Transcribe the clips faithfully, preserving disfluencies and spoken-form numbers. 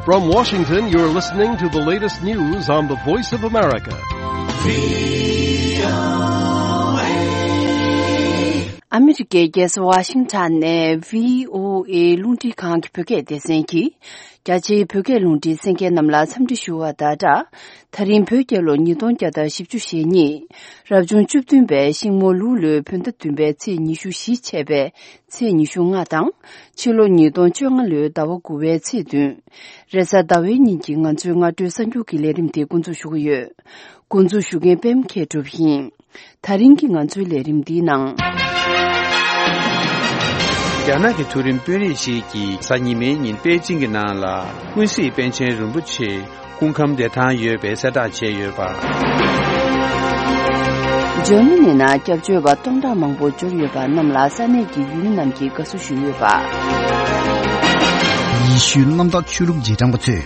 From Washington, you're listening to the latest news on the Voice of America. ཨ་མི་རི་ཀའི་རྒྱལ་ས་ཝ་ཤིང་ཊོན་ནས་བྷི་ཨོ་ཨེ་རླུང་འཕྲིན་ཁང་གི་བོད་སྐད་སྡེ་ཚན་གྱིས། རྒྱ་ཆེའི་བོད་སྐད་རླུང་འཕྲིན་གསན་མཁན་རྣམས་ལ་འཚམས་འདྲི་ཞུ་བ་དང་སྦྲགས། ད་རིང་བོད་རྒྱལ་ལོ་ཉིས་སྟོང་བརྒྱ་དང་བཞི་བཅུ་ཞེ་གཉིས། རབ་བྱུང་བཅུ་བདུན་པའི་ཤིང་མོ་ལུག་ལོའི་བོད་ཟླ་བདུན་པའི་ཚེས་ཉི་ཤུ་བཞི་ཆད་པའི་ཚེས་ཉི་ཤུ་ལྔ་དང་། ཕྱི་ལོ་ཉིས་སྟོང་བཅོ་ལྔ་ལོའི་ཟླ་བ་དགུ་པའི་ཚེས་བདུན། རེས་གཟའ་ཟླ་བའི་ཉིན་གྱི་ང་ཚོའི་སྔ་དྲོའི་གསར་འགྱུར་གྱི་ལས་རིམ་དེ་འགོ་འཛུགས་ཞུ་གི་ཡོད། འགོ་འཛུགས་ཞུ་མཁན་པད་མ་མཁས་གྲུབ་ཡིན། ད་རིང་གི་ང་ཚོའི་ལས་རིམ་འདིའི་ནང་། རྒྱ་ནག་གི་མཐོ་རིམ་དཔོན་རིགས་ཤིག་གིས་གཟའ་ཉི་མའི་ཉིན་པེ་ཅིང་གི་ནང་ལ་ཀུན་གཟིགས་པཎ་ཆེན་རིན་པོ་ཆེ་སྐུ་ཁམས་བདེ་ཐང་ཡོད་པའི་གསལ་བསྒྲགས་བྱས་ཡོད་པ། འཇར་མ་ནི་ནང་སྐྱབས་བཅོལ་བ་སྟོང་ཕྲག་མང་པོ་འབྱོར་ཡོད་པ་རྣམས་ལ་ས་གནས་ཀྱི་ཡུལ་མི་རྣམས་ཀྱིས་དགའ་བསུ་ཞུས་ཡོད་པ། ཡེ་ཤུའི་གནམ་བདག་ཆོས་ལུགས་རྗེས་འབྲང་པ་ཚོས་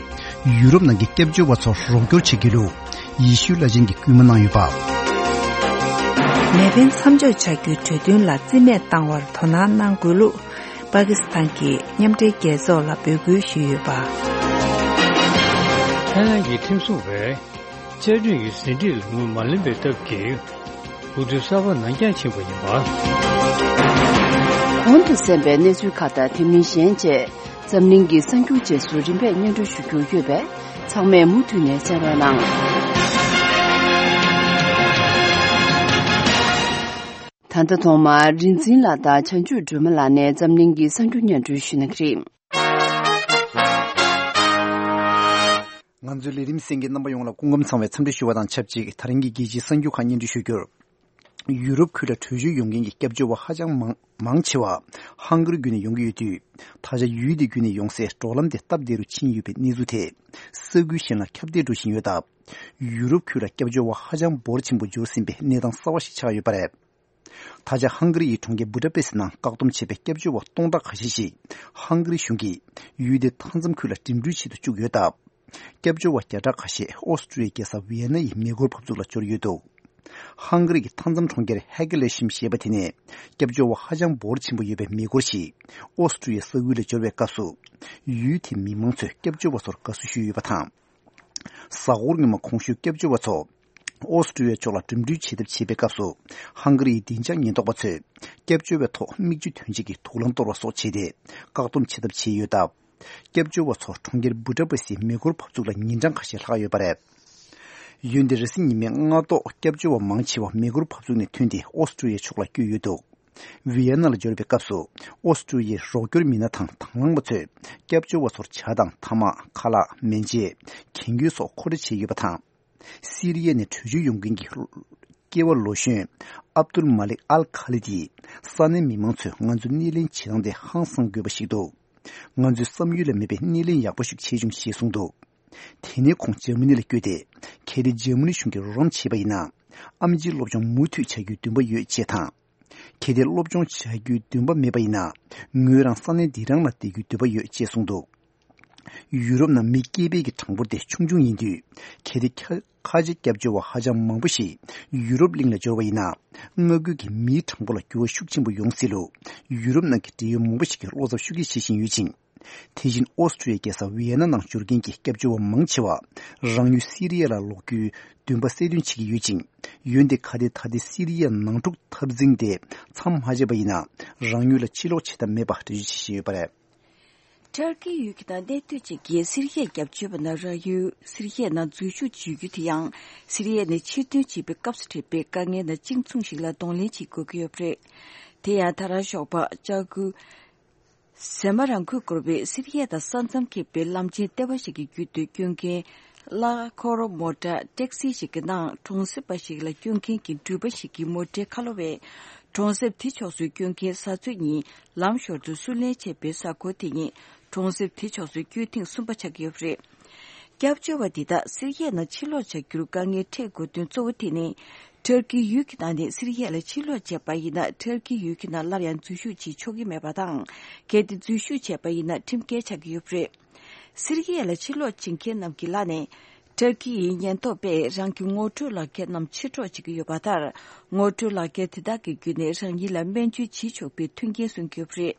ཡུ་རོབ་ནང་གི་སྐྱབས་བཅོལ་བ་ཚོར་རོགས་སྐྱོར་བྱེད་རྒྱུ་ལུགས་ཡེ་ཤུའི་བླ་ཆེན་གྱིས་སྐུལ་མ་གནང་ཡོད་པ། མེ་འཕེན་མཚམས་འཇོག་བྱ་རྒྱུའི་གྲོས་མཐུན་ལ་རྩིས་མེད་བཏང་བར་དོ་སྣང་གནང་དགོས་ལུགས་པ་ཀི་སི་ཐན་གྱིས་མཉམ་འབྲེལ་རྒྱལ་ཚོགས་ལ་འབོད་སྐུལ་ཞུས་ཡོད་པ། ཐའི་ལན་གྱི་ཁྲིམས་སྲུང་བས་བཅའ་སྒྲིག་གི་ཟིན་བྲིས་ལ་ངོས་མ་ལེན་པའི་སྟབས་ཀྱིས། འུ་ཚོའི་གསར་པ་ནང་འགྱངས་ཕྱིན་པ་ཡིན་པ། གོང་དུ་གསན་པའི་གནས་ཚུལ་ཁག་དང་དེ་མིན་གཞན་བཅས་འཛམ་གླིང་གི་གསར་འགྱུར་རྗེས་སུ་རིམ་པས་སྙན་སྒྲོན་ཞུ་རྒྱུ་ཡོད་པས་ཚང་མས་མུ་མཐུད་ནས་གསན་རོགས་གནང་། ད་ལྟ་ཐོག་མར་རིག་འཛིན་ལགས་དང་བྱང་ཆུབ་སྒྲོལ་མ་ལགས་ནས་འཛམ་གླིང་གི་གསར་འགྱུར་སྙན་སྒྲོན་ཞུ་གནང་གི་རེད། ང་ཚོའི་ལས་རིམ་གསན་མཁན་རྣམ་པ་ཡོངས་ལ་སྐུ་ཁམས་བཟང་བའི་འཚམས་འདྲི་ཞུ་བ་དང་ཆབས་ཅིག་ད་རིང་གི་རྒྱལ་སྤྱིའི་གསར་འགྱུར་ཁག་སྙན་སྒྲོན་ཞུ་རྒྱུར། ཡུ་རོབ་ཁུལ་ལ་བྲོས་བྱོལ་ཡོང་མཁན་གྱི་སྐྱབས་བཅོལ་བ་ཧ་ཅང་མང་མང་ཆེ་བ་ཧང་ག་རི་བརྒྱུད་ནས་ཡོང་གི་ཡོད་དུས། ད་ཆ་ཡུལ་དེ་བརྒྱུད་ནས་ཡོང་སའི་འགྲོ་ལམ་དེ་སྟབས་བདེ་རུ་ཕྱིན་ཡོད་པའི་གནས་ཚུལ་དེ་ས་ཁུལ་གཞན་ལ་ཁྱབ་གདལ་འགྲོ་བཞིན་ཡོད་སྟབས། ཡུ་རོབ་ཁུལ་ལ་སྐྱབས་བཅོལ་བ་ཧ་ཅང་འབོར་ཆེན་པོ་འབྱོར་ཟིན་པའི་གནས་སྟངས་གསར་བ་ཞིག་ཆགས་ཡོད་པ་རེད། ད་ཆ་ཧང་ག་རི་ཡི་གྲོང་ཁྱེར་བུ་ད་པེ་སི་ནང་བཀག་སྡོམ་བྱས་པའི་སྐྱབས་བཅོལ་བ་སྟོང་ཕྲག་ཁ་ཤས་ཤིག་ཧང་ག་རི་གཞུང་གིས་ཡུལ་དེའི་མཐའ་མཚམས་ཁུལ་ལ་འགྲིམ་འགྲུལ་བྱེད་དུ་བཅུག་ཡོད་སྟབས། སྐྱབས་བཅོལ་བ་བརྒྱ་ཕྲག་ཁ་ཤས་ཨོ་སི་ཀྲུ་ཡའི་རྒྱལ་ས་ཝི་ཡན་ན་ཡི་མེ་འཁོར་བབས་ཚུགས་ལ་འབྱོར་ཡོད་འདུག་ཧང་ག་རི་གི་མཐའ་མཚམས་གྲོང་ཁྱེར་ཧེ་ཀེ་ལེ་ཤིམ་ཞེས་པ་དེ་ནས་སྐྱབས་བཅོལ་བ་ཧ་ཅང་འབོར་ཆེན་པོ་ཡོད་པའི་མེ་འཁོར་ཞིག་ཨོ་སི་ཀྲུ་ཡའི་ས་ཁུལ་ལ་འབྱོར་བའི་སྐབས་སུ། ཡུལ་དེའི་མི་མང་ཚོས་སྐྱབས་བཅོལ་བ་ཚོར་དགའ་བསུ་ཞུས་ཡོད་པ་དང་། གཟའ་འཁོར་སྔོན་མ་གོང་ཞུས་སྐྱབས་བཅོལ་བ་ཚོ་ཨོ་སི་ཀྲུ་ཡ་ཕྱོགས་ལ་འགྲིམ་འགྲུལ་བྱེད་ཐབས་བྱེད་པའི་སྐབས་སུ། ཧང་ག་རི་ཡི་བདེ་འཇགས་ཉེན་རྟོག་པ་ཚོས་སྐྱབས་བཅོལ་བའི་ཐོག་མིག་ཆུ་ཐོན་ཆེད་ཀྱི་དུག་རླངས་གཏོར་བ་སོགས་བྱས་ཏེ་བཀག་སྡོམ་བྱེད་ཐབས་བྱས་ཡོད་སྟབས། སྐྱབས་བཅོལ་བ་ཚོ་གྲོང་ཁྱེར་བུ་ད་པེ་སིའི་མེ་འཁོར་བབས་ཚུགས་ལ་ཉིན་གྲངས་ཁ་ཤས་ལྷག་ཡོད་པ་རེད། འོན་ཏེ་རེས་གཟའ་ཉི་མའི་སྔ་ཐོག་སྐྱབས་བཅོལ་བ་མང་ཆེ་བ་མེ་འཁོར་བབས་ཚུགས་ནས་ཐོན་ཏེ་ཨོ་སི་ཀྲུ་ཡ་ཕྱོགས་ལ་བསྐྱོད་ཡོད་འདུག་ཝི་ཡན་ན་ལ་འབྱོར་བའི་སྐབས་སུ་ཨོ་སི་ཀྲུ་ཡའི་རོགས་སྐྱོར་མི་སྣ་དང་དང་བླངས་པ་ཚོས་སྐྱབས་བཅོལ་བ་ཚོར་ཇ་དང་ཐ་མག་ཁ་ལག་མེ་ལྕེ། གན་རྒྱུ་སོགས་མཁོ་སྤྲོད་བྱས་ཡོད་པ་དང་། སི་རི་ཡ་ནས་བྲོས་བྱོལ་ཡོང་མཁན་གྱི་སྐྱེས་པ་ལོ་གཞོན་ཨབ་ཏུལ་མ་ལིག་ཨལ་ཁ་ལི་དིས་ས་གནས་མི་མང་ཚོས་ང་ཚོའི་སྣེ་ལེན་བྱེད་སྟངས་དེ་ཧང་སང་དགོས་པ་ཞིག་འདུག་ང་ཚོའི་བསམ་ཡུལ་ལས་མེད་པའི་སྣེ་ལེན་ཡག་པོ་ཞིག་བྱས་བྱུང་ཞེས་གསུངས་འདུག་དེ་ནས་ཁོང་འཇར་མ་ནི་ལ་བསྐྱོད་དེ། གལ་ཏེ་འཇར་མ་ནི་གཞུང་གིས་རོགས་རམ་བྱས་པ་ཡིན་ན། ཨེམ་ཆི་སློབ་སྦྱོང་མུ་མཐུད་བྱ་རྒྱུའི་འདུན་པ་ཡོད་ཅེས་དང་། གལ་ཏེ་སློབ་སྦྱོང་བྱ་རྒྱུའི་འདུན་པ་མེད་པ་ཡིན་ན། ངོས་རང་ས་གནས་འདི་རང་ལ་བསྡད་རྒྱུའི་འདུན་པ་ཡོད་ཅེས་གསུངས་འདུག་ཡུ་རོབ་ནང་མི་སྐྱེས་འཕེལ་གྱི་གྲངས་འབོར་དེ་ཆུང་ཆུང་ཡིན་དུས། གལ་ཏེ་ཁ་ཁ་ཆེ་སྐྱབས་བཅོལ་བ་ཧ་ཅང་མང་པོ་ཞིག་ཡུ་རོབ་གླིང་ལ་འབྱོར་བ་ཡིན་ན། མངའ་ཁུལ་གྱི་མིའི་གྲངས་འབོར་ལ་འགྱུར་བ་ཤུགས་ཆེན་པོ་ཡོང་སྲིད་ལུགས་ཡུ་རོབ་ནང་གི་འབྲེལ་ཡོད་མང་པོ་ཞིག་གིས་བློ་འཚབ་ཤུགས་ཆེ་བྱེད་བཞིན་ཡོད་ཅིང་། དེ་བཞིན་ཨོ་སི་ཀྲུ་ཡའི་རྒྱལ་ས་ཝི་ཡན་ན་ནང་འབྱོར་མཁན་གྱི་སྐྱབས་བཅོལ་བ་མང་ཆེ་བ་རང་ཡུལ་སི་རི་ཡ་ལ་ལོག་རྒྱུའི་འདུན་པ་གསལ་སྟོན་བྱེད་ཀྱི་ཡོད་ཅིང་། འོན་ཏེ་གལ་ཏེ་ད་ལྟའི་སི་རི་ཡའི་ནང་འཁྲུག་འཐབ་འཛིང་དེ་མཚམས་མ་ཆད་པ་ཡིན་ན། རང་ཡུལ་ལ་ཕྱིར་ལོག་བྱེད་ཐབས་མེད་པ་འགྲེལ་བརྗོད་བྱེད་བཞིན་ཡོད་པ་རེད། ཏུར་ཀི་ཡུལ་གྱི་ནང་གནས་སྡོད་བྱེད་མཁན་སི་རི་ཡའི་སྐྱབས་བཅོལ་བ་རྣམས་རང་ཡུལ་སི་རི་ཡའི་ནང་འཛུལ་ཞུགས་བྱེད་རྒྱུ་དེ་ཡང་སི་རི་ཡ་ནས་ཕྱིར་ཐོན་བྱེད་པའི་སྐབས་སུ་འཕྲད་པའི་དཀའ་ངལ་ནང་གཅིག་མཚུངས་ཤིག་ལ་གདོང་ལེན་བྱེད་དགོས་ཀྱི་ཡོད་པ་རེད། དེ་ཡང་ད་རང་ཞོགས་པ་ལྕགས་སྐུད་ཟེ་མ་རང་ཁུལ་བསྐོར་བའི་སི་རི་ཡ་དང་ས་མཚམས་ཁེབས་པའི་ལམ་ཆེན་ལྟེ་བ་ཞིག་གི་རྒྱུད་དུ་སྐྱོད་མཁན་གླ་འཁོར་མོ་ཊ་ཊེག་སི་ཞིག་གི་ནང་གྲོང་གསེབ་པ་ཞིག་ལ་སྐྱོད་མཁན་གྱི་འགྲུལ་པ་ཞིག་གི་མོ་ཊའི་ཁ་ལོ་བས་གྲོང་གསེབ་དེ་ཕྱོགས་སུ་སྐྱོད་མཁན་བཟའ་ཚོ་གཉིས་ལམ་ཞོར་དུ་བསུ་ལེན་བྱས་པའི་གཟའ་འཁོར་དེ་ཉིད་གྲོང་གསེབ་དེ་ཕྱོགས་སུ་སྐྱོད་ཐེངས་གསུམ་པ་ཆགས་ཀྱི་ཡོད་པ་རེད། སྐྱབས་བཅོལ་བ་འདི་དག་སི་རི་ཡ་ནང་ཕྱིར་ལོག་བྱ་རྒྱུར་དཀའ་ངལ་འཕྲད་དགོས་དོན་གཙོ་བོ་དེ་ནི། ཏུར་ཀི་ཡུལ་གྱི་ནང་ནས་སི་རི་ཡ་ལ་ཕྱིར་ལོག་བྱས་པ་ཡིན་ན་ཏུར་ཀི་ཡུལ་གྱི་ནང་སླར་ཡང་འཛུལ་ཞུགས་བྱེད་ཆོག་གི་མེད་པ་དང་། གལ་ཏེ་འཛུལ་ཞུགས་བྱས་པ་ཡིན་ན་ཁྲིམས་འགལ་ཆགས་ཀྱི་ཡོད་པ་རེད། སི་རི་ཡ་ལ་ཕྱིར་ལོག་བྱེད་མཁན་རྣམས་ཀྱི་ལག་ནས་ཏུར་ཀི་ཡི་ཉེན་རྟོག་པས་རང་གི་ངོ་སྤྲོད་ལག་འཁྱེར་རྣམས་ཕྱིར་སྤྲོད་བྱེད་ཀྱི་ཡོད་པ་ལྟར། ངོ་སྤྲོད་ལག་འཁྱེར་དེ་དག་གི་བརྒྱུད་ནས་རང་ཉིད་ལ་སྨན་བཅོས་བྱེད་ཆོག་པའི་མཐུན་རྐྱེན་སྲུང་གི་ཡོད་པ་རེད།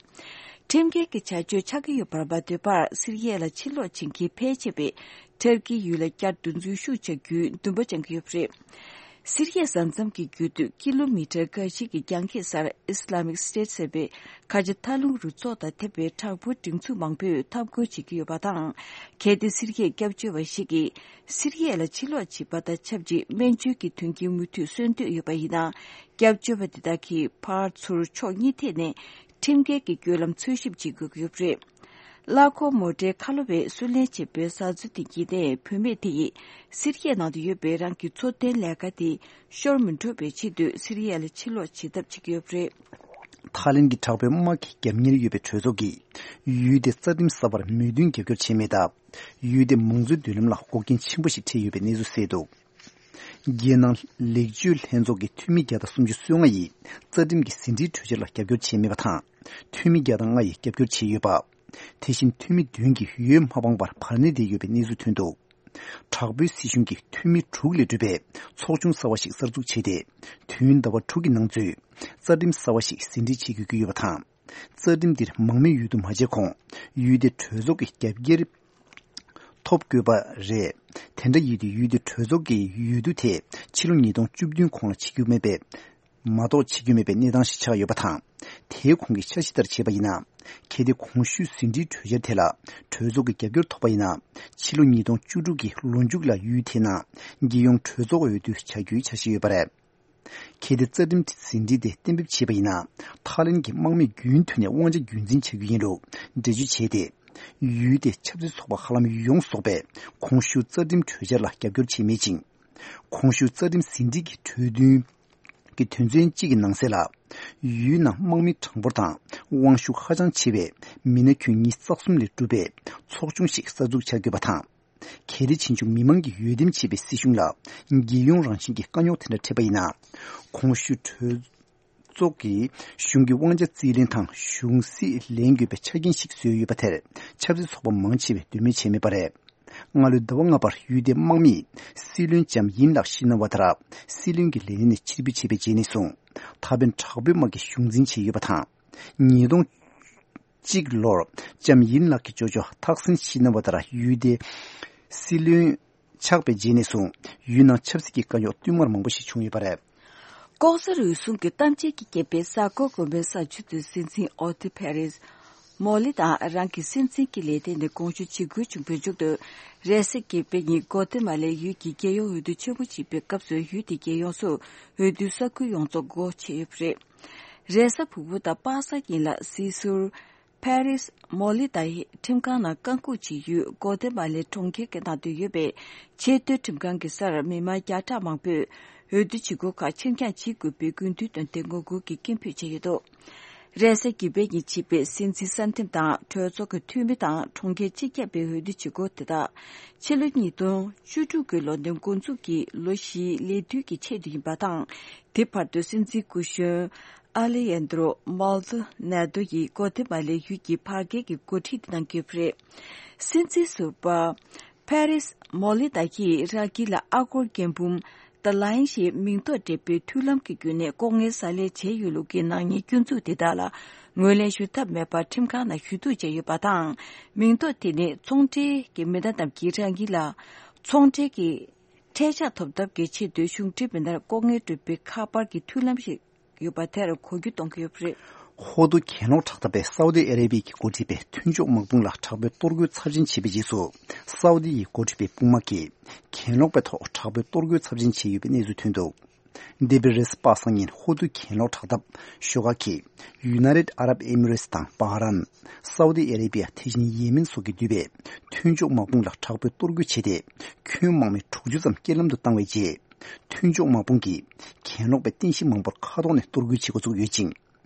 ཁྲིམས་འགལ་གྱི་བྱ་སྤྱོད་ཆགས་ཀྱི་ཡོད་པར་མ་ལྟོས་པར་སི་རི་ཡ་ལ་ཕྱིར་ལོག་བྱེད་མཁན་ཕལ་ཆེ་བས་ཐུར་ཀིའི་ཡུལ་ལ་བསྐྱར་དུ་འཛུལ་ཞུགས་བྱ་རྒྱུའི་འདུན་པ་བཅངས་ཀྱི་ཡོད་པ་རེད། སི་རི་ཡའི་ས་མཚམས་ཀྱི་རྒྱུད་དུ་ཀི་ལོ་མི་ཊར་འགའ་ཞིག་གི་རྒྱང་ཁྱེད་སར་Islamic State ཟེར་བའི་ཁ་ཆེ་མཐའ་ལྷུང་རུ་ཚོགས་དང་འཐབ་པའི་དྲག་པོའི་སྒྲིག་འཛུགས་མང་པོས་འཐབ་རྒོལ་བྱེད་ཀྱི་ཡོད་པ་དང་། གལ་ཏེ་སི་རི་ཡའི་སྐྱབས་བཅོལ་བ་ཞིག་གིས་སི་རི་ཡ་ལ་ཕྱིར་ལོག་བྱེད་པ་དང་ཆབས་ཅིག་སྨན་བཅོས་ཀྱི་མཐུན་རྐྱེན་མུ་མཐུད་གསོན་འདོད་ཡོད་པ་ཡིན་ན། སྐྱབས་བཅོལ་བ་དེ་དག་གིས་ཕར་ཚུར་ཕྱོགས་གཉིས་ཐད་ནས་ཁྲིམས་འགལ་གྱི་བརྒྱུད་ལམ་འཚོལ་ཞིབ་བྱེད་དགོས་ཀྱི་ཡོད་པ་རེད། གླ་འཁོར་མོ་ཊའི་ཁ་ལོ་བས་སུན་ལན་བྱེད་པའི་བཟའ་ཚོ་དེ་གྱིས་ནས་བུད་མེད་དེ་ཡིས་སི་རི་ཡའི་ནང་དུ་ཡོད་པའི་རང་གི་འཚོ་རྟེན་ལས་ཀ་དེ་ཤོར་མི་འགྲོ་བའི་ཆེད་དུ་སི་རི་ཡ་ལ་ཕྱིར་ལོག་བྱེད་ཐབས་བྱེད་ཀྱི་ཡོད་པ་རེད། ཐའི་ལེན་གྱི་དྲག་པོའི་དམག་གི་རྒྱབ་གཉེར་ཡོད་པའི་གྲོས་ཚོགས་ཀྱིས་ཡུལ་དེ་རྩ་ཁྲིམས་གསར་པར་མོས་མཐུན་རྒྱབ་སྐྱོར་བྱས་མེད་སྟབས། ཡུལ་དེ་མང་གཙོའི་མདུན་ལམ་ལ་འགོག་རྐྱེན་ཆེན་པོ་ཞིག་འཕྲད་ཡོད་པའི་གནས་ཚུལ་གསལ་འདུག་རྒྱལ་ནང་ལེགས་བཅོས་ལྷན་ཚོགས་ཀྱི་འཐུས་མི་བརྒྱ་དང་སུམ་ཅུ་སོ་ལྔ་ཡིས་རྩ་ཁྲིམས་ཀྱི་ཟིན་བྲིས་གྲོས་འཆར་ལ་རྒྱབ་སྐྱོར་བྱས་མེད་པ་དང་། འཐུས་མི་བརྒྱ་དང་ལྔ་ཡིས་རྒྱབ་སྐྱོར་བྱས་ཡོད་པ། དེ་བཞིན་འཐུས་མི་བདུན་གྱིས་འོས་མ་འཕངས་པར་བར་གནས་བསྡད་ཡོད་པའི་གནས་ཚུལ་ཐོན་འདུག་དྲག་པོའི་སྲིད་གཞུང་གིས་འཐུས་མི་དྲུག་ལས་གྲུབ་པའི་ཚོགས་ཆུང་གསར་བ་ཞིག་གསར་འཛུགས་བྱས་ཏེ། དུས་ཡུན་ཟླ་བ་དྲུག་གི་ནང་ཚུད་རྩ་ཁྲིམས་གསར་བ་ཞིག་ཟིན་བྲིས་བྱེད་དགོས་ཀྱི་ཡོད་པ་དང་། རྩ་ཁྲིམས་འདིར་མང་མོས་འོས་བསྡུ་མ་བྱས་གོང་ཡུལ་དེ་གྲོས་ཚོགས་ཀྱི་རྒྱབ་འགལ་ཐོབ་དགོས་པ་རེད། དེ་འདྲ་ཡིན་དུས་ཡུལ་དེ་གྲོས་ཚོགས་ཀྱི་འོས་བསྡུ་དེ་ཕྱི་ལོ་ཉིས་སྟོང་བཅུ་བདུན་གོང་ལ་བྱེད་རྒྱུ་མེད་པའི་མ་གཏོགས་བྱེད་རྒྱུ་མེད་པའི་གནས་སྟངས་ཤིག་ཆགས་ཡོད་པ་དང་། དེའི་གོང་གི་འཆར་གཞི་ལྟར་བྱས་པ་ཡིན་ན། གལ་ཏེ་གོང་ཞུས་ཟིན་བྲིས་གྲོས་འཆར་དེ་ལ་གྲོས་ཚོགས་ཀྱི་རྒྱབ་སྐྱོར་ཐོབ་པ་ཡིན་ན། ཕྱི་ལོ་ཉིས་སྟོང་བཅུ་དྲུག་གི་ལོ་མཇུག་ལ་ཡུལ་དེའི་ནང་རྒྱལ་ཡོངས་གྲོས་ཚོགས་འོས་བསྡུ་བྱ་རྒྱུའི་འཆར་གཞི་ཡོད་པ་རེད། གལ་ཏེ་རྩ་ཁྲིམས་ཟིན་བྲིས་དེ་གཏན་འབེབས་བྱས་པ་ཡིན་ན། ཐའི་ལེན་གྱི་དམག་མིས་རྒྱུན་མཐུད་ནས་དབང་ཆ་རྒྱུན་འཛིན་བྱ་རྒྱུ་ཡིན་ལུགས་འགྲེལ་བརྗོད་བྱས་ཏེ། ཡུལ་དེ་ཆབ་སྲིད་ཚོགས་པ་ཧ་ལམ་ཡོངས་རྫོགས་པས་གོང་ཞུས་རྩ་ཁྲིམས་གྲོས་འཆར་ལ་རྒྱབ་སྐྱོར་བྱས་མེད་ཅིང་། གོང་ཞུས་རྩ་ཁྲིམས་ཟིན་བྲིས་ཀྱི་གྲོས་མཐུན་གྱི་དོན་ཚན་གཅིག་གི་ནང་གསལ་ལ། ཡུལ་ནང་དམག་མི་གྲངས་འབོར་དང་དབང་ཤུགས་ཧ་ཅང་ཆེ་བའི་མི་སྣ་ཁྱོན་ཉིས་རྩ་གསུམ་ལས་གྲུབ་པའི་ཚོགས་ཆུང་ཞིག་གསར་འཛུགས་བྱ་དགོས་པ་དང་། གལ་ཏེ་ཕྱིན་ཆད་མི་མང་གིས་འོས་འདེམས་བྱས་པའི་སྲིད་གཞུང་ལ་རྒྱལ་ཡོངས་རང་བཞིན་གྱི་དཀའ་རྙོག་དེ་འདྲ་འཕྲད་པ་ཡིན་ན། གོང་ཞུས་གྲོས་ཚོགས་ཀྱིས་གཞུང་གི་དབང་ཆ་རྩིས་ལེན་དང་གཞུང་སྲིད་ལེན་དགོས་པའི་ཆ་རྐྱེན་ཞིག་བཟོས་ཡོད་པ་དེར་ཆབ་སྲིད་ཚོགས་པ་མང་ཆེ་བས་འདོད་མོས་བྱས་མེད་པ་རེད། སྔ་ལོའི་ཟླ་བ་ལྔ་བར་ཡུལ་དེའི་དམག་མིས་སྲིད་བློན་ལྕམ་ཡིན་ལགས་ཤི་ན་ཝ་ཐ་ར་སྲིད་བློན་གྱི་ལས་གནས་ནས་ཕྱིར་འབུད་བྱས་པའི་རྗེས་ནས་བཟུང་། ད་ཕན་དྲག་པོའི་དམག་གིས་གཞུང་འཛིན་བྱས་ཡོད་པ་དང་། ཉིས་སྟོང་གཅིག་ལོར་ལྕམ་ཡིན་ལགས་ཀྱི་ཅོ་ཅོ་ཐག་སིན་ཤི་ན་ཝ་ད་ར་ཡུལ་དེའི་སྲིད་བློན་ཆགས་པའི་རྗེས་ནས་བཟུང་ཡུལ་ནང་ཆབ་སྲིད་ཀྱི་དཀའ་རྙོག་བསྟུད་མར་མང་པོ་ཞིག་བྱུང་ཡོད་པ་རེད། ལྐོག་ཟ་རུལ་སུངས་ཀྱི་གཏམ་བྱེད་ཀྱི་རྐྱེན་པས་གཟའ་འཁོར་དགོན་པའི་ས་ཆུ་ཚོད་སྲིད་འཛིན་ཨོ་ཏི་ཕེ་རིས་མོ་ལི་དང་རང་གི་སྲིད་འཛིན་གྱི་ལས་ཐད་ནས་དགོངས་ཞུ་བྱེད་དགོས་བྱུང་བའི་མཇུག་ཏུ། རེས་གཟའ་གི་པའི་ཉིན་གོ་ཏི་མ་ལའི་ཡུལ་གྱི་རྒྱལ་ཡོངས་འོས་བསྡུ་ཆེན་པོ་བྱེད་པའི་སྐབས་སུ་ཡུལ་དེའི་རྒྱལ་ཡོངས་སུ་འོས་བསྡུའི་ས་ཁུལ་ཡོངས་རྫོགས་སྒོ་ཕྱེ་ཡོད་པ་རེད། རེས་གཟའ་ཕུར་བུ་དང་པ་སངས་ཉིན་ལ་སྲིད་ཟུར་ཕེ་རིས་མོ་ལི་ཏཱ་ཡིས་ཁྲིམས་ཁང་ནང་བཀའ་འགུག་བྱེད་ཡུལ་གོ་ཏི་མ་ལའི་གྲོང་ཁྱེར་གྱི་ནང་དུ་ཡོད་པའི་ཆེས་མཐོའི་ཁྲིམས་ཁང་གི་སར་མི་མང་བརྒྱ་ཕྲག་མང་པོས་འོས་བསྡུ་བྱེད་སྒོ་ཁག་ཕྱིར་འགྱངས་བྱེད་དགོས་པའི་དགོས་འདུན་བཏོན་ཏེ་ངོ་རྒོལ་གྱི་སྐད་འབོད་བྱས་ཡོད་འདུག་རེས་གཟའ་གི་པའི་ཉིན་བྱེད་པའི་སྲིད་འཛིན་གསར་འདེམས་དང་གྲོས་ཚོགས་ཀྱི་འཐུས་མི་དང་གྲོང་ཁྱེར་སྤྱི་ཁྱབ་པའི་འོས་བསྡུ་བྱེད་སྒོ་དེ་དག་ཕྱི་ལོ་ཉིས་སྟོང་བཅུ་དྲུག་གི་ལོ་ནས་འགོ་འཛུགས་ཀྱིས་ལོ་བཞིའི་ལས་དུས་ཀྱི་ཆེད་དུ་ཡིན་པ་དང་། དེ་བར་དུ་སྲིད་འཛིན་སྐུ་གཞོན་ཨ་ལེ་ཡན་དྲོ་མཱལ་དོ་ནེ་དོ་ཡིས་གོ་ཏི་མ་ལའི་ཡུལ་གྱི་བར་བརྒལ་གྱི་འགོ་ཁྲིད་དེ་གནང་གི་ཡོད་པ་རེད། སྲིད་འཛིན་ཟུར་པ་ཕེ་རིས་མོ་ལི་ཏཱ་ཡིས་རང་གི་ལ་ཨ་སྒོར་རྒན་འབུམ་The Lion ཞེས་མིང་འདོགས་འབྲེལ་པའི་མཐུན་ལམ་གྱི་བརྒྱུད་ནས་ལྐོག་རྔན་ཟ་ལས་བྱས་ཡོད་ལུགས་ཀྱི་ནག་ཉེས་སྐྱོན་འཛུགས་དེ་དག་ལ་ངོས་ལེན་ཞུ་ཐབས་མེད་པར་ཁྲིམས་ཁང་ནང་ཞུ་གཏུག་བྱས་ཡོད་པ་དང་། མིང་འདོགས་དེ་ནི་ཚོང་འབྲེལ་གྱི་མི་སྣ་རྣམས་ཀྱིས་རང་གི་ལ་ཚོང་འབྲེལ་གྱི་འཕྲལ་ཆག་ཐོབ་ཐབས་ཀྱི་ཆེད་དུ་གཞུང་འབྲེལ་མི་སྣར་ལྐོག་རྔན་སྤྲོད་པའི་ཁ་པར་གྱི་མཐུན་ལམ་ཞིག་ཡོད་པ་དེར་གོ་རྒྱུ་གཏོང་གི་ཡོད་པ་རེད། ཧོར་འདུལ་གྱེན་ལོག་དྲག་འཐབ་པས་སའུ་ཏི་ཨ་རེ་བྷི་ཡའི་འགོ་ཁྲིད་པས་མཐུན་ཕྱོགས་དམག་དཔུང་ལ་དྲག་པོའི་གཏོར་རྒོལ་ཚབས་ཆེན་བྱས་པའི་རྗེས་སུ། སའུ་ཏི་ཡི་འགོ་ཁྲིད་པའི་དཔུང་དམག་གིས་གྱེན་ལོག་པའི་ཐོག་དྲག་པོའི་གཏོར་རྒོལ་ཚབས་ཆེན་བྱས་ཡོད་པའི་གནས་ཚུལ་ཐོན་འདུག་འདས་པའི་རེས་གཟའ་པ་སངས་ཉིན་ཧོར་འདུལ་གྱེན་ལོག་དྲག་འཐབ་ཤོག་ཁག་གིས་ཡུ་ནའི་ཊེཌ་ཨ་རབ་ཨེ་མི་རེ་ཊི་དང་བྷ་རན། སའུ་ཏི་ཨ་རེ་བྷི་ཡ་དེ་བཞིན་ཡེ་མེན་སོགས་ཀྱིས་བསྡུས་པའི་མཐུན་ཕྱོགས་དམག་དཔུང་ལ་དྲག་པོའི་གཏོར་རྒོལ་བྱས་ཏེ། ཁྱོན་དམག་མི་དྲུག་ཅུ་ཙམ་རྐྱེན་ལམ་དུ་བཏང་བའི་རྗེས། མཐུན་ཕྱོགས་དམག་དཔུང་གིས་གྱེན་ལོག་པའི་རྟེན་གཞི་མང་པོར་མཁའ་ཐོག་ནས་གཏོར་རྒོལ་བྱེད་འགོ་བཙུགས་ཡོད་ཅིང་།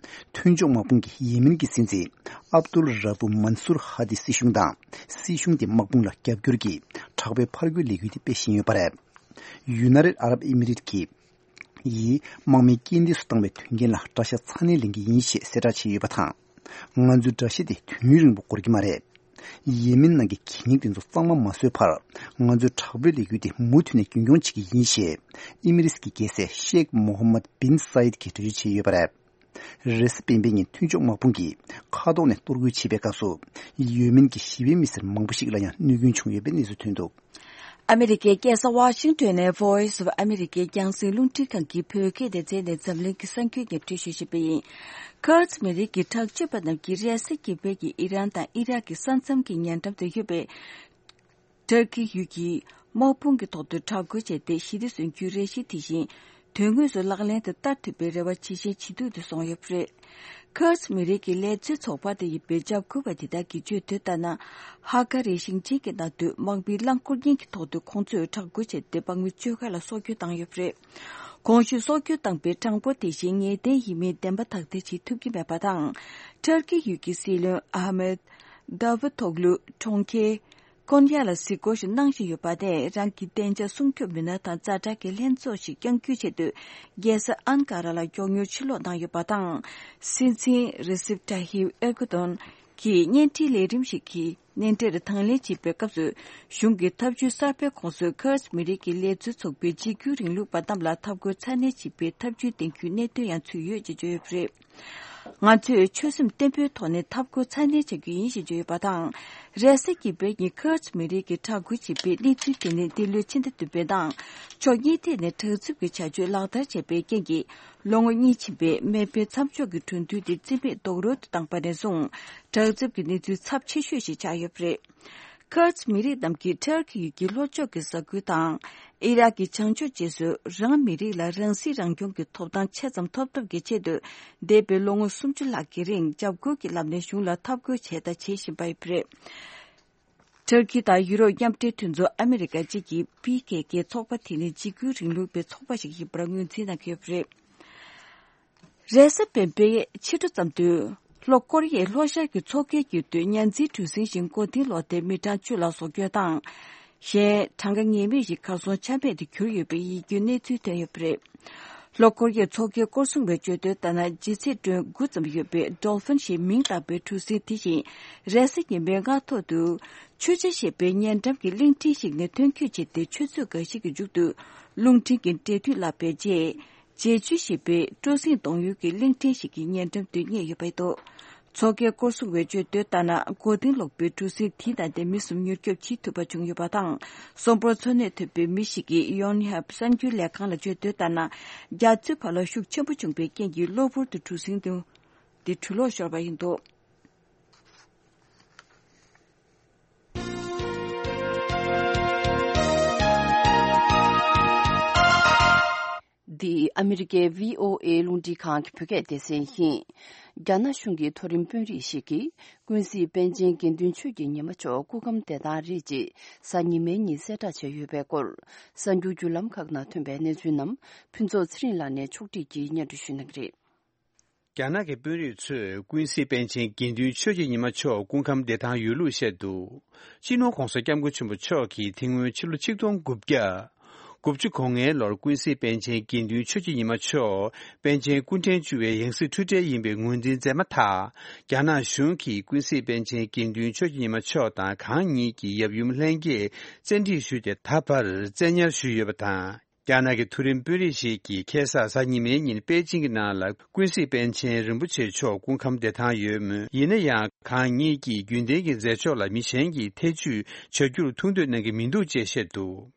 མཐུན་ཕྱོགས་དམག་དཔུང་གིས་ཡེ་མེན་གྱི་སྲིད་འཛིན་ཨབ་ཏུལ་ར་བྷུ་མན་སུར་ཧ་དི་སྲིད་གཞུང་དང་། སྲིད་གཞུང་དེའི་དམག་དཔུང་ལ་རྒྱབ་སྐྱོར་གྱིས་དྲག་པོའི་ཕར་རྒོལ་ལས་འགུལ་དེ་སྤེལ་བཞིན་ཡོད་པ་རེད། ཡུ་ནའི་ཊེཌ་ཨ་རབ་ཨེ་མི་རེ་ཊི་ཡིས་དམག་མི་རྐྱེན་འདས་སུ་བཏང་བའི་དོན་རྐྱེན་ལ་དགྲ་ཤ་ཚ་ནན་ལེན་གྱི་ཡིན་ཞེས་གསལ་བསྒྲགས་བྱས་ཡོད་པ་དང་། ང་ཚོའི་དགྲ་ཤ་དེ་དུས་ཡུན་རིང་པོ་འགོར་གྱི་མ་རེད། ཡེ་མེན་ནང་གི་གད་སྙིགས་དེ་ཚོ་གཙང་མ་མ་བཟོས་བར། ང་ཚོས་དྲག་པོའི་ལས་འགུལ་དེ་མུ་མཐུད་ནས་རྒྱུན་འཁྱོངས་བྱེད་ཀྱི་ཡིན་ཞེས། ཨེ་མི་རེ་ཊི་ཀྱི་རྒྱལ་སྲས་ཤེག་མོ་ཧམ་མད་བིན་སཱ་ཡིད་ཀྱིས་འགྲེལ་བརྗོད་བྱས་ཡོད་པ་རེད། རེས་གཟའ་སྤེན་པའི་ཉིན་མཐུན་ཕྱོགས་དམག་དཔུང་གིས་མཁའ་ཐོག་ནས་གཏོར་རྒོལ་བྱས་པའི་སྐབས་སུ། ཡོ་མེན་གྱི་ཞི་བའི་མི་སེར་མང་པོ་ཞིག་ལ་ཡང་གནོད་སྐྱོན་བྱུང་ཡོད་པའི་གནས་ཚུལ་ཐོན་འདུག། ཨ་མི་རི་ཀའི་རྒྱལ་ས་ཝ་ཤིང་ཏོན་ནས་Voice of America རྒྱང་སྲིང་རླུང་འཕྲིན་ཁང་གི་བོད་སྐད་སྡེ་ཚན་ནས་འཛམ་གླིང་གི་གསར་འགྱུར་སྙན་སྒྲོན་ཞུ་བཞིན་པ་ཡིན། ཁུར་ཛི་མི་རིགས་ཀྱི་དྲག་སྤྱོད་པ་རྣམས་ཀྱིས་རེས་གཟའ་ཉི་མའི་ཉིན་ཨི་རན་དང་ཨི་རག་གི་ས་མཚམས་ཀྱི་ཉེ་འགྲམ་དུ་ཡོད་པའི་ཏུར་ཀི་ཡུལ་གྱི་དམག་དཔུང་གི་ཐོག་ཏུ་དྲག་རྒོལ་བྱས་ཏེ། ཞི་བདེ་སྲུང་སྐྱོབ་རེ་ཞིག་དེ་བཞིན་དོན་དངོས་སུ་ལག་ལེན་དུ་བསྟར་ཐུབ་པའི་རེ་བ་ཇེ་ཞན་ཇེ་སྡུག་ཏུ་སོང་ཡོད་པ་རེད། ཁུར་ཛི་མི་རིགས་ཀྱི་ལས་བཟོའི་ཚོགས་པ་དེ་ཡིན་པའི་འཇབ་རྒོལ་བ་དེ་དག་གིས་བརྗོད་དོན་ལྟར་ན། ཧ་ཀ་རི་ཞིང་ཆེན་གྱི་ནང་དུ་དམག་མིའི་རླངས་འཁོར་རྐྱེན་གྱི་ཐོག་ཏུ་ཁོང་ཚོས་དྲག་རྒོལ་བྱས་ཏེ། དམག་མི་བཅོ་ལྔ་ལ་སྲོག་སྐྱོན་བཏང་ཡོད་པ་རེད། གོང་ཞུས་སྲོག་སྐྱོན་བཏང་པའི་གྲངས་འབོར་དེ་བཞིན་ངེས་གཏན་ཡིན་མིན་བདེན་པ་དག་ཐེར་བྱེད་ཐུབ་ཀྱི་མེད་པ་དང་། ཏུར་ཀི་ཡུལ་གྱི་སྲིད་བློན་ཨ་མེད་དཱ་ཝུ་ཐོག་ལུ་གྲོང་ཁྱེར་ཀོན་ཡ་ལ་གཟིགས་སྐོར་ཞིག་གནང་བཞིན་ཡོད་པ་དེས། རང་གི་བདེ་འཇགས་སྲུང་སྐྱོབ་མི་སྣ་དང་ཛ་དྲག་གི་ལྷན་ཚོགས་ཤིག་བསྐྱང་རྒྱུའི་ཆེད་དུ། རྒྱལ་ས་ཨན་ཀ་ར་ལ་མགྱོགས་མྱུར་ཕྱིར་ལོག་གནང་ཡོད་པ་དང་། སྲིད་འཛིན་རེ་སིབ་ཏཱ་ཧིབ་ཨེར་ཀོ་ཏོན་གྱིས་བརྙན་འཕྲིན་ལས་རིམ་ཞིག་གི་མནན་གྲལ་དང་ལེན་བྱེད་པའི་སྐབས་སུ། གཞུང་གི་ཐབས་ཇུས་གསར་པའི་ཁོངས་སུ་ཁུར་ཛི་མི་རིགས་ཀྱི་ལས་བཟོའི་ཚོགས་པའི་གཅིག་གྱུར་རིང་ལུགས་པ་རྣམས་ལ་འཐབ་རྒོལ་ཚ་ནན་བྱེད་པའི་ཐབས་ཇུས་འདིང་རྒྱུའི་གནད་དོན་ཡང་ཚུད་ཡོད་ཅེས་བརྗོད་ཡོད་པ་རེད། ང་ཚོས་ཆོད་སེམས་བརྟན་པོའི་ཐོག་ནས་འཐབ་རྒོལ་ཚ་ནན་བྱ་རྒྱུ་ཡིན་ཞེས་བརྗོད་ཡོད་པ་དང་། རེས་གཟའ་ཉི་མའི་ཉིན་ཁུར་ཛི་མི་རིགས་ཀྱིས་དྲག་རྒོལ་བྱས་པའི་གནས་ཚུལ་དེ་ནི་འདི་ལོའི་ཕྱི་ཟླ་བདུན་པའི་ནང་ཕྱོགས་གཉིས་ཐད་ནས་དྲག་འཇིགས་ཀྱི་བྱ་སྤྱོད་ལག་བསྟར་བྱས་པའི་རྐྱེན་གྱིས། ལོ་ངོ་གཉིས་ཕྱིན་པའི་མེ་འཕེན་མཚམས་འཇོག་གི་གྲོས་མཐུན་དེ་རྩིས་མེད་རྡོག་རོལ་དུ་བཏང་པ་ནས་བཟུང་། དྲག་འཇིགས་ཀྱི་གནས་ཚུལ་ཚབས་ཆེ་ཤོས་ཤིག་ཆགས་ཡོད་པ་རེད། ཁུར་ཛི་མི་རིགས་རྣམས་ཀྱིས་ཏུར་ཀི་ཡུལ་གྱི་ལྷོ་ཕྱོགས་ཀྱི་ས་ཁུལ་དང་། ཨི་རག་གི་བྱང་ཕྱོགས་བཅས་སུ་རང་མི་རིགས་ལ་རང་སྲིད་རང་སྐྱོང་གི་ཐོབ་ཐང་ཆེ་ཙམ་ཐོབ་ཐབས་ཀྱི་ཆེད་དུ། འདས་པའི་ལོ་ངོ་སུམ་ཅུ་ལྷག་གི་རིང་འཇབ་རྒོལ་གྱི་ལམ་ནས་གཞུང་ལ་འཐབ་རྒོལ་བྱས་དང་བྱེད་བཞིན་པ་ཡིན་པ་རེད། ཏུར་ཀི་དང་ཡུ་རོབ་མཉམ་འབྲེལ་མཐུན་ཚོགས་ཨ་མི་རི་ཀ་གཅིག་གི་པི་ཀེ་ཀེ་ཚོགས་པ་དེ་ནི་འཇིགས་སྐུལ་རིང་ལུགས་པའི་ཚོགས་པ་ཞིག་ཡིན་པར་ངོས་འཛིན་གནང་གི་ཡོད་པ་རེད། རེས་གཟའ་སྤེན་པའི་ཕྱི་དྲོ་ཙམ་དུ། ལྷོ་ཀོ་རི་ཡའི་ལྷོ་ཤར་གྱི་མཚོ་ཁའི་དཀྱིལ་དུ་མཉའ་འཛིན་གྲུ་གཟིངས་ཤིག་མགོ་རྟིང་སློག་སྟེ་མི་གྲངས་བཅུ་ལ་སྲོག་སྐྱོན་དང་། གཞན་གྲངས་ཀ་ངེས་མེད་ཞིག་གར་སོང་ཆ་མེད་དུ་གྱུར་ཡོད་པའི་ཡིད་སྐྱོའི་གནས་ཚུལ་ཐོན་ཡོད་པ་རེད། ལྷོ་ཀོ་རི་ཡའི་མཚོ་ཁའི་སྐོར་སྲུང་བས་བརྗོད་དོན་ལྟར་ན། ལྗིད་ཚད་ཊོན་དགུ་ཙམ་ཡོད་པའི་Dolphin ཞེས་མིང་བཏགས་པའི་གྲུ་གཟིངས་དེ་བཞིན་རེས་གཟའ་ཉི་མའི་སྔ་ཐོག་ཏུ། མཆོད་ཆ་ཞེས་པའི་ཉེ་འགྲམ་གྱི་གླིང་ཕྲན་ཞིག་ནས་ཐོན་སྐྱོད་བྱས་ཏེ། ཆུ་ཚོད་འགའ་ཞིག་གི་མཇུག་ཏུ་རླུང་འཕྲིན་གྱི་འབྲེལ་མཐུད་བརླག་པའི་རྗེས། ཇེ་ཆུ་ཞེས་པའི་སྤྲོ་གསེང་གཏོང་ཡུལ་གྱི་གླིང་ཕྲན་ཞིག་གི་ཉེ་འགྲམ་དུ་རྙེད་ཡོད་པ་རེད་འདུག། མཚོ་ཁའི་སྐོར་སྲུང་བས་བརྗོད་དོན་ལྟར་ན། མགོ་རྟིང་སློག་པའི་གྲུ་གཟིངས་དེའི་ནང་དེ་མི་གསུམ་མྱུར་སྐྱོབ་བྱེད་ཐུབ་པ་བྱུང་ཡོད་པ་དང་། གསོན་པོར་འཚོ་གནས་ཐུབ་པའི་མི་ཞིག་གིས་ཡོན་ཧབ་གསར་འགྱུར་ལས་ཁང་ལ་བརྗོད་དོན་ལྟར་ན། རྒྱ་མཚོའི་བར་ལ་ཤུགས་ཆེན་པོ་བྱུང་པའི་རྐྱེན་གྱིས་གློ་བུར་དུ་གྲུ་གཟིངས་དེ་འགྲུལ་ལོག་ཤོར་བ་ཡིན་འདུག། འདི་ཨ་མི་རི་ཀའི་བྷི་ཨོ་ཨེ་རླུང་འཕྲིན་ཁང་གི་བོད་སྐད་སྡེ་ཚན་ཡིན། རྒྱ་ནག་གཞུང་གི་མཐོ་རིམ་དཔོན་རིགས་ཤིག་གིས་ཀུན་གཟིགས་པཎ་ཆེན་དགེ་འདུན་ཆོས་ཀྱི་ཉི་མ་མཆོག་སྐུ་ཁམས་བདེ་ཐང་རེད་ཅེས་གཟའ་ཉི་མའི་ཉིན་གསལ་བསྒྲགས་བྱས་ཡོད་པའི་སྐོར། གསར་འགྱུར་བརྒྱུད་ལམ་ཁག་ནང་ཐོན་པའི་གནས་ཚུལ་རྣམས་ཕུན་ཚོགས་ཚེ་རིང་ལགས་ནས་ཕྱོགས་སྒྲིག་གིས་སྙན་སྒྲོན་ཞུ་གནང་གི་རེད། རྒྱ་ནག་གི་དཔོན་རིགས་ཚོས་ཀུན་གཟིགས་པཎ་ཆེན་དགེ་འདུན་ཆོས་ཀྱི་ཉི་མ་མཆོག་སྐུ་ཁམས་བདེ་ཐང་ཡོད་ལུགས་བཤད་འདུག། སྤྱི་ནོར་༧གོང་ས་༧སྐྱབས་མགོན་ཆེན་པོ་མཆོག་གིས་དེ་སྔོན་ཕྱི་ལོ་ཆིག་སྟོང་དགུ་བརྒྱ་དགུ་བཅུ་གོ་ལྔའི་ལོར་ཀུན་གཟིགས་པཎ་ཆེན་དགེ་འདུན་ཆོས་ཀྱི་ཉི་མ་མཆོག་པཎ་ཆེན་སྐུ་ཕྲེང་བཅུ་པའི་ཡང་སྲིད་འཁྲུལ་བྲལ་ཡིན་པའི་ངོས་འཛིན་མཛད་མ་ཐག། རྒྱ་ནག་གཞུང་གིས་ཀུན་གཟིགས་པཎ་ཆེན་དགེ་འདུན་ཆོས་ཀྱི་ཉི་མ་མཆོག་དང་གང་ཉིད་ཀྱི་ཡབ་ཡུམ་ལྷན་རྒྱས་བཙན་ཁྲིད་ཞུས་ཏེ། ད་བར་བཙན་ཉར་ཞུས་ཡོད་པ་དང་། རྒྱ་ནག་གི་མཐོ་རིམ་དཔོན་རིགས་ཤིག་གིས་ཁ་སང་གཟའ་ཉི་མའི་ཉིན་པེ་ཅིང་གི་ནང་ལ་ཀུན་གཟིགས་པཎ་ཆེན་རིན་པོ་ཆེ་མཆོག་སྐུ་ཁམས་བདེ་ཐང་ཡོད་མོད། ཡིན་ན་ཡང་གང་ཉིད་ཀྱིས་རྒྱུན་ལྡན་གྱི་མཛད་ཕྱོགས་ལ་མི་གཞན་གྱིས་ཐེ་ཇུས་བྱ་རྒྱུར་ཐུགས་འདོད་གནང་གི་མི་འདུག་ཅེས་བཤད་འདུག།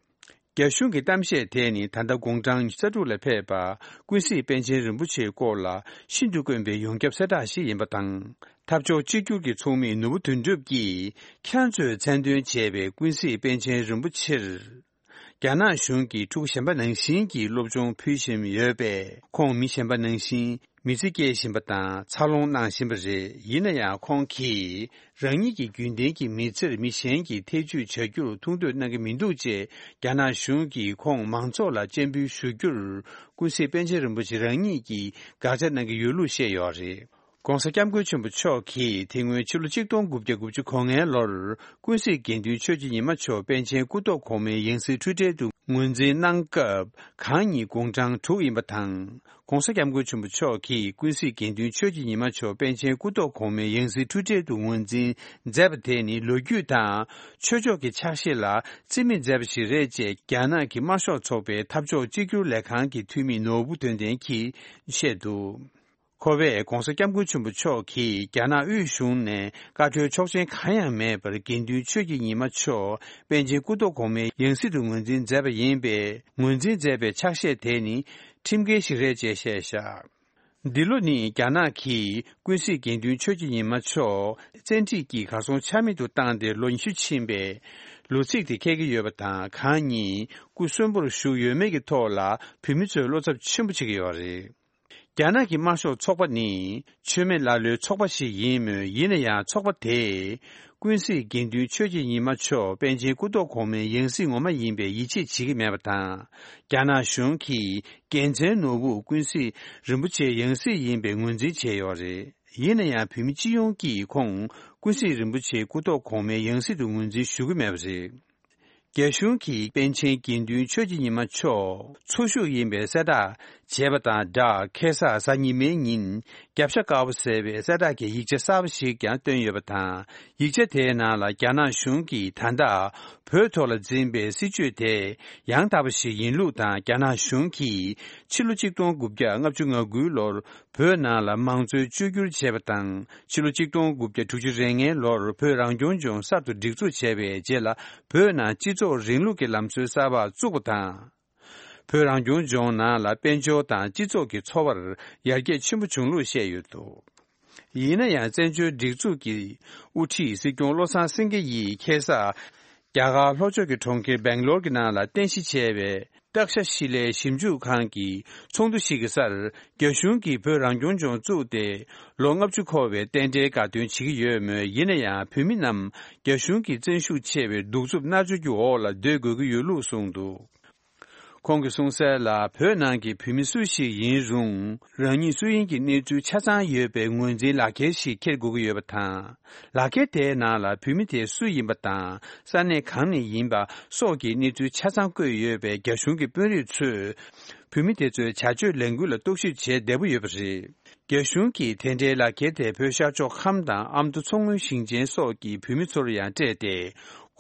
རྒྱ་གཞུང་གི་གཏམ་བཤད་དེ་ནི་ད་ལྟ་དགུང་གྲངས་ཉི་ཤུ་རྩ་དྲུག་ལ་ཕེབས་པ་ཀུན་གཟིགས་པཎ་ཆེན་རིན་པོ་ཆེའི་སྐོར་ལ་ཤིན་ཏུ་དཀོན་པའི་ཡོངས་ཁྱབ་གསལ་བསྒྲགས་ཤིག་ཡིན་པ་དང་། འཐབ་ཕྱོགས་གཅིག་གྱུར་གྱི་ཚོགས་མི་ནོར་བུ་དོན་གྲུབ་ཀྱིས་ཁྱེད་རང་ཚོས་མཚན་འདོན་བྱས་པའི་ཀུན་གཟིགས་པཎ་ཆེན་རིན་པོ་ཆེར། རྒྱ་ནག་གཞུང་གིས་ཕྲུ་གུ་གཞན་པ་ནང་བཞིན་གྱི་སློབ་སྦྱོང་ཕུལ་བཞིན་ཡོད་པས། ཁོང་མི་གཞན་པ་ནང་བཞིན་མི་ཚེ་སྐྱེལ་བཞིན་པ་དང་འཚར་ལོངས་གནང་བཞིན་པ་རེད། ཡིན་ན་ཡང་ཁོང་གིས་རང་ཉིད་ཀྱི་རྒྱུན་ལྡན་གྱི་མི་ཚེར་མི་གཞན་གྱིས་ཐེ་ཇུས་བྱ་རྒྱུར་ཐུགས་འདོད་གནང་གི་མི་འདུག་ཅེས། རྒྱ་ནག་གཞུང་གིས་ཁོང་མང་ཚོགས་ལ་སྤྱན་འབུལ་ཞུ་རྒྱུར་ཀུན་གཟིགས་པཎ་ཆེན་རིན་པོ་ཆེ་རང་ཉིད་ཀྱིས་དགག་བྱ་གནང་གི་ཡོད་ལུགས་བཤད་ཡོད་རེད། ༸གོང་ས་༸སྐྱབས་མགོན་ཆེན་པོ་མཆོག་གིས་དེ་སྔོན་ཕྱི་ལོ་ཆིག་སྟོང་དགུ་བརྒྱ་དགུ་བཅུ་གོ་ལྔའི་ལོར་ཀུན་གཟིགས་དགེ་འདུན་ཆོས་ཀྱི་ཉི་མ་མཆོག་པཎ་ཆེན་སྐུ་ཐོག་གོང་མའི་ཡང་སྲིད་འཁྲུལ་བྲལ་དུ་ངོས་འཛིན་གནང་སྐབས་གང་ཉིད་དགུང་གྲངས་དྲུག་ཡིན་པ་དང་། ༸གོང་ས་༸སྐྱབས་མགོན་ཆེན་པོ་མཆོག་གིས་ཀུན་གཟིགས་དགེ་འདུན་ཆོས་ཀྱི་ཉི་མ་མཆོག་པཎ་ཆེན་སྐུ་ཐོག་གོང་མའི་ཡང་སྲིད་འཁྲུལ་བྲལ་དུ་ངོས་འཛིན་མཛད་པ་དེ་ནི་ལོ་རྒྱུས་དང་ཆོས་ཕྱོགས་ཀྱི་ཕྱག་བཞེས་ལ་རྩིས་མེད་མཛད་པ་ཞིག་རེད་ཅེས་རྒྱ་ནག་གི་དམར་ཤོག་ཚོགས་པའི་འཐབ་ཕྱོགས་གཅིག་གྱུར་ལས་ཁང་གི་འཐུས་མི་ནོར་བུ་དོན་ལྡན་གྱིས་བཤད་འདུག། ཁོ་བས་༧གོང་ས་༧སྐྱབས་མགོན་ཆེན་པོ་མཆོག་གིས་རྒྱ་ནག་དབུས་གཞུང་ནས་བཀའ་འཁྲོལ་ཆོག་མཆན་གང་ཡང་མེད་པར་དགེ་འདུན་ཆོས་ཀྱི་ཉི་མ་མཆོག་པཎ་ཆེན་སྐུ་ཐོག་གོང་མའི་ཡང་སྲིད་དུ་ངོས་འཛིན་མཛད་པ་ཡིན་པས། ངོས་འཛིན་མཛད་པའི་ཕྱག་བཞེས་དེ་ནི་ཁྲིམས་འགལ་ཞིག་རེད་ཅེས་བཤད་བཞག་འདི་ལོ་ནི་རྒྱ་ནག་གིས་ཀུན་གཟིགས་དགེ་འདུན་ཆོས་ཀྱི་ཉི་མ་མཆོག་བཙན་ཁྲིད་ཀྱིས་གར་སོང་ཆ་མེད་དུ་བཏང་སྟེ་ལོ་ཉི་ཤུ་ཕྱིན་པའི་ལོ་ཚིགས་དེ་འཁེལ་གྱི་ཡོད་པ་དང་། གང་ཉིད་སྐུ་གསོན་པོར་བཞུགས་ཡོད་མེད་ཀྱི་ཐོག་ལ་བོད་མི་ཚོས་བློ་འཚབ་ཆེན་པོ་བྱེད་ཀྱི་ཡོད་རེད། རྒྱ་ནག་གི་དམར་ཤོག་ཚོགས་པ་ནི་ཆོས་མེད་ལ་ལུའི་ཚོགས་པ་ཞིག་ཡིན་མོད། ཡིན་ན་ཡང་ཚོགས་པ་དེས་ཀུན་གཟིགས་དགེ་འདུན་ཆོས་ཀྱི་ཉི་མ་མཆོག་པཎ་ཆེན་སྐུ་ཐོག་གོང་མའི་ཡང་སྲིད་ངོ་མ་ཡིན་པའི་ཡིད་ཆེས་བྱེད་ཀྱི་མེད་པ་དང་། རྒྱ་ནག་གཞུང་གིས་རྒྱལ་མཚན་ནོར་བུ་ཀུན་གཟིགས་རིན་པོ་ཆེའི་ཡང་སྲིད་ཡིན་པའི་ངོས་འཛིན་བྱས་ཡོད་རེད། ཡིན་ན་ཡང་བོད་མི་སྤྱི་ཡོངས་ཀྱིས་ཁོང་ཀུན་གཟིགས་རིན་པོ་ཆེའི་སྐུ་ཐོག་གོང་མའི་ཡང་སྲིད་དུ་ངོས་འཛིན་ཞུ་གི་མེད་པ་རེད། རྒྱ་གཞུང་གིས་པཎ་ཆེན་དགེ་འདུན་ཆོས་ཀྱི་ཉི་མ་མཆོག་འཚོ་བཞུགས་ཡིན་པའི་གསལ་བསྒྲགས་བྱས་པ་དང་སྦྲགས། ཁ་སང་གཟའ་ཉི་མའི་ཉིན་རྒྱབ་ཤ་དཀར་པོ་ཟེར་བའི་གསལ་བསྒྲགས་ཀྱི་ཡིག་ཆ་གསར་པ་ཞིག་ཀྱང་བཏོན་ཡོད་པ་དང་། ཡིག་ཆ་དེའི་ནང་ལ་རྒྱ་ནག་གཞུང་གིས་ད་ལྟ་བོད་ཐོག་ལ་འཛིན་པའི་སྲིད་བྱུས་དེ་ཡང་དག་པ་ཞིག་ཡིན་ལུགས་དང་། རྒྱ་ནག་གཞུང་གིས་ཕྱི་ལོ་ཆིག་སྟོང་དགུ་བརྒྱ་ལྔ་བཅུ་ང་དགུའི་ལོར་བོད་ནང་ལ་མང་གཙོའི་བཅོས་བསྒྱུར་བྱས་པ་དང་། ཕྱི་ལོ་ཆིག་སྟོང་དགུ་བརྒྱ་དྲུག་ཅུ་རེ་ལྔའི་ལོར་བོད་རང་སྐྱོང་ལྗོངས་གསར་དུ་སྒྲིག་འཛུགས་བྱས་པའི་རྗེས་ལ། བོད་ནང་སྤྱི་ཚོགས་རིང་ལུགས་ཀྱི་ལམ་སྲོལ་གསར་པ་བཙུགས་པ་དང་། བོད་རང་སྐྱོང་ལྗོངས་ནང་ལ་དཔལ་འབྱོར་དང་སྤྱི་ཚོགས་ཀྱི་འཚོ་བར་ཡར་རྒྱས་ཆེན་པོ་བྱུང་ལུགས་བཤད་ཡོད་འདུག་ཡིན་ན་ཡང་། བཙན་བྱོལ་སྒྲིག་འཛུགས་ཀྱི་དབུ་ཁྲིད་སྲིད་སྐྱོང་བློ་བཟང་སེང་གེ་ཡིས་ཁ་སང་རྒྱ་གར་ལྷོ་ཕྱོགས་ཀྱི་གྲོང་ཁྱེར་སྦེང་ལོར་གྱི་ནང་ལ་རྟེན་གཞི་བྱས་པའི་སྟག་ཤ་ཤི་ལའི་ཞིབ་འཇུག་ཁང་གི་ཚོགས་འདུ་ཞིག་གི་སར། རྒྱ་གཞུང་གིས་བོད་རང་སྐྱོང་ལྗོངས་བཙུགས་ཏེ་ལོ་ལྔ་བཅུ་འཁོར་བའི་རྟེན་འབྲེལ་དགའ་སྟོན་བྱེད་ཀྱི་ཡོད་མོད། ཡིན་ན་ཡང་། བོད་མི་རྣམས་རྒྱ་གཞུང་གི་བཙན་ཤུགས་ཆེ་བའི་གདུག་རྩུབ་མནར་གཅོད་ཀྱི་འོག་ལ་སྡོད་དགོས་ཀྱི་ཡོད་ལུགས་གསུངས་འདུག་ཁོང་གིས་གསུངས་གསལ་ལ། བོད་ནང་གི་བོད་མི་སུ་ཞིག་ཡིན་རུང་། རང་ཉིད་སུ་ཡིན་གྱི་གནས་ཚུལ་ཆ་ཚང་ཡོད་པའི་ངོས་འཛིན་ལག་འཁྱེར་ཞིག་འཁྱེར་དགོས་ཀྱི་ཡོད་པ་དང་། ལག་འཁྱེར་དེའི་ནང་ལ་བོད་མི་དེ་སུ་ཡིན་པ་དང་། ས་གནས་གང་ནས་ཡིན་པ་སོགས་ཀྱི་གནས་ཚུལ་ཆ་ཚང་བཀོད་ཡོད་པས། རྒྱ་གཞུང་གི་དཔོན་རིགས་ཚོས་བོད་མི་དེ་ཚོའི་བྱ་སྤྱོད་ལས་འགུལ་ལ་རྟོག་ཞིབ་བྱེད་བདེ་པོ་ཡོད་པ་རེད། རྒྱ་གཞུང་གིས་དེ་འདྲའི་ལག་འཁྱེར་དེ་བོད་ཤར་ཕྱོགས་ཁམས་དང་ཨ་མདོ་མཚོ་སྔོན་ཞིང་ཆེན་སོགས་ཀྱི་བོད་མི་ཚོར་ཡང་སྤྲད་དེ།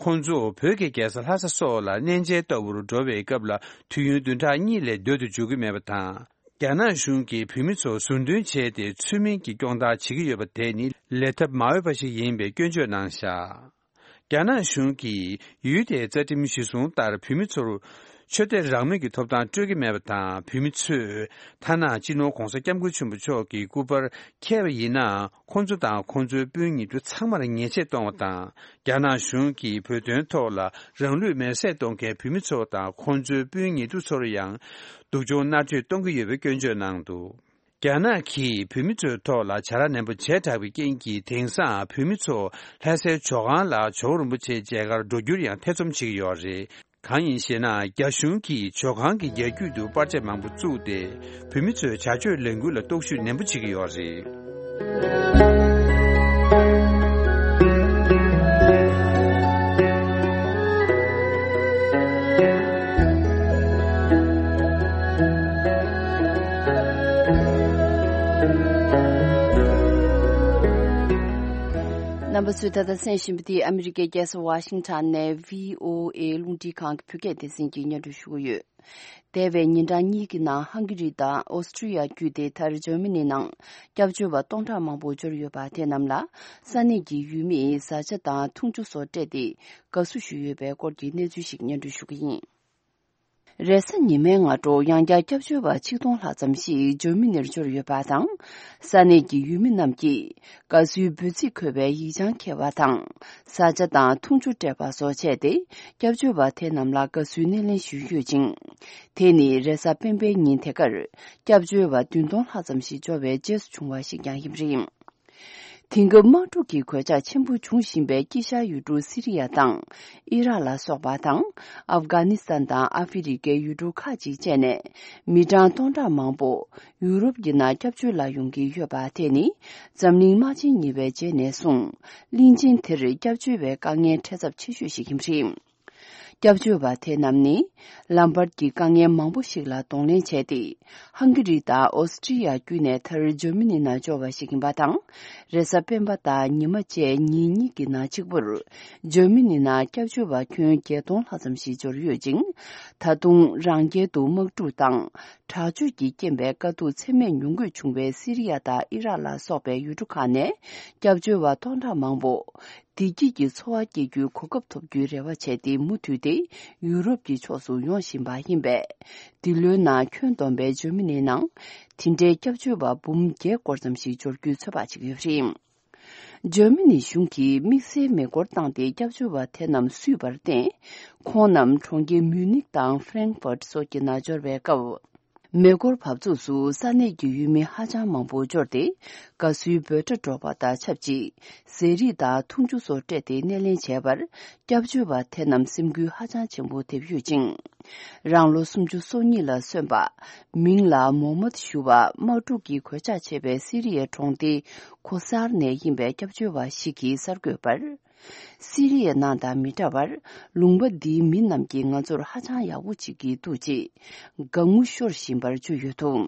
ཁོང་ཚོ་བོད་ཀྱི་རྒྱལ་ས་ལྷ་ས་སོགས་ལ་གནས་མཇལ་ལྟ་བུར་འགྲོ་བའི་སྐབས་ལ། དུས་ཡུན་བདུན་ཕྲག་གཉིས་ལས་སྡོད་དུ་འཇུག་གི་མེད་པ་དང་། རྒྱ་ནག་གཞུང་གིས་བོད་མི་ཚོ་ཟུར་འདོན་བྱས་ཏེ། ཚུལ་མིན་གྱི་སྐྱོང་བརྡར་བྱེད་ཀྱི་ཡོད་པ་དེ་ནི་ལས་ཐབས་མ་འོས་པ་ཞིག་ཡིན་པའི་སྐྱོན་བརྗོད་གནང་བཞག་རྒྱ་ནག་གཞུང་གིས་ཡུལ་དེའི་རྩ་ཁྲིམས་གཞི་བཟུང་ལྟར། བོད་མི་ཚོར་ཆོས་དད་རང་མོས་ཀྱི་ཐོབ་ཐང་སྤྲོད་ཀྱི་མེད་པ་དང་། བོད་མི་ཚོས་ཐ་ན་སྤྱི་ནོར་༧གོང་ས་༧སྐྱབས་མགོན་ཆེན་པོ་མཆོག་གི་སྐུ་པར་འཁྱེར་བ་ཡིན་ན། ཁོང་ཚོ་དང་ཁོང་ཚོའི་སྤུན་ཉེ་དུ་ཚང་མར་ཉེས་ཆད་གཏོང་བ་དང་། རྒྱ་ནག་གཞུང་གིས་བོད་དོན་ཐོག་ལ་རང་ལུས་མེར་སྲེག་གཏོང་མཁན་བོད་མི་ཚོ་དང་ཁོང་ཚོའི་སྤུན་ཉེ་དུ་ཚོར་ཡང་སྡུག་སྦྱོང་མནར་གཅོད་གཏོང་གི་ཡོད་པའི་སྐྱོན་བརྗོད་གནང་འདུག་རྒྱ་ནག་གིས་བོད་མི་ཚོའི་ཐོག་ལ་བྱ་ར་ནན་པོ་བྱས་དྲགས་པའི་རྐྱེན་གྱིས། དེང་སང་བོད་མི་ཚོ་ལྷ་སའི་ཇོ་ཁང་ལ་ཇོ་བོ་རིན་པོ་ཆེའི་མཇལ་ཁར་འགྲོ་རྒྱུར་ཡང་ཐེ་ཚོམ་བྱེད་ཀྱི་ཡོད་རེད། གང་ཡིན་ཞེ་ན། རྒྱ་གཞུང་གིས་ཇོ་ཁང་གི་རྒྱ་རྒྱུད་དུ་པར་ཆས་མང་པོ་བཙུགས་ཏེ། བོད་མི་ཚོའི་བྱ་སྤྱོད་ལས་འགུལ་ལ་རྟོག་ཞིབ་ནན་པོ་བྱེད་ཀྱི་ཡོད་རེད། རྣམ་པ་ཚོས་ད་ལྟ་གསན་བཞིན་པ་འདི་ཨ་མི་རི་ཀའི་རྒྱལ་ས་ཝ་ཤིང་ཊོན་ནས་བྷི་ཨོ་ཨེ་རླུང་འཕྲིན་ཁང་གི་བོད་སྐད་སྡེ་ཚན་གྱིས་སྙན་སྒྲོན་ཞུ་གི་ཡོད། འདས་པའི་ཉིན་གྲངས་གཉིས་ཀྱི་ནང་ཧང་གི་རི་དང་ཨོ་སི་ཀྲི་ཡ་བརྒྱུད་དེ་མཐར་འཇར་མ་ནི་ནང་སྐྱབས་བཅོལ་བ་སྟོང་ཕྲག་མང་པོ་འབྱོར་ཡོད་པ་དེ་རྣམས་ལ་ས་གནས་ཀྱི་ཡུལ་མིས་བཟའ་བཅའ་དང་འཐུང་ཆུ་སོགས་སྤྲད་དེ་དགའ་བསུ་ཞུས་ཡོད་པའི་སྐོར་གྱི་གནས་ཚུལ་ཞིག་སྙན་སྒྲོན་ཞུ་གི་ཡིན། རེས་གཟའ་ཉི་མའི་སྔ་དྲོ་ཡང་བསྐྱར་སྐྱབས་བཅོལ་བ་ཆིག་སྟོང་ལྷག་ཙམ་ཞིག་འཇར་མ་ནིར་འབྱོར་ཡོད་པ་དང་། ས་གནས་ཀྱི་ཡུལ་མི་རྣམས་ཀྱིས་དགའ་བསུའི་འབོད་ཚིག་འཁོད་པའི་ཡིག་བྱང་འཁྱེར་བ་དང་། བཟའ་བཅའ་དང་འཐུང་ཆུ་སྤྲད་པ་སོགས་བྱས་ཏེ། སྐྱབས་བཅོལ་བ་དེ་རྣམས་ལ་དགའ་བསུའི་སྣེ་ལེན་ཞུས་ཡོད་ཅིང་། དེ་ནི་རེས་གཟའ་སྤེན་པའི་ཉིན་དེ་གར་སྐྱབས་བཅོལ་བ་བདུན་སྟོང་ལྷག་ཙམ་ཞིག་འབྱོར་བའི་རྗེས་སུ་བྱུང་བ་ཞིག་ཀྱང་ཡིན་པ་རེད། དེང་སྐབས་དམག་འཁྲུག་གི་གོད་ཆག་ཆེན་པོ་འབྱུང་བཞིན་པའི་དཀྱིལ་ཤར་ཡུལ་གྲུ་སི་རི་ཡ་དང་ཨི་རག་ལ་སོགས་པ་དང་། ཨབ་གྷ་ནི་སི་ཐན་དང་ཨ་ཧྥེ་རི་ཁའི་ཡུལ་གྲུ་ཁག་ཅིག་བཅས་ནས་མི་གྲངས་སྟོང་ཕྲག་མང་པོ་ཡུ་རོབ་ཀྱི་ནང་སྐྱབས་བཅོལ་ལ་ཡོང་གི་ཡོད་པ་དེ་ནི་འཛམ་གླིང་དམག་ཆེན་གཉིས་པའི་རྗེས་ནས་བཟུང་གླིང་ཆེན་དེར་སྐྱབས་བཅོལ་བའི་དཀའ་ངལ་འཕྲད་ཚབས་ཆེ་ཤོས་ཤིག་ཡིན་པ་རེད། སྐྱབས་བཅོལ་བ་དེ་རྣམས་ནི་ལམ་བར་གྱི་དཀའ་ངལ་མང་པོ་ཞིག་ལ་གདོང་ལེན་བྱས་ཏེ། ཧང་གི་རི་དང་ཨོ་སི་ཀྲི་ཡ་བརྒྱུད་ནས་མཐར་འཇར་མ་ནི་ནང་འབྱོར་བ་ཞིག་ཡིན་པ་དང་། རེས་གཟའ་སྤེན་པ་དང་ཉི་མ་བཅས་ཉིན་གཉིས་ཀྱི་ནང་གཅིག་པུར་འཇར་མ་ནི་ནང་སྐྱབས་བཅོལ་བ་ཁྱོན་བརྒྱད་སྟོང་ལྷག་ཙམ་ཞིག་འབྱོར་ཡོད་ཅིང་། ད་དུང་རང་རྒྱལ་དུ་དམག་འཁྲུག་དང་། དྲག་སྤྱོད་ཀྱི་རྐྱེན་པས་དཀའ་སྡུག་ཚད་མེད་མྱོང་དགོས་བྱུང་བའི་སི་རི་ཡ་དང་ཨི་རག་ལ་སོགས་པའི་ཡུལ་གྲུ་ཁག་ནས་སྐྱབས་བཅོལ་བ་སྟོང་ཕྲག་མང་པོ། བདེ་སྐྱིད་ཀྱི་འཚོ་བ་སྐྱེལ་རྒྱུའི་གོ་སྐབས་ཐོབ་རྒྱུའི་རེ་བ་བྱས་ཏེ་མུ་མཐུད་དེ་ཡུ་རོབ་ཀྱི་ཕྱོགས་སུ་ཡོང་བཞིན་པ་ཡིན་པས། འདི་ལོའི་ནང་ཁྱོན་བསྡོམས་པའི་འཇར་མ་ནིའི་ནང་དེ་འདྲའི་སྐྱབས་བཅོལ་བ་འབུམ་བརྒྱད་སྐོར་ཙམ་ཞིག་འབྱོར་རྒྱུའི་ཚོད་དཔག་བྱེད་ཀྱི་ཡོད་པ་རེད། འཇར་མ་ནི་གཞུང་གིས་དམིགས་བསལ་མེ་འཁོར་བཏང་སྟེ་སྐྱབས་བཅོལ་བ་དེ་རྣམས་བསུས་པར་བརྟེན། ཁོང་རྣམས་གྲོང་ཁྱེར་མུའུ་ནིག་དང་ཧྥ་རན་ཧྥར་སོགས་ཀྱི་ནང་འབྱོར་བའི་སྐབས། མེ་འཁོར་བབས་ཚུགས་སུ་ས་གནས་ཀྱི་ཡུལ་མི་ཧ་ཅང་མང་པོ་འབྱོར་ཏེ། དགའ་བསུའི་འབོད་སྒྲ་སྒྲོག་པ་དང་ཆབས་ཅིག་ཟས་རིགས་དང་འཐུང་ཆུ་སོགས་སྤྲད་དེ་སྣེ་ལེན་བྱས་པར། སྐྱབས་བཅོལ་བ་དེ་རྣམས་སེམས་འགུལ་ཧ་ཅང་ཆེན་པོ་ཐེབས་ཡོད་ཅིང་། རང་ལོ་སུམ་ཅུ་སོ་གཉིས་ལ་སོན་པ། མིང་ལ་མོ་མད་ཞུ་བ་དམག་འཁྲུག་གིས་གོད་ཆག་ཆེ་བའི་སི་རི་ཡའི་གྲོང་སྡེ་ཁོ་སར་ནས་ཡིན་པའི་སྐྱབས་བཅོལ་བ་ཞིག་གིས་གསར་འགོད་པར། སི་རི་ཡའི་ནང་དང་མི་འདྲ་བར། ལུང་པ་འདིའི་མི་རྣམས་ཀྱིས་ང་ཚོར་ཧ་ཅང་ཡག་པོ་བྱེད་ཀྱི་འདུག་ཅེས་དགའ་ངུ་ཤོར་བཞིན་པར་བརྗོད་ཡོད་འདུག་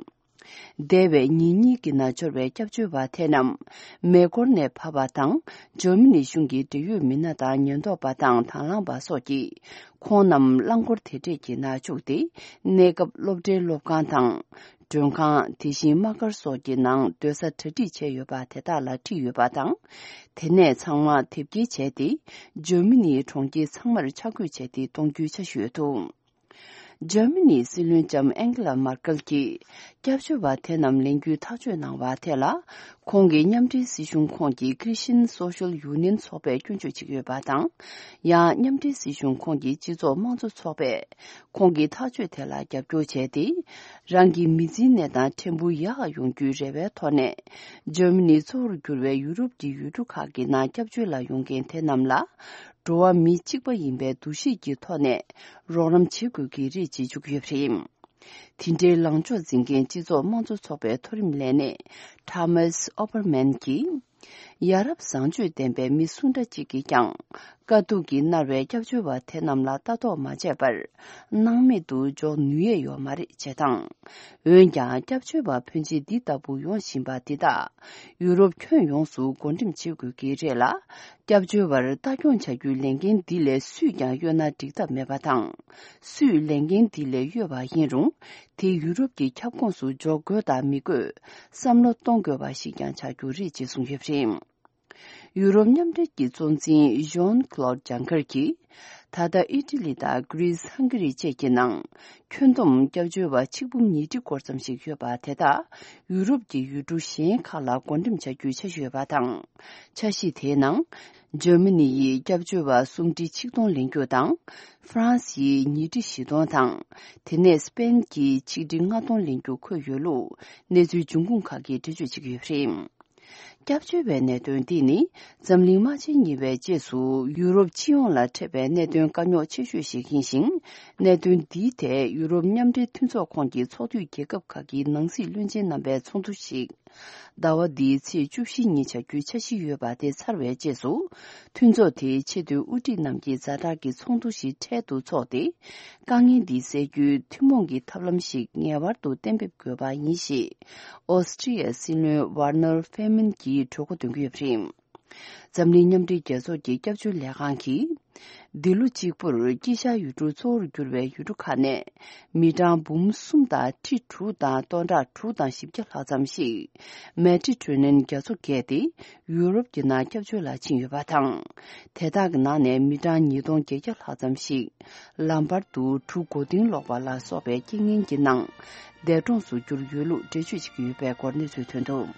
འདས་པའི་ཉིན་གཉིས་ཀྱི་ནང་འབྱོར་བའི་སྐྱབས་བཅོལ་བ་དེ་རྣམས་མེ་འཁོར་ནས་བབས་པ་དང་། འཇར་མ་ནི་གཞུང་གི་འབྲེལ་ཡོད་མི་སྣ་དང་ཉེན་རྟོག་པ་དང་དང་བླངས་པ་སོགས་ཀྱིས་ཁོང་རྣམས་རླངས་འཁོར་དེ་འདྲས་ཀྱི་ནང་བཅུག་སྟེ། གནས་སྐབས་སློབ་གྲྭའི་སློབ་ཁང་དང་། མགྲོན་ཁང་། དེ་བཞིན་དམག་སྒར་སོགས་ཀྱི་ནང་སྡོད་ས་གྲ་སྒྲིག་བྱས་ཡོད་པ་དེ་དག་ལ་ཁྲིད་ཡོད་པ་དང་། དེ་ནས་ཚང་མ་དེབ་སྐྱེལ་བྱས་ཏེ། འཇར་མ་ནིའི་གྲོང་ཁྱེར་ཚང་མར་འཆར་འགོད་བྱས་ཏེ་གཏོང་རྒྱུའི་འཆར་གཞི་ཡོད་འདུག་འཇར་མ་ནིའི་སྲིད་བློན་ལྕམ་ཨན་ཀེ་ལ་མར་ཀེལ་གྱིས། སྐྱབས་བཅོལ་བ་དེ་རྣམས་ལེན་རྒྱུའི་ཐག་གཅོད་གནང་བ་དེ་ལ། ཁོང་གི་མཉམ་འབྲེལ་སྲིད་གཞུང་ཁོངས་ཀྱི་Christian Social Union ཚོགས་པས་སྐྱོན་བརྗོད་བྱེད་ཀྱི་ཡོད་པ་དང་། ཡང་མཉམ་འབྲེལ་སྲིད་གཞུང་ཁོངས་ཀྱི་སྤྱི་ཚོགས་དམངས་གཙོ་ཚོགས་པས། ཁོང་གི་ཐག་གཅོད་དེ་ལ་རྒྱབ་སྐྱོར་བྱས་ཏེ། རང་གི་མི་ཚེའི་གནས་སྟངས་ཕྲན་བུ་ཡག་ཡོང་རྒྱུའི་རེ་བའི་ཐོག་ནས། འཇར་མ་ནིའི་གཙོ་བོར་གྱུར་བའི་ཡུ་རོབ་ཀྱི་ཡུལ་གྲུ་ཁག་གི་ནང་སྐྱབས་བཅོལ་ལ་ཡོང་མཁན་དེ་རྣམས་ལ། འགྲོ་བ་མི་གཅིག་པ་ཡིན་པའི་འདུ་ཤེས་ཀྱི་ཐོག་ནས་རོགས་རམ་བྱེད་དགོས་ཀྱི་རེད་ཅེས་བརྗོད་ཀྱི་ཡོད་པ་རེད། དེ་འདྲའི་ལངས་ཕྱོགས་འཛིན་མཁན་སྤྱི་ཚོགས་དམངས་གཙོ་ཚོགས་པའི་མཐོ་རིམ་ལས་སྣེ་Thomas Opperman གྱིས། ཡ་རབས་བཟང་སྤྱོད་ལྡན་པའི་མི་སུ་འདྲ་གཅིག་གིས་ཀྱང་དཀའ་སྡུག་གིས་མནར་བའི་སྐྱབས་བཅོལ་བ་དེ་རྣམས་ལ་ལྟ་རྟོག་མ་བྱས་པར་སྣང་མེད་དུ་འཇོག་ནུས་ཡས་ཡོད་མ་རེད་ཅེས་དང་། འོན་ཀྱང་སྐྱབས་བཅོལ་བ་ཕོན་ཆེ་འདི་ལྟ་བུ་ཡོང་བཞིན་པ་འདི་དག་ཡུ་རོབ་ཁྱོན་ཡོངས་སུ་བགོ་འགྲེམས་བྱེད་དགོས་ཀྱི་རེད་ལ། སྐྱབས་བཅོལ་བར་ལྟ་སྐྱོང་བྱ་རྒྱུའི་ལས་འགན་འདི་ལས་སུས་ཀྱང་གཡོལ་ན་འགྲིག་ཐབས་མེད་པ་དང་། སུས་ལས་འགན་འདི་ལས་གཡོལ་བ་ཡིན་རུང་། དེ་ཡུ་རོབ་ཀྱི་ཁྱབ་ཁོངས་སུ་འཇོག་དགོས་དང་མི་དགོས་བསམ་བློ་གཏོང་དགོས་པ་ཞིག་ཀྱང་ཆགས་རྒྱུ་རེད་ཅེས་གསུངས་ཡོད་པ་རེད། ཡུ་རོབ་མཉམ་འབྲེལ་གྱི་གཙོ་འཛིན་Jean Claude Juncker གྱིས། ད་ལྟ་ཨི་ཊ་ལི་དང་Greece Hungary བཅས་ཀྱི་ནང་ཁྱོན་བསྡོམས་སྐྱབས་བཅོལ་བ་ཆིག་འབུམ་ཉིས་ཁྲི་སྐོར་ཙམ་ཞིག་ཡོད་པ་དེ་དག་ཡུ་རོབ་ཀྱི་ཡུལ་གྲུ་གཞན་ཁག་ལ་བགོ་འགྲེམས་བྱ་རྒྱུའི་འཆར་གཞི་ཡོད་པ་དང་། འཆར་གཞི་དེའི་ནང་། འཇར་མ་ནི་ཡིས་སྐྱབས་བཅོལ་བ་སུམ་ཁྲི་ཆིག་སྟོང་ལེན་རྒྱུ་དང་། ཧྥ་རན་སི་ཡིས་ཉིས་ཁྲི་བཞི་སྟོང་དང་། དེ་ནས་སི་པེན་གྱིས་ཆིག་ཁྲི་ལྔ་སྟོང་ལེན་རྒྱུ་འཁོད་ཡོད་ལུགས་གནས་ཚུལ་འབྱུང་ཁུངས་ཁག་གིས་འགྲེལ་བརྗོད་བྱེད་ཀྱི་ཡོད་པ་རེད། སྐྱབས་བཅོལ་བའི་གནད་དོན་འདི་ནི་འཛམ་གླིང་དམག་ཆེན་གཉིས་པའི་རྗེས་སུ་ཡུ་རོབ་སྤྱི་ཡོངས་ལ་འཕྲད་པའི་གནད་དོན་དཀའ་རྙོག་ཆེ་ཤོས་ཤིག་ཡིན་ཞིང་། གནད་དོན་འདིའི་ཐད་ཡུ་རོབ་མཉམ་འབྲེལ་མཐུན་ཚོགས་ཁོངས་ཀྱི་ཚོགས་འཐུས་རྒྱལ་ཁབ་ཁག་གི་ནང་སྲིད་བློན་ཆེན་རྣམ་པའི་ཚོགས་འདུ་ཞིག་ཟླ་བ་འདིའི་ཚེས་བཅུ་བཞི་ཉིན་བྱ་རྒྱུའི་འཆར་གཞི་ཡོད་པ་དེ་ཚར་བའི་རྗེས་སུ། མཐུན་ཚོགས་དེའི་ཆེས་མཐོའི་དབུ་ཁྲིད་རྣམས་ཀྱིས་ཛ་དྲག་གི་ཚོགས་འདུ་ཞིག་འཕྲལ་དུ་འཚོགས་ཏེ། དཀའ་ངལ་འདི་སེལ་རྒྱུའི་ཐུན་མོང་གི་ཐབས་ལམ་ཞིག་ངེས་པར་དུ་གཏན་འབེབས་དགོས་པ་ཡིན་ཞེས། ཨོ་སི་ཀྲི་ཡའི་སྲིད་བློན་ཝར་ནར་ཧྥེ་མན་གྱིས་གྲོས་འགོ་འདོན་གྱི་ཡོད་པ་རེད། འཛམ་གླིང་མཉམ་འབྲེལ་རྒྱལ་ཚོགས་ཀྱི་སྐྱབས་བཅོལ་ལས་ཁང་གིས། འདི་ལོ་གཅིག་པུར་དཀྱིལ་ཤར་ཡུལ་གྲུ་གཙོ་བོར་གྱུར་བའི་ཡུལ་གྲུ་ཁག་ནས། མི་གྲངས་འབུམ་གསུམ་དང་ཁྲི་དྲུག་དང་སྟོང་ཕྲག་དྲུག་དང་བཞི་བརྒྱ་ལྷག་ཙམ་ཞིག་མེ་ཌི་ཊེ་རེ་ནན་རྒྱ་མཚོ་བརྒལ་ཏེ། ཡུ་རོབ་ཀྱི་ནང་སྐྱབས་བཅོལ་ལ་ཕྱིན་ཡོད་པ་དང་། དེ་དག་གི་ནང་ནས་མི་གྲངས་ཉིས་སྟོང་བརྒྱད་བརྒྱ་ལྷག་ཙམ་ཞིག་ལམ་བར་དུ་གྲུ་མགོ་རྟིང་སློག་པ་ལ་སོགས་པའི་རྐྱེན་ངན་གྱི་ནང་འདས་གྲོངས་སུ་གྱུར་ཡོད་ལུགས་འགྲེལ་བརྗོད་བྱེད་ཀྱི་ཡོད་པའི་སྐོར་གནས་ཚུལ་ཐོན་འདུག།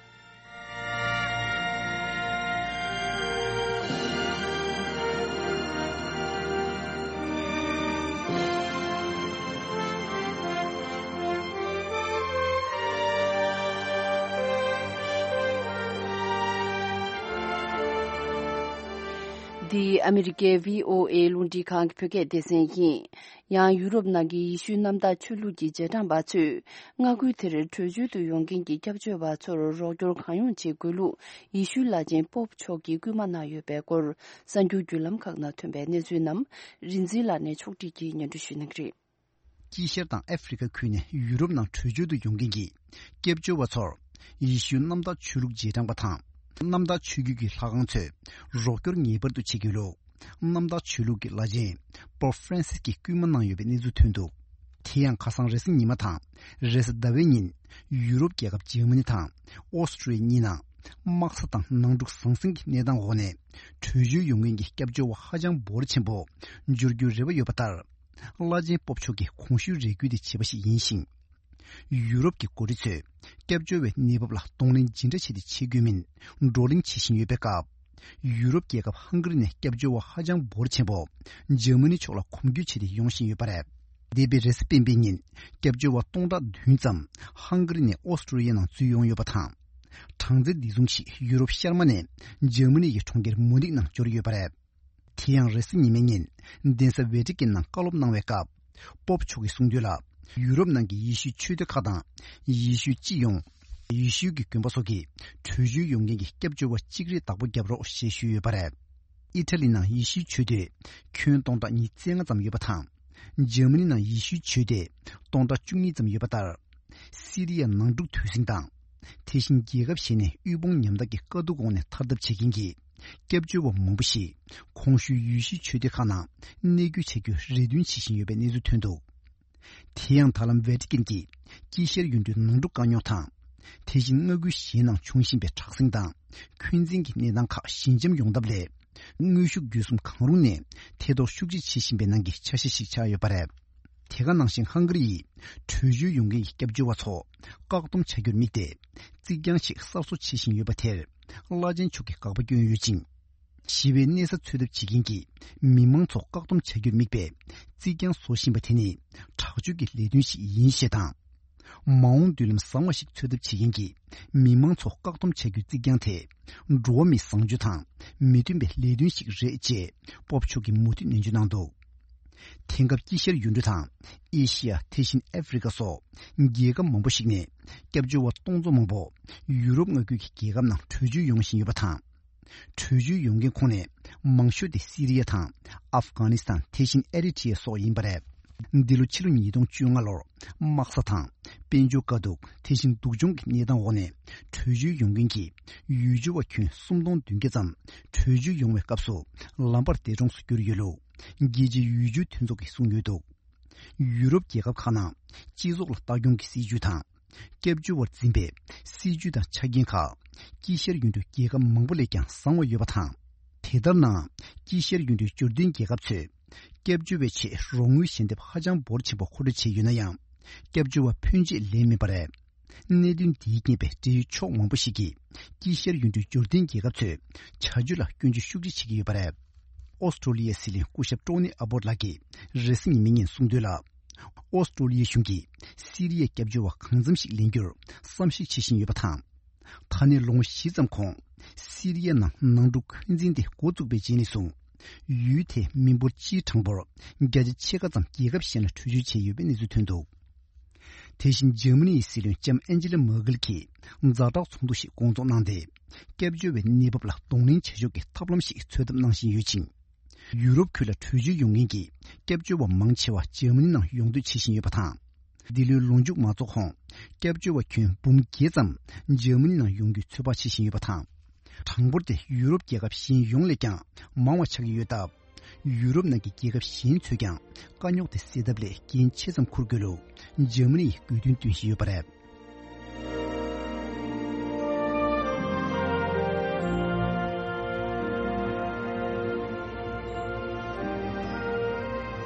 འདི་ཨ་མི་རི་ཀའི་བྷི་ཨོ་ཨེ་རླུང་འཕྲིན་ཁང་གི་བོད་སྐད་སྡེ་ཚན་ཡིན། ཡང་ཡུ་རོབ་ནང་གི་ཡེ་ཤུའི་གནམ་བདག་ཆོས་ལུགས་ཀྱི་རྗེས་འབྲང་པ་ཚོས་མངའ་ཁུལ་དེར་བྲོས་བྱོལ་དུ་ཡོང་མཁན་གྱི་སྐྱབས་བཅོལ་བ་ཚོར་རོགས་སྐྱོར་གང་ཡོང་བྱེད་དགོས་ལུགས་ཡེ་ཤུའི་བླ་ཆེན་པོབ་མཆོག་གིས་སྐུལ་མ་གནང་ཡོད་པའི་སྐོར་གསར་འགྱུར་བརྒྱུད་ལམ་ཁག་ནང་ཐོན་པའི་གནས་ཚུལ་རྣམས་རིག་འཛིན་ལགས་ནས་ཕྱོགས་སྒྲིག་གིས་སྙན་སྒྲོན་ཞུ་གནང་གི་རེད། དཀྱིལ་ཤར་དང་ཨ་ཧྥེ་རི་ཁ་ཁུལ་ནས་ཡུ་རོབ་ནང་བྲོས་བྱོལ་དུ་ཡོང་མཁན་གྱི་སྐྱབས་བཅོལ་བ་ཚོར་ཡེ་ཤུའི་གནམ་བདག་ཆོས་ལུགས་རྗེས་འབྲང་པ་དང་། གནམ་བདག་ཆོས་བརྒྱུད་ཀྱི་ལྷ་ཁང་ཚོས་རོགས་སྐྱོར་ངེས་པར་དུ་བྱེད་དགོས་ལུགས། གནམ་བདག་ཆོས་ལུགས་ཀྱི་བླ་ཆེན་པོབ་ཧྥ་རན་སིས་ཀྱིས་སྐུལ་མ་གནང་ཡོད་པའི་གནས་ཚུལ་ཐོན་འདུག། དེ་ཡང་ཁ་སང་རེས་གཟའ་ཉི་མ་དང་རེས་གཟའ་ཟླ་བའི་ཉིན། ཡུ་རོབ་རྒྱལ་ཁབ་འཇར་མ་ནི་དང་ཨོ་སི་ཀྲི་ཡ་གཉིས་ནང་དམག་ས་དང་ནང་འཁྲུག་ཟང་ཟིང་གི་གནས་སྟངས་འོག་ནས་བྲོས་བྱོལ་ཡོང་མཁན་གྱི་སྐྱབས་བཅོལ་བ་ཧ་ཅང་འབོར་ཆེན་པོ་འབྱོར་རྒྱུའི་རེ་བ་ཡོད་པ་ལྟར། བླ་ཆེན་སྤོབས་མཆོག་གིས་གོང་ཞུས་རེ་སྐུལ་དེ་བྱས་པ་ཞིག་ཡིན་ཞིང་། ཡུ་རོབ་ཀྱི་འགོ་ཁྲིད་ཚོས་སྐྱབས་བཅོལ་བའི་གནས་བབ་ལ་གདོང་ལེན་ཇི་འདྲ་བྱས་ཏེ་བྱེད་དགོས་མིན་བགྲོ་གླེང་བྱེད་བཞིན་ཡོད་པའི་སྐབས། ཡུ་རོབ་རྒྱལ་ཁབ་ཧང་ག་རི་ནས་སྐྱབས་བཅོལ་བ་ཧ་ཅང་འབོར་ཆེན་པོ་འཇར་མ་ནི་ཕྱོགས་ལ་གོམ་བགྲོད་བྱས་ཏེ་ཡོང་བཞིན་ཡོད་པ་རེད། འདས་པའི་རེས་གཟའ་སྤེན་པའི་ཉིན་སྐྱབས་བཅོལ་བ་སྟོང་ཕྲག་བདུན་ཙམ་ཧང་ག་རི་ནས་ཨོ་སི་ཀྲི་ཡ་ནང་འཛུལ་ཡོང་ཡོད་པ་དང་། གྲངས་ཚད་འདི་བཟུང་ཞིག་ཡུ་རོབ་ཤར་མ་ནས་འཇར་མ་ནི་ཡི་གྲོང་ཁྱེར་མུ་ནིག་ནང་འབྱོར་ཡོད་པ་རེད། དེ་ཡང་རེས་གཟའ་ཉི་མའི་ཉིན་གདན་ས་ཝེ་ཏི་ཀན་ནང་བཀའ་སློབ་གནང་བའི་སྐབས། པོབ་མཆོག་གིས་གསུངས་དོན་ལ། ཡུ་རོབ་ནང་གི་ཡེ་ཤུའི་ཆོས་སྡེ་ཁག་དང་ཡེ་ཤུའི་སྤྱི་ཡོངས། ཡེ་ཤུ་གི་དགོན་པ་སོགས་ཀྱི་བྲོས་བྱོལ་ཡོང་མཁན་གྱི་སྐྱབས་བཅོལ་བ་གཅིག་རེ་བདག་པོ་བརྒྱབ་རོགས་ཞེས་ཞུས་ཡོད་པ་རེད། ཨི་ཊ་ལི་ནང་ཡེ་ཤུའི་ཆོས་སྡེ་ཁྱོན་སྟོང་ཕྲག་ཉིས་བརྩེགས་ལྔ་ཙམ་ཡོད་པ་དང་། འཇར་མ་ནི་ནང་ཡེ་ཤུའི་ཆོས་སྡེ་སྟོང་ཕྲག་བཅུ་གཉིས་ཙམ་ཡོད་པ་ལྟར། སི་རི་ཡ་ནང་འཁྲུག་དུས་ཟིང་དང་། དེ་བཞིན་རྒྱལ་ཁབ་གཞན་ནས་དབུལ་ཕོངས་ཉམ་ཐག་གི་དཀའ་སྡུག་འོག་ནས་ཐར་ཐབས་བྱེད་མཁན་གྱི་སྐྱབས་བཅོལ་བ་མང་པོ་ཞིག་གོང་ཞུས་ཡུལ་ཤུལ་ཆོས་སྡེ་ཁག་ནང་གནས་སྐྱོད་བྱ་རྒྱུའི་རེ་འདུན་བྱེད་བཞིན་ཡོད་པའི་གནས་ཚུལ་ཐོན་འདུག་དེ་ཡང་ད་ལམ་ཝེ་ཏི་ཀན་གྱིས་དཀྱིལ་ཤར་ཡུལ་གྲུའི་ནང་འཁྲུག་བཀག་ཉོག་དང་། དེ་བཞིན་མངའ་ཁུལ་གཞན་ནང་འབྱུང་བཞིན་པའི་དྲག་ཟིང་དང་འཁོན་འཛིན་གྱི་གནས་སྟངས་ཁག་ཞི་འཇམ་ཡོང་ཐབས་སླད། དངོས་ཤུགས་བརྒྱུད་གསུམ་གང་རུང་ནས་ཐེ་གཏོགས་ཤུགས་ཆེ་བྱེད་བཞིན་པའི་ནང་གི་ཆ་ཤས་ཤིག་ཆགས་ཡོད་པ་རེད། དེ་ག་ནང་བཞིན་ཧང་ག་རི་ཡིས་བྲོས་བྱོལ་ཡོང་མཁན་གྱི་སྐྱབས་བཅོལ་བ་ཚོ་བཀག་སྡོམ་བྱ་རྒྱུར་དམིགས་ཏེ། རྩིག་གྱང་ཞིག་གསར་བཟོ་བྱེད་བཞིན་ཡོད་པ་དེར་བླ་ཆེན་མཆོག་གིས་དགག་པ་བསྐྱོན་ཡོད་ཅིང་། ཞི་བའི་གནས་ས་འཚོལ་ཐབས་བྱེད་མཁན་གྱི་མི་མང་ཚོ་བཀག་སྡོམ་བྱ་རྒྱུར་དམིགས་པའི་རྩིག་གྱང་བཟོ་བཞིན་པ་དེ་ནི་དྲག་སྤྱོད་ཀྱི་ལས་དོན་ཞིག་ཡིན་ཞེས་དང་། མ་འོངས་མདུན་ལམ་བཟང་བ་ཞིག་འཚོལ་ཐབས་བྱེད་མཁན་གྱི་མི་མང་ཚོ་བཀག་སྡོམ་བྱ་རྒྱུའི་རྩིག་གྱང་དེ། འགྲོ་བ་མིའི་བཟང་སྤྱོད་དང་མི་མཐུན་པའི་ལས་དོན་ཞིག་རེད་ཅེས་པོབ་མཆོག་གིས་མུ་མཐུད་ནན་བརྗོད་གནང་འདུག་དེང་སྐབས་དཀྱིལ་ཤར་ཡུལ་གྲུ་དང་ཨེ་ཤི་ཡ། དེ་བཞིན་ཨ་ཧྥེ་རི་ཁ་སོགས་རྒྱལ་ཁབ་མང་པོ་ཞིག་ནས་སྐྱབས་བཅོལ་བ་སྟོང་ཚོ་མང་པོ་ཡུ་རོབ་མངའ་ཁུལ་གྱི་རྒྱལ་ཁབ་ནང་བྲོས་བྱོལ་ཡོང་བཞིན་ཡོད་པ་དང་། བྲོས་བྱོལ་ཡོང་མཁན་ཁོངས་ནས་མང་ཤོས་དེ་སི་རི་ཡ་དང་ཨབ་གྷ་ནི་སི་ཐན། དེ་བཞིན་ཨེ་རི་ཊི་ཡ་སོགས་ཡིན་པ་རེད། འདི་ལོ་ཕྱི་ལོ་ཉིས་སྟོང་བཅོ་ལྔ་ལོར་དམག་ས་དང་དཔལ་འབྱོར་དཀའ་སྡུག་དེ་བཞིན་སྡུག་སྦྱོང་གི་གནས་སྟངས་འོག་ནས་བྲོས་བྱོལ་ཡོང་མཁན་གྱི་ཡུལ་སྐྱོར་བ་ཁྱོན་སུམ་སྟོང་བདུན་བརྒྱ་ཙམ་བྲོས་བྱོལ་ཡོང་བའི་སྐབས་སུ་ལམ་བར་འདས་གྲོངས་སུ་གྱུར་ཡོད་ལུགས་རྒྱལ་སྤྱིའི་ཡུལ་སྐྱོར་མཐུན་ཚོགས་ཀྱིས་གསུངས་ཡོད་འདུག་ཡུ་རོབ་རྒྱལ་ཁབ་ཁག་ནང་སྤྱི་ཚོགས་ལ་ལྟ་སྐྱོང་གི་སྲིད་ཇུས་དང་། སྐྱབས་བཅོལ་བར་འཛིན་པའི་སྲིད་ཇུས་དང་ཆ་རྐྱེན་ཁག་དཀྱིལ་ཤར་ཡུལ་གྲུའི་རྒྱལ་ཁབ་མང་པོ་ལས་ཀྱང་བཟང་བ་ཡོད་པ་དང་། དེ་ལྟར་ནའང་དཀྱིལ་ཤར་ཡུལ་གྲུའི་འབྱོར་ལྡན་རྒྱལ་ཁབ་ཚོས་སྐྱབས་བཅོལ་བའི་ཆེད་རོགས་དངུལ་ཞལ་འདེབས་ཧ་ཅང་འབོར་ཆེན་པོ་མཁོ་སྤྲོད་བྱས་ཡོད་ན་ཡང་། སྐྱབས་བཅོལ་བ་ཕོན་ཆེ་ལེན་མིན་པ་རེད། གནད་དོན་འདིའི་རྐྱེན་པས་འབྲེལ་ཡོད་ཕྱོགས་མང་པོ་ཞིག་གིས་དཀྱིལ་ཤར་ཡུལ་གྲུའི་འབྱོར་ལྡན་རྒྱལ་ཁབ་ཚོའི་བྱ་སྤྱོད་ལ་སྐྱོན་བརྗོད་ཤུགས་ཆེ་བྱེད་ཀྱི་ཡོད་པ་རེད། ཨོ་སི་ཀྲོ་ལི་ཡའི་སྲིད་བློན་སྐུ་ཞབས་ཀྲོ་ནི་ཨ་བོར་ལགས་ཀྱིས་རེས་གཟའ་ཉི་མའི་ཉིན་གསུངས་དོན་ལ། ཨོ་སི་ཀྲོ་ལི་ཡའི་གཞུང་གིས་སི་རི་ཡའི་སྐྱབས་བཅོལ་བ་གང་འཚམ་ཞིག་ལེན་རྒྱུར་བསམ་གཞིག་བྱེད་བཞིན་ཡོད་པ་དང་། ད་ནས་ལོ་ངོ་བཞི་ཙམ་གོང་སི་རི་ཡ་ནང་ནང་འཁྲུག་འཁོན་འཛིན་དེ་འགོ་བཙུགས་པའི་རྗེས་ནས་བཟུང་། ཡུལ་དེའི་མི་འབོར་སྤྱིའི་གྲངས་འབོར་བརྒྱ་ཆ་ཕྱེད་ཀ་ཙམ་རྒྱལ་ཁབ་གཞན་ལ་བྲོས་བྱོལ་བྱས་ཡོད་པའི་གནས་ཚུལ་ཐོན་འདུག་དེ་བཞིན་འཇར་མ་ནི་ཡི་སྲིད་བློན་ལྕམ་ཨན་ཇི་ལ་མར་ཀེལ་གྱིས་ཛ་དྲག་ཚོགས་འདུ་ཞིག་སྐོང་ཚོགས་གནང་སྟེ། སྐྱབས་བཅོལ་བའི་གནས་བབ་ལ་གདོང་ལེན་བྱ་ཕྱོགས་ཀྱི་ཐབས་ལམ་ཞིག་འཚོལ་ཐབས་གནང་བཞིན་ཡོད་ཅིང་། ཡུ་རོབ་ཁུལ་ལ་བྲོས་བྱོལ་ཡོང་མཁན་གྱི་སྐྱབས་བཅོལ་བ་མང་ཆེ་བ་འཇར་མ་ནི་ནང་ཡོང་འདོད་བྱེད་བཞིན་ཡོད་པ་དང་། འདི་ལོའི་ལོ་མཇུག་མ་རྫོགས་གོང་སྐྱབས་བཅོལ་བ་ཁྱོན་འབུམ་བརྒྱད་ཙམ་འཇར་མ་ནི་ནང་ཡོང་རྒྱུའི་ཚོད་དཔག་བྱེད་བཞིན་ཡོད་པ་དང་། གྲངས་འབོར་དེ་ཡུ་རོབ་རྒྱལ་ཁབ་གཞན་ཡོངས་ལས་ཀྱང་མང་བ་ཆགས་ཀྱི་ཡོད་སྟབས། ཡུ་རོབ་ནང་གི་རྒྱལ་ཁབ་གཞན་ཚོས་ཀྱང་དཀའ་རྙོག་དེ་སེལ་ཐབས་སླད་འགན་ཆེ་ཙམ་འཁུར་དགོས་ལུགས་འཇར་མ་ནི་ཡིས་དགོས་འདུན་བཏོན་བཞིན་ཡོད་པ་རེད།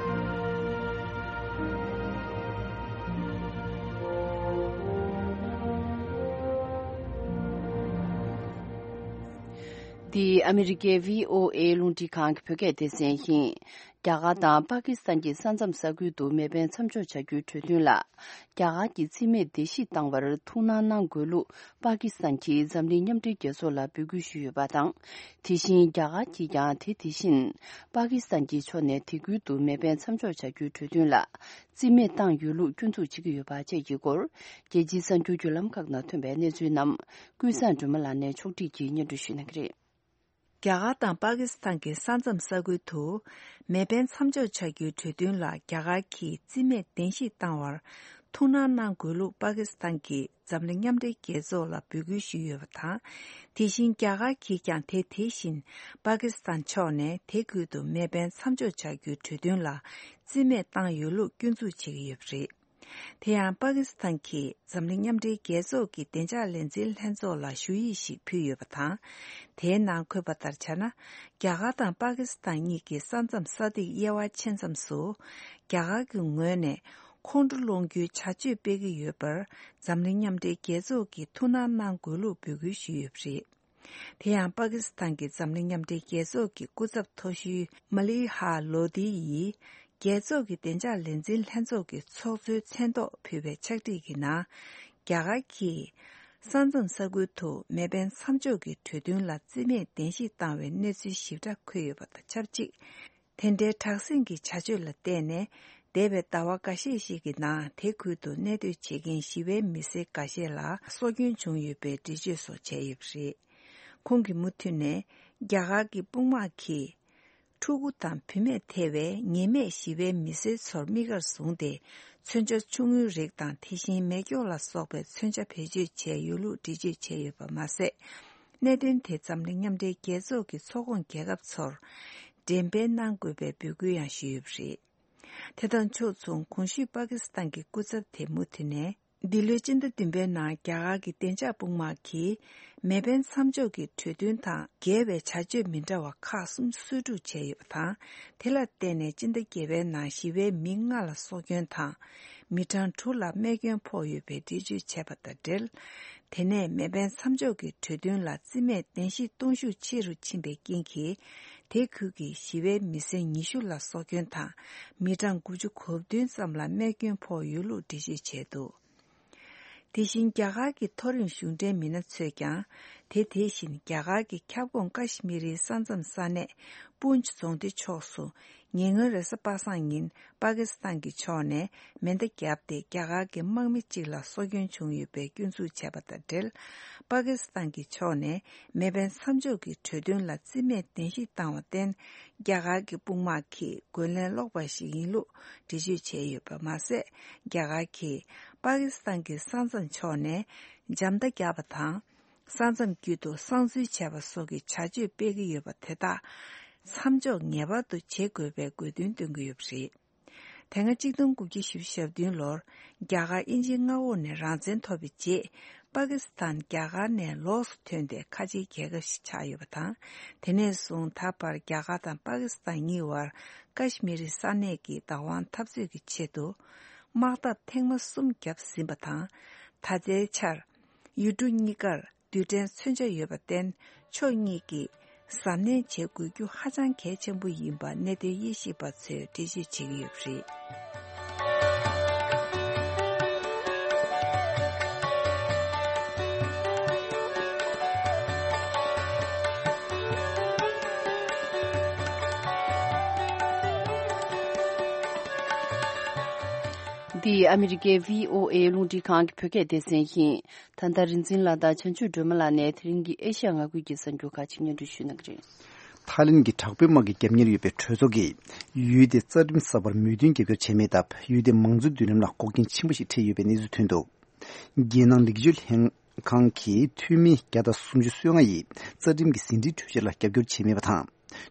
འདི་ཨ་མི་རི་ཀའི་བྷི་ཨོ་ཨེ་རླུང་འཕྲིན་ཁང་གི་བོད་སྐད་སྡེ་ཚན་ཡིན། རྒྱ་གར་དང་པ་ཀི་སི་ཐན་གྱི་ས་མཚམས་ས་ཁུལ་དུ་མེ་འཕེན་མཚམས་འཇོག་བྱ་རྒྱུའི་གྲོས་མཐུན་ལ། རྒྱ་གར་གྱིས་རྩིས་མེད་བརྡལ་བཤིག་བཏང་བར་ཐུགས་སྣང་གནང་དགོས་ལུགས་པ་ཀི་སི་ཐན་གྱིས་འཛམ་གླིང་མཉམ་འབྲེལ་རྒྱལ་ཚོགས་ལ་འབོད་སྐུལ་ཞུས་ཡོད་པ་དང་། དེ་བཞིན་རྒྱ་གར་གྱིས་ཀྱང་དེ་དེ་བཞིན་པ་ཀི་སི་ཐན་གྱི་ཕྱོགས་ནས་དེ་ཁུལ་དུ་མེ་འཕེན་མཚམས་འཇོག་བྱ་རྒྱུའི་གྲོས་མཐུན་ལ་རྩིས་མེད་བཏང་ཡོད་ལུགས་སྐྱོན་འཛུགས་བྱེད་ཀྱི་ཡོད་པ་བཅས་ཀྱི་སྐོར། རྒྱལ་སྤྱིའི་གསར་འགྱུར་བརྒྱུད་ལམ་ཁག་ནང་ཐོན་པའི་གནས་ཚུལ་རྣམས་ཀུན་བཟང་སྒྲོལ་མ་ལགས་ནས་ཕྱོགས་བསྒྲིགས་ཀྱིས་སྙན་སྒྲོན་ཞུ་གནང་གི་རེད། རྒྱ་གར་དང་པ་ཀི་སི་ཐན་གྱི་ས་མཚམས་ས་ཁུལ་དུ་མེ་འཕེན་མཚམས་འཇོག་བྱ་རྒྱུའི་གྲོས་མཐུན་ལ་རྒྱ་གར་གྱིས་རྩིས་མེད་བརྡལ་བཤིག་བཏང་བར་ ཐུགས་སྣང་གནང་དགོས་ལུགས་པ་ཀི་སི་ཐན་གྱིས་འཛམ་གླིང་མཉམ་འབྲེལ་རྒྱལ་ཚོགས་ལ་འབོད་སྐུལ་ཞུས་ཡོད་པ་དང་། དེ་བཞིན་རྒྱ་གར་གྱིས་ཀྱང་དེ་དེ་བཞིན་པ་ཀི་སི་ཐན་ཕྱོགས་ནས་དེ་ཁུལ་དུ་མེ་འཕེན་མཚམས་འཇོག་བྱ་རྒྱུའི་གྲོས་མཐུན་ལ་རྩིས་མེད་བཏང་ཡོད་ལུགས་སྐྱོན་འཛུགས་བྱེད་ཀྱི་ཡོད་པ་རེད། དེ་ཡང་པ་ཀི་སི་ཐན་གྱིས་འཛམ་གླིང་མཉམ་འབྲེལ་རྒྱལ་ཚོགས་ཀྱི་བདེ་འཇགས་ལས་འཛིན་ལྷན་ཚོགས་ལ་ཞུ་ཡིག་ཞིག་ཕུལ་ཡོད་པ་དང་། དེའི་ནང་འཁོད་པ་ལྟར་བྱས་ན། རྒྱ་གར་དང་པ་ཀི་སི་ཐན་གཉིས་ཀྱི་ས་མཚམས་ས་ཐིག་དབྱེ་བ་ཕྱེད་མཚམས་སུ། རྒྱ་གར་གྱི་ངོས་ནས་ཁོང་ཁྲོ་སློང་རྒྱུའི་བྱ་སྤྱོད་སྤེལ་གྱི་ཡོད་པར། འཛམ་གླིང་མཉམ་འབྲེལ་རྒྱལ་ཚོགས་ཀྱིས་ཐུགས་སྣང་གནང་དགོས་ལུགས་འབོད་སྐུལ་ཞུས་ཡོད་པ་རེད། དེ་ཡང་པ་ཀི་སི་ཐན་གྱི་འཛམ་གླིང་མཉམ་འབྲེལ་རྒྱལ་ཚོགས་ཀྱི་སྐུ་ཚབ་མཐོ་ཤོས་མ་ལི་ཧ་ལོ་དི་ཡིས། རྒྱལ་ཚོགས་ཀྱི་བདེ་འཇགས་ལས་འཛིན་ལྷན་ཚོགས་ཀྱི་ཚོགས་གཙོའི་མཚན་ཐོག་ཕུལ་བའི་ཕྱག་བྲིས་ཀྱི་ནང་། རྒྱ་གར་གྱིས་ས་མཚམས་ས་ཁུལ་དུ་མེ་འཕེན་མཚམས་འཇོག་གི་གྲོས་མཐུན་ལ་རྩིས་མེད་གདན་ཞུ་བཏང་བའི་གནས་ཚུལ་ཞིབ་ཕྲ་འཁོད་ཡོད་པ་དང་ཆབས་ཅིག་དེ་འདྲའི་དྲག་ཟིང་གི་བྱ་སྤྱོད་ལ་བརྟེན་ནས། འདས་པའི་ཟླ་བ་འགའ་ཤས་ཤིག་གི་ནང་དེ་ཁུལ་དུ་གནས་སྡོད་བྱེད་མཁན་ཞི་བའི་མི་སེར་འགའ་ཤས་ལ་སྲོག་སྐྱོན་བྱུང་ཡོད་པའི་འགྲེལ་བརྗོད་སོགས་བྱས་ཡོད་པ་རེད། ཁོང་གིས་མུ་མཐུད་ནས། རྒྱ་གར་གྱི་དཔུང་དམག་གིས། ཕྲུ་གུ་དང་བུད་མེད་ཐེ་བའི་ཉེས་མེད་ཞི་བའི་མི་སེར་ཚོར་དམིགས་བཀར་བཟུང་སྟེ། མཚོན་ཆ་ཆུང་ངུའི་རིགས་དང་དེ་བཞིན་མེ་སྒྱོགས་ལ་སོགས་པའི་མཚོན་ཆ་བེད་སྤྱོད་བྱས་ཡོད་ལུགས་འགྲེལ་བརྗོད་བྱས་ཡོད་པ་མ་ཟད། གནད་དོན་དེ་འཛམ་གླིང་མཉམ་འབྲེལ་རྒྱལ་ཚོགས་ཀྱི་ཚོགས་ཁོངས་རྒྱལ་ཁབ་ཚོར་འགྲེམས་སྤེལ་གནང་དགོས་པའི་འབོད་སྐུལ་ཡང་ཞུས་ཡོད་པ་རེད། དེ་དང་ཕྱོགས་མཚུངས། གོང་ཞུས་པ་ཀི་སི་ཐན་གྱི་སྐུ་ཚབ་དེས་མུ་མཐུད་ནས། འདི་ལོའི་སྤྱི་ཟླ་བདུན་པའི་ནང་རྒྱ་གར་གྱི་བདེ་འཇགས་དཔུང་དམག་གིས་མེ་འཕེན་མཚམས་འཇོག་གི་གྲོས་མཐུན་དང་འགལ་བའི་བྱ་སྤྱོད་མི་འདྲ་བ་ཁག་གསུམ་གསོད་སྒྲུབ་བྱས་ཡོད་པ་དང་། དེ་ལ་བརྟེན་ནས་སྤྱི་ཟླ་བརྒྱད་པའི་ནང་ཞི་བའི་མི་ལྔ་ལ་སྲོག་སྐྱོན་དང་། མི་གྲངས་དྲུག་ལ་རྨས་སྐྱོན་ཕོག་ཡོད་པའི་འགྲེལ་བརྗོད་བྱས་པ་དང་འབྲེལ། དེ་ནས་མེ་འཕེན་མཚམས་འཇོག་གི་གྲོས་མཐུན་ལ་རྩིས་མེད་གདན་ཞུ་གཏོང་ཤུགས་ཆེ་རུ་ཕྱིན་པའི་རྐྱེན་གྱིས། དེ་ཁུལ་གྱི་ཞི་བའི་མི་སེར་ཉི་ཤུ་ལ་སྲོག་སྐྱོན་དང་། མི་གྲངས་དགུ་བཅུ་གོ་བདུན་ཙམ་ལ་རྨས་སྐྱོན་ཕོག་ཡོད་ལུགས་འགྲེལ་བརྗོད་བྱས་འདུག་དེ་བཞིན་རྒྱ་གར་གྱི་མཐོ་རིམ་གཞུང་འབྲེལ་མི་སྣ་ཚོས་ཀྱང་། དེ་དེ་བཞིན་རྒྱ་གར་གྱི་ཁྱབ་ཁོངས་ཀ་ཤི་མི་རིའི་ས་མཚམས་ས་གནས་པུན་ཇི་རྫོང་སྡེ་ཕྱོགས་སུ། ཉེ་སྔོན་རེས་གཟའ་པ་སངས་ཉིན་པ་ཀི་སི་ཐན་གྱི་ཕྱོགས་ནས་མེ་མདའ་བརྒྱབ་སྟེ་རྒྱ་གར་གྱི་དམག་མི་གཅིག་ལ་སྲོག་སྐྱོན་བྱུང་ཡོད་པའི་སྐྱོན་འཛུགས་བྱས་པ་དང་འབྲེལ། པ་ཀི་སི་ཐན་གྱི་ཕྱོགས་ནས་མེ་འཕེན་མཚམས་འཇོག་གི་གྲོས་མཐུན་ལ་རྩིས་མེད་གདན་ཞུ་བཏང་བར་བརྟེན། རྒྱ་གར་གྱི་དཔུང་དམག་གིས་རྒོལ་ལན་སློག་པ་ཞིག་ཡིན་ལུགས་འགྲེལ་བརྗོད་བྱས་ཡོད་པ་མ་ཟད། རྒྱ་གར་གྱིས་པ་ཀི་སི་ཐན་གྱི་ས་མཚམས་ཕྱོགས་ནས་འཇམ་མདའ་བརྒྱབ་པ་དང་། ས་མཚམས་དཀྱིལ་དུ་གསང་འཛུལ་བྱས་པ་སོགས་ཀྱི་བྱ་སྤྱོད་སྤེལ་གྱི་ཡོད་པ་དེ་དག་མཚམས་འཇོག་ངེས་པར་དུ་བྱེད་དགོས་པའི་དགོས་འདུན་བཏོན་གྱི་ཡོད་པ་རེད། དེ་སྔ་གཅིག་སྟོང་དགུ་བརྒྱ་བཞི་བཅུ་ཞེ་བདུན་ལོར་རྒྱ་གར་དབྱིན་ཇིའི་མངའ་འོག་ནས་རང་བཙན་ཐོབ་པའི་རྗེས། པ་ཀི་སི་ཐན་རྒྱ་གར་ནས་ལོགས་སུ་ཐོན་ཏེ་ཁ་ཆེའི་རྒྱལ་ཁབ་ཞིག་ཆགས་ཡོད་པ་དང་། དེ་ནས་བཟུང་ད་བར་རྒྱ་གར་དང་པ་ཀི་སི་ཐན་གཉིས་བར་ཀ་ཤི་མི་རི་ས་གནས་ཀྱི་བདག་དབང་འཐབ་རྩོད་ཀྱི་ཆེད་དུ། དམག་འཐབ་ཐེངས་མ་གསུམ་བརྒྱབ་ཟིན་པ་དང་། ད་ལྟའི་ཆར། ཡུལ་གྲུ་གཉིས་ཀར་རྡུལ་ཕྲན་མཚོན་ཆ་ཡོད་པར་བརྟེན། ཕྱོགས་གཉིས་ཀྱིས་གཟབ་ནན་བྱེད་དགོས་རྒྱུ་ཧ་ཅང་གལ་ཆེན་པོ་ཡིན་པ་གནད་དོན་དབྱེ་ཞིབ་པ་ཚོས་འགྲེལ་བརྗོད་བྱེད་ཀྱི་ཡོད་པ་རེད། འདི་ཨ་མི་རི་ཀའི་བྷི་ཨོ་ཨེ་རླུང་འཕྲིན་ཁང་གི་བོད་སྐད་སྡེ་ཚན་ཡིན། ད་ལྟ་རིག་འཛིན་ལགས་དང་བྱང་ཆུབ་སྒྲོལ་མ་ལགས་ནས་དེ་རིང་གི་ཨེ་ཤ་ཡ་མངའ་ཁུལ་གྱི་གསར་འགྱུར་ཁག་ཅིག་སྙན་སྒྲོན་ཞུ་གནང་གི་རེད། ཐའི་ལེན་གྱི་དྲག་པོའི་དམག་གིས་རྒྱབ་གཉེར་ཡོད་པའི་གྲོས་ཚོགས་ཀྱིས་ཡུལ་དེའི་རྩ་ཁྲིམས་གསར་པར་མོས་མཐུན་རྒྱབ་སྐྱོར་བྱས་མེད་སྟབས། ཡུལ་དེའི་མང་གཙོའི་མདུན་ལམ་ལ་འགོག་རྐྱེན་ཆེན་པོ་ཞིག་འཕྲད་ཡོད་པའི་གནས་ཚུལ་ཐོན་འདུག་རྒྱལ་ནང་ལེགས་བཅོས་ལྷན་ཁང་གིས་འཐུས་མི་བརྒྱ་དང་སུམ་ཅུ་སོ་ལྔ་ཡིས་རྩ་ཁྲིམས་ཀྱི་ཟིན་བྲིས་འཕྲུལ་ཆས་ལ་རྒྱབ་སྐྱོར་བྱས་མེད་པ་དང་།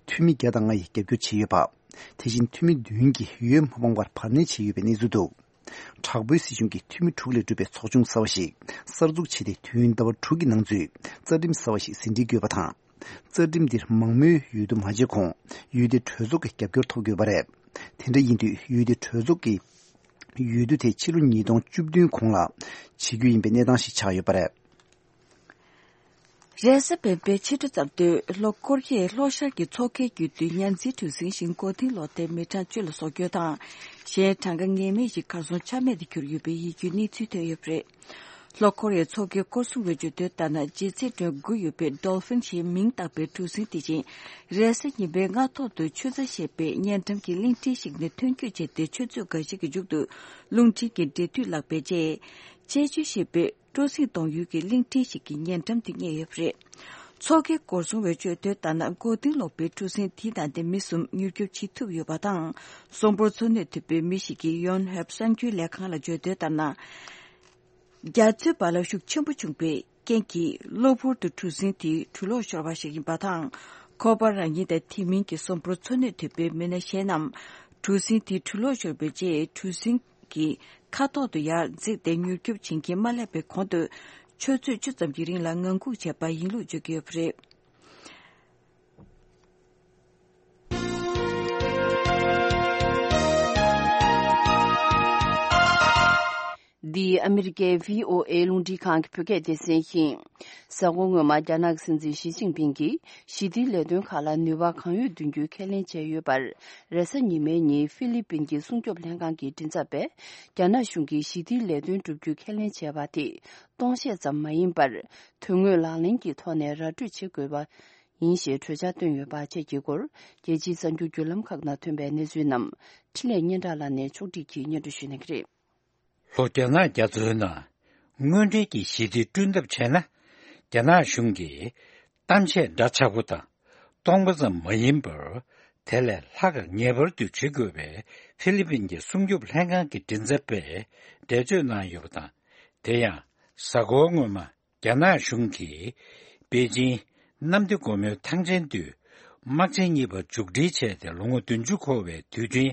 འཐུས་མི་བརྒྱ་དང་ལྔ་ཡིས་རྒྱབ་སྐྱོར་བྱས་ཡོད་པ། དེ་བཞིན་འཐུས་མི་བདུན་གྱིས་འོས་མ་འཕངས་པར་བར་གནས་བྱས་ཡོད་པའི་གནས་ཚུལ་འདུག་དྲག་པོའི་སྲིད་གཞུང་གིས་འཐུས་མི་དྲུག་ལས་གྲུབ་པའི་ཚོགས་ཆུང་གསར་བ་ཞིག་གསར་འཛུགས་བྱས་ཏེ། དུས་ཡུན་ཟླ་བ་དྲུག་གི་ནང་ཚུད་རྩ་ཁྲིམས་གསར་བ་ཞིག་ཟིན་བྲིས་དགོས་པ་དང་། རྩ་ཁྲིམས་འདིར་མང་མོས་འོས་བསྡུ་མ་བྱས་གོང་ཡུལ་དེའི་གྲོས་ཚོགས་ཀྱི་རྒྱབ་སྐྱོར་ཐོབ་དགོས་པ་རེད། དེ་འདྲ་ཡིན་དུས་ཡུལ་དེའི་གྲོས་ཚོགས་ཀྱི་འོས་བསྡུ་དེ་ཕྱི་ལོ་ཉིས་སྟོང་བཅུ་བདུན་གོང་ལ་བྱེད་རྒྱུ་ཡིན་པའི་གནས་སྟངས་ཤིག་ཆགས་ཡོད་པ་རེད། རེས་གཟའ་སྤེན་པའི་ཕྱི་དྲོ་ཙམ་དུ་ལྷོ་ཀོ་རི་ཡའི་ལྷོ་ཤར་གྱི་མཚོ་ཁའི་རྒྱུད་དུ་མཉའ་འཛིན་གྲུ་གཟིངས་ཤིང་མགོ་རྟིང་སློག་སྟེ་མི་གྲངས་བཅུ་ལ་སྲོག་སྐྱོན་དང་། གཞན་གྲངས་ཀ་ངེས་མེད་ཅིག་གར་སོང་ཆ་མེད་དུ་གྱུར་ཡོད་པའི་ཡིད་སྐྱོའི་གནས་ཚུལ་ཐོན་ཡོད་པ་རེད། ལྷོ་ཀོ་རི་ཡའི་མཚོ་ཁའི་སྐོར་སྲུང་བའི་བརྗོད་དོན་ལྟར་ན། ལྗིད་ཚད་ཌོན་དགུ་ཡོད་པའི་ཌོལ་ཕིན་ཞེས་མིང་བཏགས་པའི་གྲུ་གཟིངས་དེ་བཞིན་རེས་གཟའ་ཉི་མའི་སྔ་ཐོག་ཏུ་ཆུ་རྩྭ་ཞེས་པའི་བརྙན་འགྲམ་གྱི་གླིང་ཕྲན་ཞིག་ནས་ཐོན་སྐྱོད་བྱས་ཏེ། ཆུ་ཚོད་འགའ་ཤས་ཀྱི་མཇུག་ཏུ་རླུང་འཕྲིན་གྱི་འབྲེལ་མཐུད་བརླག་པའི་རྗེས། ཅེ་ཅུ་ཞེས་པའི་སྤྲོ་གཟིངས་གཏོང་ཡུལ་གྱི་གླིང་ཕྲན་ཞིག་གི་བརྙན་འགྲམ་དུ་རྙེད་ཡོད་པ་རེད། མཚོ་ཁའི་སྐོར་སྲུང་བས་བརྗོད་དོན་ལྟར་ན། མགོ་རྟིང་སློག་པའི་གྲུ་གཟིངས་དེའི་ནང་དེ་མི་གསུམ་མྱུར་སྐྱོབ་བྱེད་ཐུབ་ཡོད་པ་དང་། གསོན་པོར་འཚོ་གནས་ཐུབ་པའི་མི་ཞིག་གིས་ཡོན་ཧེབ་གསར་འགྱུར་ལས་ཁང་ལ་བརྗོད་དོན་ལྟར་ན། རྒྱ་མཚོའི་བར་ལ་ཤུགས་ཆེན་པོ་བྱུང་བའི་རྐྱེན་གྱིས་གློ་བུར་དུ་གྲུ་གཟིངས་དེ་གྲུ་ལོག་ཤོར་བ་ཞིག་ཡིན་པ་དང་། ཁོ་པ་རང་ཉིད་དང་དེ་མིན་གྱི་གསོན་པོར་འཚོ་གནས་ཐུབ་པའི་མི་སྣ་གཞན་རྣམས་གྲུ་གཟིངས་དེ་གྲུ་ལོག་ཤོར་བའི་རྗེས། གྲུ་གཟིངས་ཀྱི་ཁ་ཐོག་ཏུ་ཡར་འཛེགས་ཏེ་མྱུར་སྐྱོབ་བྱེད་མཁན་མ་སླེབས་པའི་གོང་དུ། ཆུ་ཚོད་བཅུ་ཙམ་གྱི་རིང་ལ་ངང་སྒུག་བྱས་པ་ཡིན་ལུགས་བརྗོད་ཀྱི་ཡོད་པ་རེད། འདི་ཨ་མི་རི་ཀའི་བྷི་ཨོ་ཨེ་རླུང་འཕྲིན་ཁང་གི་བོད་སྐད་སྡེ་ཚན་ཡིན། གཟའ་འཁོར་སྔོན་མ་རྒྱ་ནག་གི་སྲིད་འཛིན་ཞི་ཅིན་ཕིང་གིས་ཞི་བདེའི་ལས་དོན་ཁག་ལ་ནུས་པ་གང་ཡོད་འདོན་རྒྱུའི་ཁས་ལེན་བྱས་ཡོད་པར། རེས་གཟའ་ཉི་མའི་ཉིན་ཧྥི་ལི་པིན་གྱི་སྲུང་སྐྱོབ་ལྷན་ཁང་གི་མགྲིན་ཚབ་པས། རྒྱ་ནག་གཞུང་གིས་ཞི་བདེའི་ལས་དོན་བསྒྲུབ་རྒྱུའི་ཁས་ལེན་བྱས་པ་དེ་སྟོང་བཤད་ཙམ་མ་ཡིན་པར། དོན་དངོས་ལག་ལེན་གྱི་ཐོག་ནས་ར་སྤྲོད་བྱེད་དགོས་པ་ཡིན་ཞེས་གྲོས་འཆར་བཏོན་ཡོད་པ་བཅས་ཀྱི་སྐོར། རྒྱལ་སྤྱིའི་གསར་འགྱུར་བརྒྱུད་ལམ་ཁག་ནང་ཐོན་པའི་གནས་ཚུལ་རྣམས་འཕྲིན་ལས་སྙན་གྲགས་ལགས་ནས་ཕྱོགས་སྒྲིག་གིས་སྙན་སྒྲོན་ཞུ་གནང་གི་རེད། ལྷོ་རྒྱ་ནག་རྒྱ་མཚོའི་ནང་དངོས་འབྲེལ་གྱི་ཞི་བདེ་བསྐྲུན་ཐབས་བྱས་ན། རྒྱ་ནག་གཞུང་གིས་གཏམ་བཤད་འདྲ་ཆགས་པོ་དང་སྟོང་པ་ཙམ་མ་ཡིན་པར། དེ་ལས་ལྷག་པར་ངེས་པར་དུ་བྱེད་དགོས་པའི་ཧྥི་ལི་པིན་གྱི་སྲུང་སྐྱོབ་ལྷན་ཁང་གི་མགྲིན་ཚབ་པས་འགྲེལ་བརྗོད་གནང་ཡོད་པ་དང་། དེ་ཡང་གཟའ་འཁོར་སྔོན་མ་རྒྱ་ནག་གཞུང་གིས་པེ་ཅིང་གནམ་བདེ་སྒོ་མོའི་ཐང་ཆེན་དུ་དམག་ཆེན་གཉིས་པ་མཇུག་སྒྲིལ་བྱས་ཏེ་ལོ་ངོ་བདུན་ཅུ་འཁོར་བའི་དུས་དྲན་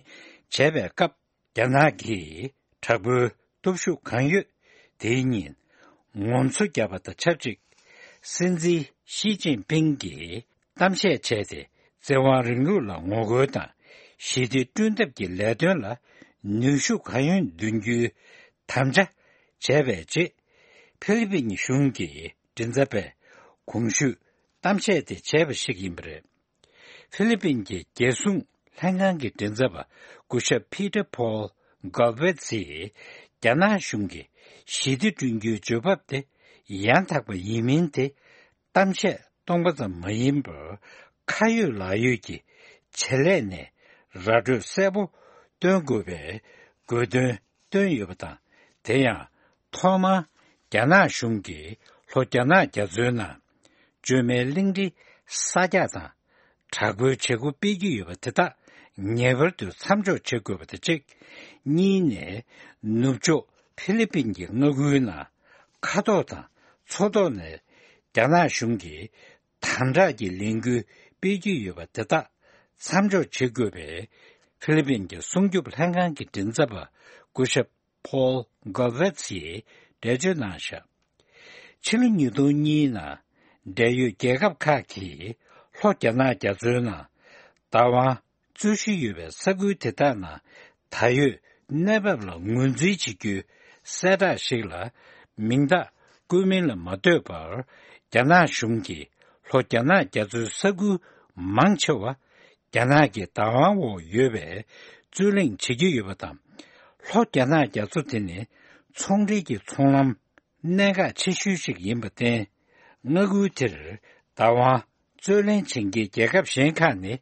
བྱས་པའི་སྐབས། རྒྱ་ནག་གིས་དྲག་པོའི་སྟོབས་ཤུགས་གང་ཡོད་དེའི་ཉིན་ངོམ་སོ་བརྒྱབ་པ་དང་ཆབས་ཅིག་སྲིད་འཛིན་ཞི་ཅིན་ཕིང་གིས་གཏམ་བཤད་བྱས་ཏེ། བཙན་དབང་རིང་ལུགས་ལ་ངོ་རྒོལ་དང་ཞི་བདེ་བསྐྲུན་ཐབས་ཀྱི་ལས་དོན་ལ་ནུས་ཤུགས་གང་ཡོད་འདོན་རྒྱུའི་དམ་བཅའ་བྱས་པའི་རྗེས། ཧྥི་ལི་པིན་གཞུང་གི་མགྲིན་ཚབ་པས་གོང་ཞུས་གཏམ་བཤད་དེ་བྱས་པ་ཞིག་ཡིན་པ་རེད། ཧྥི་ལི་པིན་གྱི་རྒྱལ་སྲུང་ལྷན་ཁང་གི་མགྲིན་ཚབ་པ་སྐུ་ཞབས་Peter Paul Galvez ཡིས། རྒྱ་ནག་གཞུང་གིས་ཞི་བདེ་བསྐྲུན་རྒྱུའི་བརྗོད་བབ་དེ་ཡང་དག་པ་ཡིན་མིན་དེ། གཏམ་བཤད་སྟོང་པ་ཙམ་མ་ཡིན་པར། ཁ་ཡོད་ལག་ཡོད་ཀྱི་བྱེད་ལས་ནས་ར་སྤྲོད་གསལ་པོ་སྟོན་དགོས་པའི་དགོས་འདུན་བཏོན་ཡོད་པ་དང་། དེ་ཡང་ཐོག་མར་རྒྱ་ནག་གཞུང་གིས་ལྷོ་རྒྱ་ནག་རྒྱ་མཚོའི་ནང་བཅོས་མའི་གླིང་ཕྲན་གསར་རྒྱག་དང་། དྲག་པོའི་བྱེད་སྒོ་སྤེལ་གྱི་ཡོད་པ་དེ་དག་ངེས་པར་དུ་མཚམས་འཇོག་བྱེད་དགོས་པ་དང་གཅིག་གཉིས་ནས། ནུབ་ཕྱོགས་ཧྥི་ལི་པིན་གྱི་མངའ་ཁུལ་ནང་མཁའ་ཐོག་དང་མཚོ་ཐོག་ནས་རྒྱ་ནག་གཞུང་གིས་དམ་དྲག་གི་ལས་འགུལ་སྤེལ་གྱི་ཡོད་པ་དེ་དག་མཚམས་འཇོག་བྱེད་དགོས་པའི་ཧྥི་ལི་པིན་གྱི་སྲུང་སྐྱོབ་ལྷན་ཁང་གི་མགྲིན་ཚབ་པ་སྐུ་ཞབས་Paul Galvez ཡིས་འགྲེལ་བརྗོད་གནང་བཞག་ཕྱི་ལོ་ཉིས་སྟོང་གཉིས་ནང་འབྲེལ་ཡོད་རྒྱལ་ཁབ་ཁག་གིས་ལྷོ་རྒྱ་ནག་རྒྱ་མཚོའི་ནང་བདག་དབང་རྩོད་གཞི་ཡོད་པའི་ས་ཁུལ་དེ་དག་ནང་ད་ཡོད་གནས་བབ་ལ་ངོས་འཛིན་བྱེད་རྒྱུའི་གསལ་བསྒྲགས་ཤིག་ལ་མིང་རྟགས་བཀོད་མིན་ལ་མ་ལྟོས་པར། རྒྱ་ནག་གཞུང་གིས་ལྷོ་རྒྱ་ནག་རྒྱ་མཚོའི་ས་ཁུལ་མང་ཆེ་བ་རྒྱ་ནག་གི་བདག་དབང་འོག་ཡོད་པའི་རྩོད་གླེང་བྱེད་ཀྱི་ཡོད་པ་དང་། ལྷོ་རྒྱ་ནག་རྒྱ་མཚོ་དེ་ནི་ཚོང་འབྲེལ་གྱི་ཚོང་ལམ་གནད་འགག་ཆེ་ཤོས་ཤིག་ཡིན་པར་བརྟེན། མངའ་ཁུལ་དེར་བདག་དབང་རྩོད་ལེན་བྱེད་མཁན་རྒྱལ་ཁབ་གཞན་ཁག་ནི་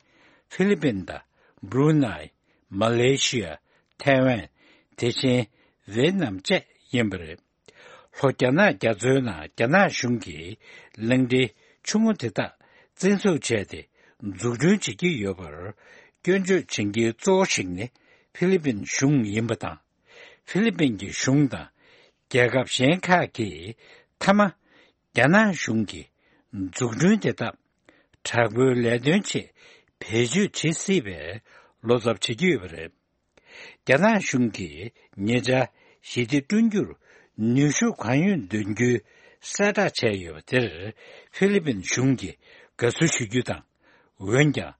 ཧྥི་ལི་པིན་དང་། བྷ་རུ་ནའི། མ་ལེ་ཤི་ཡ། ཐའེ་ཝན། དེ་བཞིན་ཝེ་ཏི་ནམ་བཅས་ཡིན་པ་རེད། ལྷོ་རྒྱ་ནག་རྒྱ་མཚོའི་ནང་རྒྱ་ནག་གཞུང་གིས་གླིང་ཕྲན་ཆུང་ངུ་དེ་དག་བཙན་འཛུལ་བྱས་ཏེ་འཛུགས་སྐྲུན་བྱེད་ཀྱི་ཡོད་པར་སྐྱོན་བརྗོད་བྱེད་མཁན་གཙོ་བོ་ཞིག་ནི་ཧྥི་ལི་པིན་གཞུང་ཡིན་པ་དང་། ཧྥི་ལི་པིན་གྱི་གཞུང་དང་རྒྱལ་ཁབ་གཞན་ཁག་གིས་མཐའ་མ་རྒྱ་ནག་གཞུང་གིས་འཛུགས་སྐྲུན་དེ་དག་དྲག་པོའི་ལས་དོན་ཆེད་བེད་སྤྱོད་བྱེད་སྲིད་པའི་བློ་འཚབ་བྱེད་ཀྱི་ཡོད་པ་རེད། རྒྱ་ནག་གཞུང་གིས་ཉེ་ཆར་ཞི་བདེ་བསྐྲུན་རྒྱུར་ནུས་ཤུགས་གང་ཡོད་འདོན་རྒྱུའི་གསལ་བསྒྲགས་བྱས་ཡོད་པ་དེར་ཧྥི་ལི་པིན་གཞུང་གིས་དགའ་བསུ་ཞུ་རྒྱུ་དང་། འོན་ཀྱང་།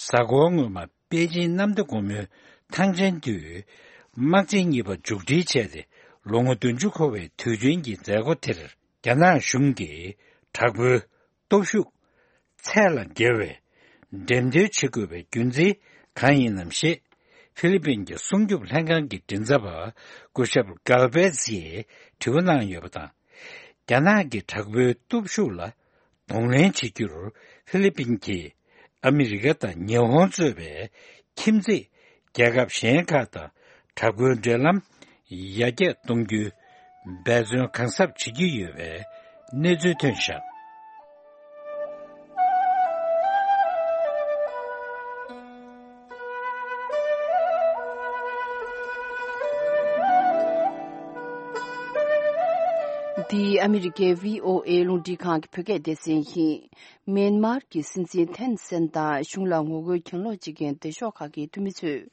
གཟའ་འཁོར་སྔོན་མ་པེ་ཅིང་གནམ་བདེ་སྒོ་མོའི་ཐང་ཆེན་དུ་དམག་ཆེན་གཉིས་པ་མཇུག་སྒྲིལ་བྱས་ཏེ་ལོ་ངོ་བདུན་ཅུ་འཁོར་བའི་དུས་དྲན་གྱི་མཛད་སྒོ་དེར། རྒྱ་ནག་གཞུང་གིས་དྲག་པོའི་སྟོབས་ཤུགས་ཚད་ལས་བརྒལ་བའི་འགྲེམས་སྟོན་བྱེད་དགོས་པའི་རྒྱུ་མཚན་གང་ཡིན་ནམ་ཞེས། ཧྥི་ལི་པིན་གྱི་སྲུང་སྐྱོབ་ལྷན་ཁང་གི་མགྲིན་ཚབ་པ་སྐུ་ཞབས་གལ་བེ་ཛིས་དྲི་བ་གནང་ཡོད་པ་དང་། རྒྱ་ནག་གི་དྲག་པོའི་སྟོབས་ཤུགས་ལ་གདོང་ལེན་བྱེད་རྒྱུར་ཧྥི་ལི་པིན་གྱིས་ཨ་མི་རི་ཀ་དང་ཉི་ཧོང་གཙོས་པའི་ཁྱིམ་མཚེས་རྒྱལ་ཁབ་གཞན་ཁག་དང་དྲག་པོའི་འབྲེལ་ལམ་ཡར་རྒྱས་གཏོང་རྒྱུའི་འབད་བརྩོན་གང་ཟབ་བྱེད་ཀྱི་ཡོད་པའི་གནས་ཚུལ་ཐོན་བཞག་འདི་ཨ་མི་རི་ཀའི་བྷི་ཨོ་ཨེ་རླུང་འཕྲིན་ཁང་གི་བོད་སྐད་སྡེ་ཚན་ཡིན། མེན་མར་གྱི་སྲིད་འཛིན་ཐེན་སན་དང་གཞུང་ལ་ངོ་རྒོལ་གྱེན་ལོག་བྱེད་མཁན་སྡེ་ཤོག་ཁག་གི་འཐུས་མི་ཚོས་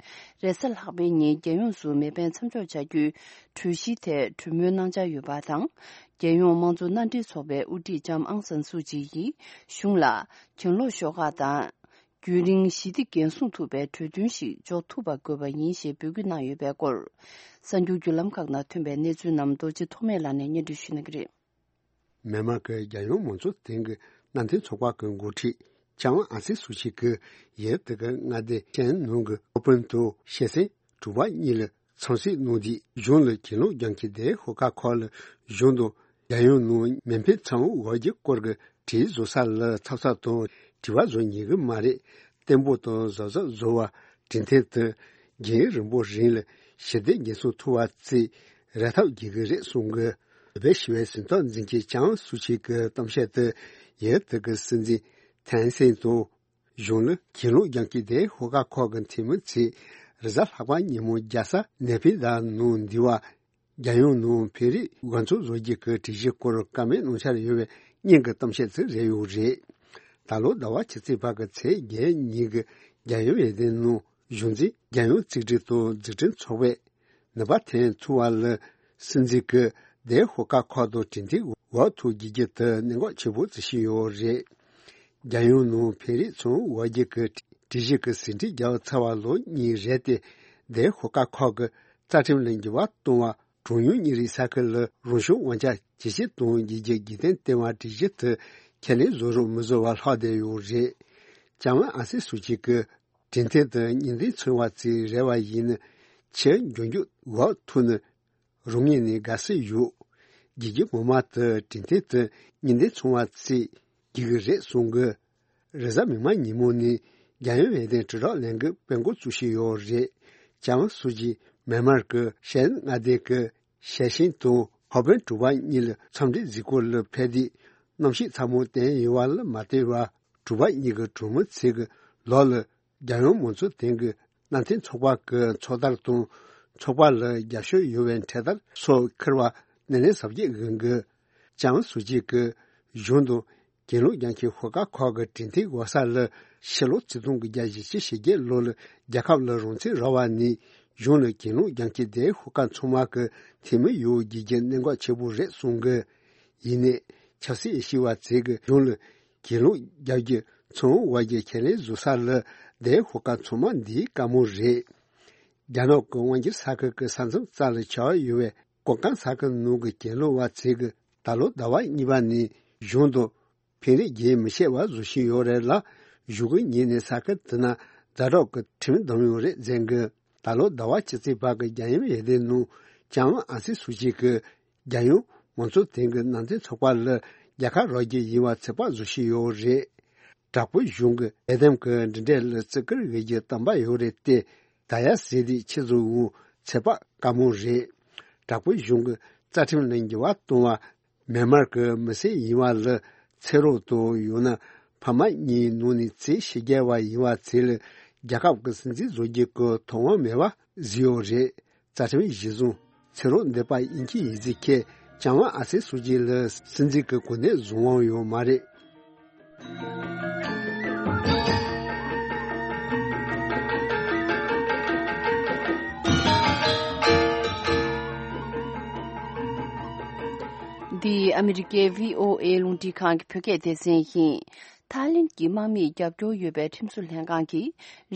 རེས་གཟའ་ལྷག་པའི་ཉིན་རྒྱལ་ཡོངས་སུ་མེ་འཕེན་མཚམས་འཇོག་བྱ་རྒྱུའི་གྲོས་གཞིའི་ཐད་གྲོས་མོལ་གནང་འཆར་ཡོད་པ་དང་། རྒྱལ་ཡོངས་དམངས་གཙོ་མནའ་འབྲེལ་ཚོགས་པའི་དབུ་ཁྲིད་ལྕམ་ཨང་སན་སུ་ཅི་ཡིས་གཞུང་ལ་གྱེན་ལོག་ཤོག་ཁག་དང་། རྒྱུན་རིང་ཞི་བདེ་འགན་སྲུང་ཐུབ་པའི་གྲོས་མཐུན་ཞིག་འཇོག་ཐུབ་པ་དགོས་པ་ཡིན་ཞེས་འབོད་སྐུལ་གནང་ཡོད་པའི་སྐོར། གསར་འགྱུར་བརྒྱུད་ལམ་ཁག་ནང་ཐོན་པའི་གནས་ཚུལ་རྣམས་རྡོ་རྗེ་ཐོགས་མེད་ལགས་ནས་སྙན་སྒྲོན་ཞུ་གནང་གི་རེད། མེན་མར་གྱི་རྒྱལ་ཡོངས་མང་གཙོ་ལྡན་གྱི་མནའ་མཐུན་ཚོགས་པ་གྱི་འགོ་ཁྲིད་ལྕམ་ཨང་སན་སུ་ཅི་གིས་ཡུལ་དེ་གའི་མངའ་སྡེ་ཤན་ནུང་གི་ཧོ་པིན་དུ་ཞེ་སེང་དྲུག་པ་གཉིས་ལ་འཚམས་གཟིགས་གནང་དུས། གཞུང་ལ་གྱེན་ལོག་རྒྱག་མཁན་སྡེ་ཤོག་ཁག་ཁག་ལ་གཞུང་དང་རྒྱལ་ཡོངས་ནང་མེ་འཕེན་མཚམས་འཇོག་རྒྱུའི་སྐོར་གྱི་གྲོས་གཞི་བཟོ་ས་ལ་འཚབ་འཚུབ་དང་དྲི་བ་བཟོ་ཉན་གྱི་མ་རེད། བརྟན་པོ་དང་གཟབ་གཟབ་བཟོ་བར་གྲོས་མཐུན་དེ་རྒྱུན་རིང་པོ་རིང་ལ་ཞི་བདེ་འགན་སྲུང་ཐུབ་པ་བཅས་རེ་ཐག་རྒྱག་གི་རེད་གསུང་གི། བོད་པའི་ཞི་བའི་གཟེངས་རྟགས་འཛིན་མཁན་ལྕམ་སུ་ཅི་གི་གཏམ་བཤད་དེ་ཡུལ་དེ་གི་སྲིད་འཛིན་ཐན་སན་དང་། གཞུང་ལ་གྱེན་ལོག་རྒྱག་མཁན་སྡེ་ཤོག་ཁག་ཁག་གི་འཐུས་མི་ཚོས་རེས་གཟའ་ལྷག་པ་ཉིན་མོ་རྒྱལ་ས་ནེ་ཕི་དཱ་ནང་འདི་བ། རྒྱལ་ཡོངས་ནང་བོད་རིགས་དགོན་ཚོགས་བཟོ་རྒྱུ་གི་གྲོས་གཞིའི་སྐོར་བཀའ་མོལ་གནང་འཆར་ཡོད་པའི་སྙིང་གི་གཏམ་བཤད་ཅིག་རེད་ཡོད་རེད། ད་ལོ་ཟླ་བ་ཕྱི་ཚེས་པ་གི་ཚེས་བརྒྱད་ཉིན་གྱི་རྒྱལ་ཡོངས་ཡར་ལངས་ནང་གཞུང་འཛིན་རྒྱལ་ཡོངས་གཅིག་སྒྲིལ་དང་འཛུགས་སྐྲུན་ཚོགས་པས་ནུས་པ་ཐོན་ཐུབ་པ་ལ་སྲིད་འཛིན་གྱིས་སྡེ་ཤོག་ཁག་ཁག་དང་གྲོས་མཐུན་འོག་ཐུག་རྒྱུ་དེ་གནད་འགག་ཆེན་པོ་ཅིག་ཞིག་ཡོད་རེད། རྒྱལ་ཡོངས་ནང་བོད་རིགས་ཚོང་འོག་རྒྱུ་གི་སྒྲིག་གཞི་གི་ཟིན་བྲིས་རྒྱག་ཚར་བ་ལོ་གཉིས་རེད་དེ། སྡེ་ཤོག་ཁག་ཁག་གི་རྩ་ཁྲིམས་ལ་འགྱུར་བ་གཏོང་བ། གྲངས་ཉུང་མི་རིགས་ས་ཁུལ་ལ་རང་སྐྱོང་དབང་ཆ་ཇེ་ཆེ་གཏོང་རྒྱུ་གི་རྒྱུན་གཏན་ལྟེ་བ་སྒྲིག་གཞི་དེ་ཁས་ལེན་བཟོ་རུང་མི་བཟོ་བར་ལྷག་བསྡད་ཡོད་རེད། ལྕམ་ཨང་སན་སུ་ཅི་གིས་གྲོས་མཐུན་དེ་གཉིས་ལྡན་ཚོང་བ་ཚོས་རེ་བ་ཡིན་ན་ཕྱིར་འགྱུར་རྒྱུ་འོག་ཐུག་ན། རང་ངོས་ནས་དགའ་བསུ་ཡོད། རྒྱལ་སྤྱི་ངོ་མ་དུ་གྲོས་མཐུན་དུ་གཉིས་ལྡན་ཚོང་བ་ཚོས་རྒྱུག་གི་རེད་གསུང་གི། རེས་གཟའ་མིག་དམར་ཉིན་མོ་ནས་རྒྱལ་ཡོངས་ཡར་ལངས་དྲིལ་བསྒྲགས་ལས་འགུལ་སྤེལ་འགོ་བཙུགས་བཞིན་ཡོད་རེད། ལྕམ་སུ་ཅི་མེན་མར་གྱི་ཤན་མངའ་སྡེ་གི་ཞེ་ཤིན་དང་ཧོ་པན་གྲུ་པ་གཉིས་ལ་འཚམས་འདྲིའི་གཟིགས་སྐོར་ལ་ཕེབས་དུས་གནམ་གཤིས་ཚ་མོ་བསྟན་ཡོད་པ་ལ་མ་ལྟོས་པར་གྲུ་པ་གཉིས་ཀྱི་གྲོང་མི་ཚོས་ཀྱི་ལོ་ལ། རྒྱལ་ཡོངས་མང་གཙོ་ལྡན་གྱི་མནའ་མཐུན་ཚོགས་པ་གི་ཚོགས་དར་དང་ཚོགས་པ་ལ་རྒྱབ་སྐྱོར་ཡོད་པའི་འཕྲེད་དར་སོགས་འཁུར་བ་སྣེ་ལེན་གཟབ་རྒྱས་ཡོང་གི། ལྕམ་སུ་ཅི་གིས་གཞུང་དང་གྱེན་ལོག་རྒྱག་མཁན་ཤོག་ཁག་ཁག་གི་གྲོས་མཐུན་འོག་ས་ལ་ཕྱི་ལོ་ཆིག་སྟོང་དགུ་བརྒྱ་བཞི་བཅུ་ཞེ་བརྒྱད་ལོ་ལ་རྒྱལ་ཁབ་ལ་རང་བཙན་རག་པ་ནས་གཞུང་ལ་གྱེན་ལོག་རྒྱག་མཁན་སྡེ་ཤོག་ཁག་ཚང་མ་གི་འཐུས་མི་ཡོང་རྒྱུ་གི་གནད་འགག་ཆེ་པོ་རེད་གསུང་གི། ཡིན་ནའི་ཆབ་སྲིད་ཤེས་པ་ཚོས་ཀྱི་གཞུང་ལ་གྱེན་ལོག་རྒྱག་རྒྱུ་ཚོང་འོག་རྒྱུ་ཁས་ལེན་བཟོ་ས་ལ་སྡེ་ཤོག་ཁག་ཚང་མ་འདིའི་བཀའ་མོལ་རེད། རྒྱ་ནག་གི་དབང་སྒྱུར་ས་ཁུལ་གྱི་ས་མཚམས་རྩ་ལ་ཆགས་ཡོད་པའི་ཀོ་ཀང་ས་ཁུལ་ནང་གི་གྱེན་ལོག་པ་ཚོས་ཀྱི་ད་ལོ་ཟླ་བ་གཉིས་པ་ནས་གཞུང་དང་ཕན་རེས་རྒྱུན་མི་ཆད་པར་བཟོ་བཞིན་ཡོད་རེད་ལ། གཞུག་གི་ཉིན་ནས་ས་ཁུལ་དེ་ན་ཛ་དྲག་གི་ཁྲིམས་བསྡམས་ཡོད་རེད་ཟེར་གི། ད་ལོ་ཟླ་བ་ཕྱི་ཚེས་པ་གི་རྒྱལ་ཡོངས་ཡར་ལངས་ནང་ལྕམ་ཨང་སན་སུ་ཅི་གིས་རྒྱལ་ཡོངས་མང་གཙོ་ལྡན་གྱི་མནའ་མཐུན་ཚོགས་པ་ལ་རྒྱལ་ཁ་རག་རྒྱུ་ཡིན་པ་ཚོད་དཔག་བཟོ་བཞིན་ཡོད་རེད། དྲག་པོའི་གཞུང་གི་ལས་དམ་གྱི་འབྲེལ་འདྲིས་ལ་བརྩི་བཀུར་ཡོད་རྒྱུ་དམ་པ་ཡོད་རེད་དེ། ད་ཡ་ཟེར་དུས་ཆི་ཟིག་འོང་ཚོད་དཔག་དཀའ་མོ་རེད། དྲག་པོའི་གཞུང་གི་རྩ་ཁྲིམས་ལ་འགྱུར་བ་གཏོང་བ། མེན་མར་གྱི་མི་སེར་ཡིན་པ་ལ་ཚེ་རོགས་དང་ཡང་ན་ཕ་མ་གཉིས་ནང་ནས་ཚེ་ཕྱི་རྒྱལ་བ་ཡིན་པ་ཚོ་ལ་རྒྱལ་ཁབ་ཀྱི་སྲིད་འཛིན་བཟོ་རྒྱུ་གི་ཐོབ་དབང་མེད་པ་བཟོས་ཡོད་རེད། རྩ་ཁྲིམས་གཞི་བཟུང་ཚེ་རོགས་འདེབས་པ་ཡིན་གྱི་ཡིན་ཟིག་ཁྱེད་ལྕམ་ཨང་སན་སུ་ཅི་ལ་སྲིད་འཛིན་གྱི་གོ་གནས་བཟུང་དབང་ཡོད་མ་རེད། འདི་ཨ་མི་རི་ཀའི་བྷི་ཨོ་ཨེ་རླུང་འཕྲིན་ཁང་གི་བོད་སྐད་སྡེ་ཚན་ཡིན། ཐའི་ལེན་གྱི་དམག་མིས་རྒྱབ་སྐྱོར་ཡོད་པའི་ཁྲིམས་བཟོ་ལྷན་ཁང་གིས་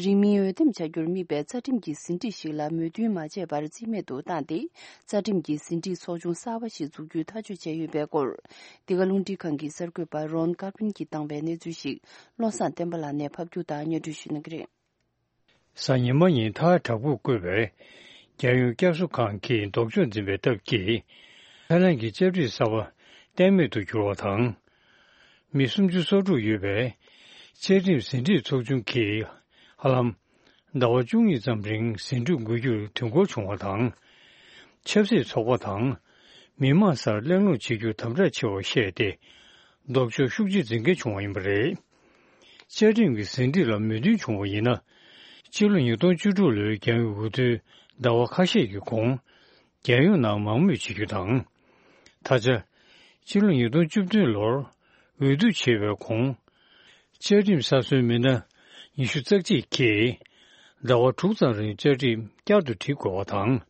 རིང་མིན་འོས་འདེམས་བྱ་རྒྱུར་དམིགས་པའི་རྩ་ཁྲིམས་ཀྱི་ཟིན་བྲིས་ཤིག་ལ་མོས་མཐུན་མ་བྱས་པར་རྩིས་མེད་དུ་བཏང་སྟེ། རྩ་ཁྲིམས་ཀྱི་ཟིན་བྲིས་ཚོགས་ཆུང་གསར་པ་ཞིག་འཛུགས་རྒྱུའི་ཐག་གཅོད་བྱས་ཡོད་པའི་སྐོར། འདི་ག་རླུང་འཕྲིན་ཁང་གི་གསར་འགོད་པ་རོན་ཀར་པིན་གྱིས་བཏང་བའི་གནས་ཚུལ་ཞིག་བློ་བཟང་བསྟན་པ་ལགས་ནས་ཕབ་སྒྱུར་དང་སྙན་སྒྲོན་ཞུ་གནང་གི་རེད། གཟའ་ཉི་མ་ཉིན་ཐའི་དྲག་པོས་བསྐོས་པའི་རྒྱལ་ཡོངས་བསྐྱར་གསོ་ཁང་གིས་ལྡོག་ཕྱོགས་འཛིན་པའི་སྟབས་ཀྱིས། ཐའི་ལན་གྱི་བཅའ་ཁྲིམས་གསར་པ་གཏན་མེད་དུ་གྱུར་བ་དང་། མི་སུམ་ཅུ་སོ་དྲུག་ཡོད་པའི་བཅའ་ཁྲིམས་ཟིན་བྲིས་ཚོགས་ཆུང་གིས་ཧ་ལམ་ཟླ་བ་བཅུ་གཉིས་ཙམ་རིང་ཟིན་བྲིས་འགོད་རྒྱུར་དུས་འགོར་བྱུང་བ་དང་། ཆབ་སྲིད་ཚོགས་པ་དང་མི་མང་སར་གླེང་སློང་བྱེད་རྒྱུ་དམ་དྲག་ཆེ་བར་བཤད་དེ། ལྡོག་ཕྱོགས་ཤུགས་ཆེ་འཛིན་མཁན་བྱུང་བ་ཡིན་པ་རེད། བཅའ་ཁྲིམས་ཀྱི་ཟིན་བྲིས་ལ་མོས་མཐུན་བྱུང་བ་ཡིན་ན། ཕྱི་ལོ་ཉིས་སྟོང་བཅུ་དྲུག་ལོའི་རྒྱལ་ཡོངས་འོས་བསྡུའི་ཟླ་བ་ཁ་ཤས་ཀྱི་གོང་། རྒྱལ་ཡོངས་ནང་མང་མོས་བྱེད་རྒྱུ་དང་། ད་ཆ། ཕྱི་ལོ་ཉིས་སྟོང་བཅུ་བདུན་ལོར་འོས་བསྡུ་བྱས་པའི་གོང་། བཅའ་ཁྲིམས་གསར་བཟོའི་མི་སྣ་ཉི་ཤུ་རྩ་གཅིག་གིས་ཟླ་བ་དྲུག་ཙམ་རིང་བཅའ་ཁྲིམས་བསྐྱར་དུ་བསྒྲིགས་དགོས་པ་དང་།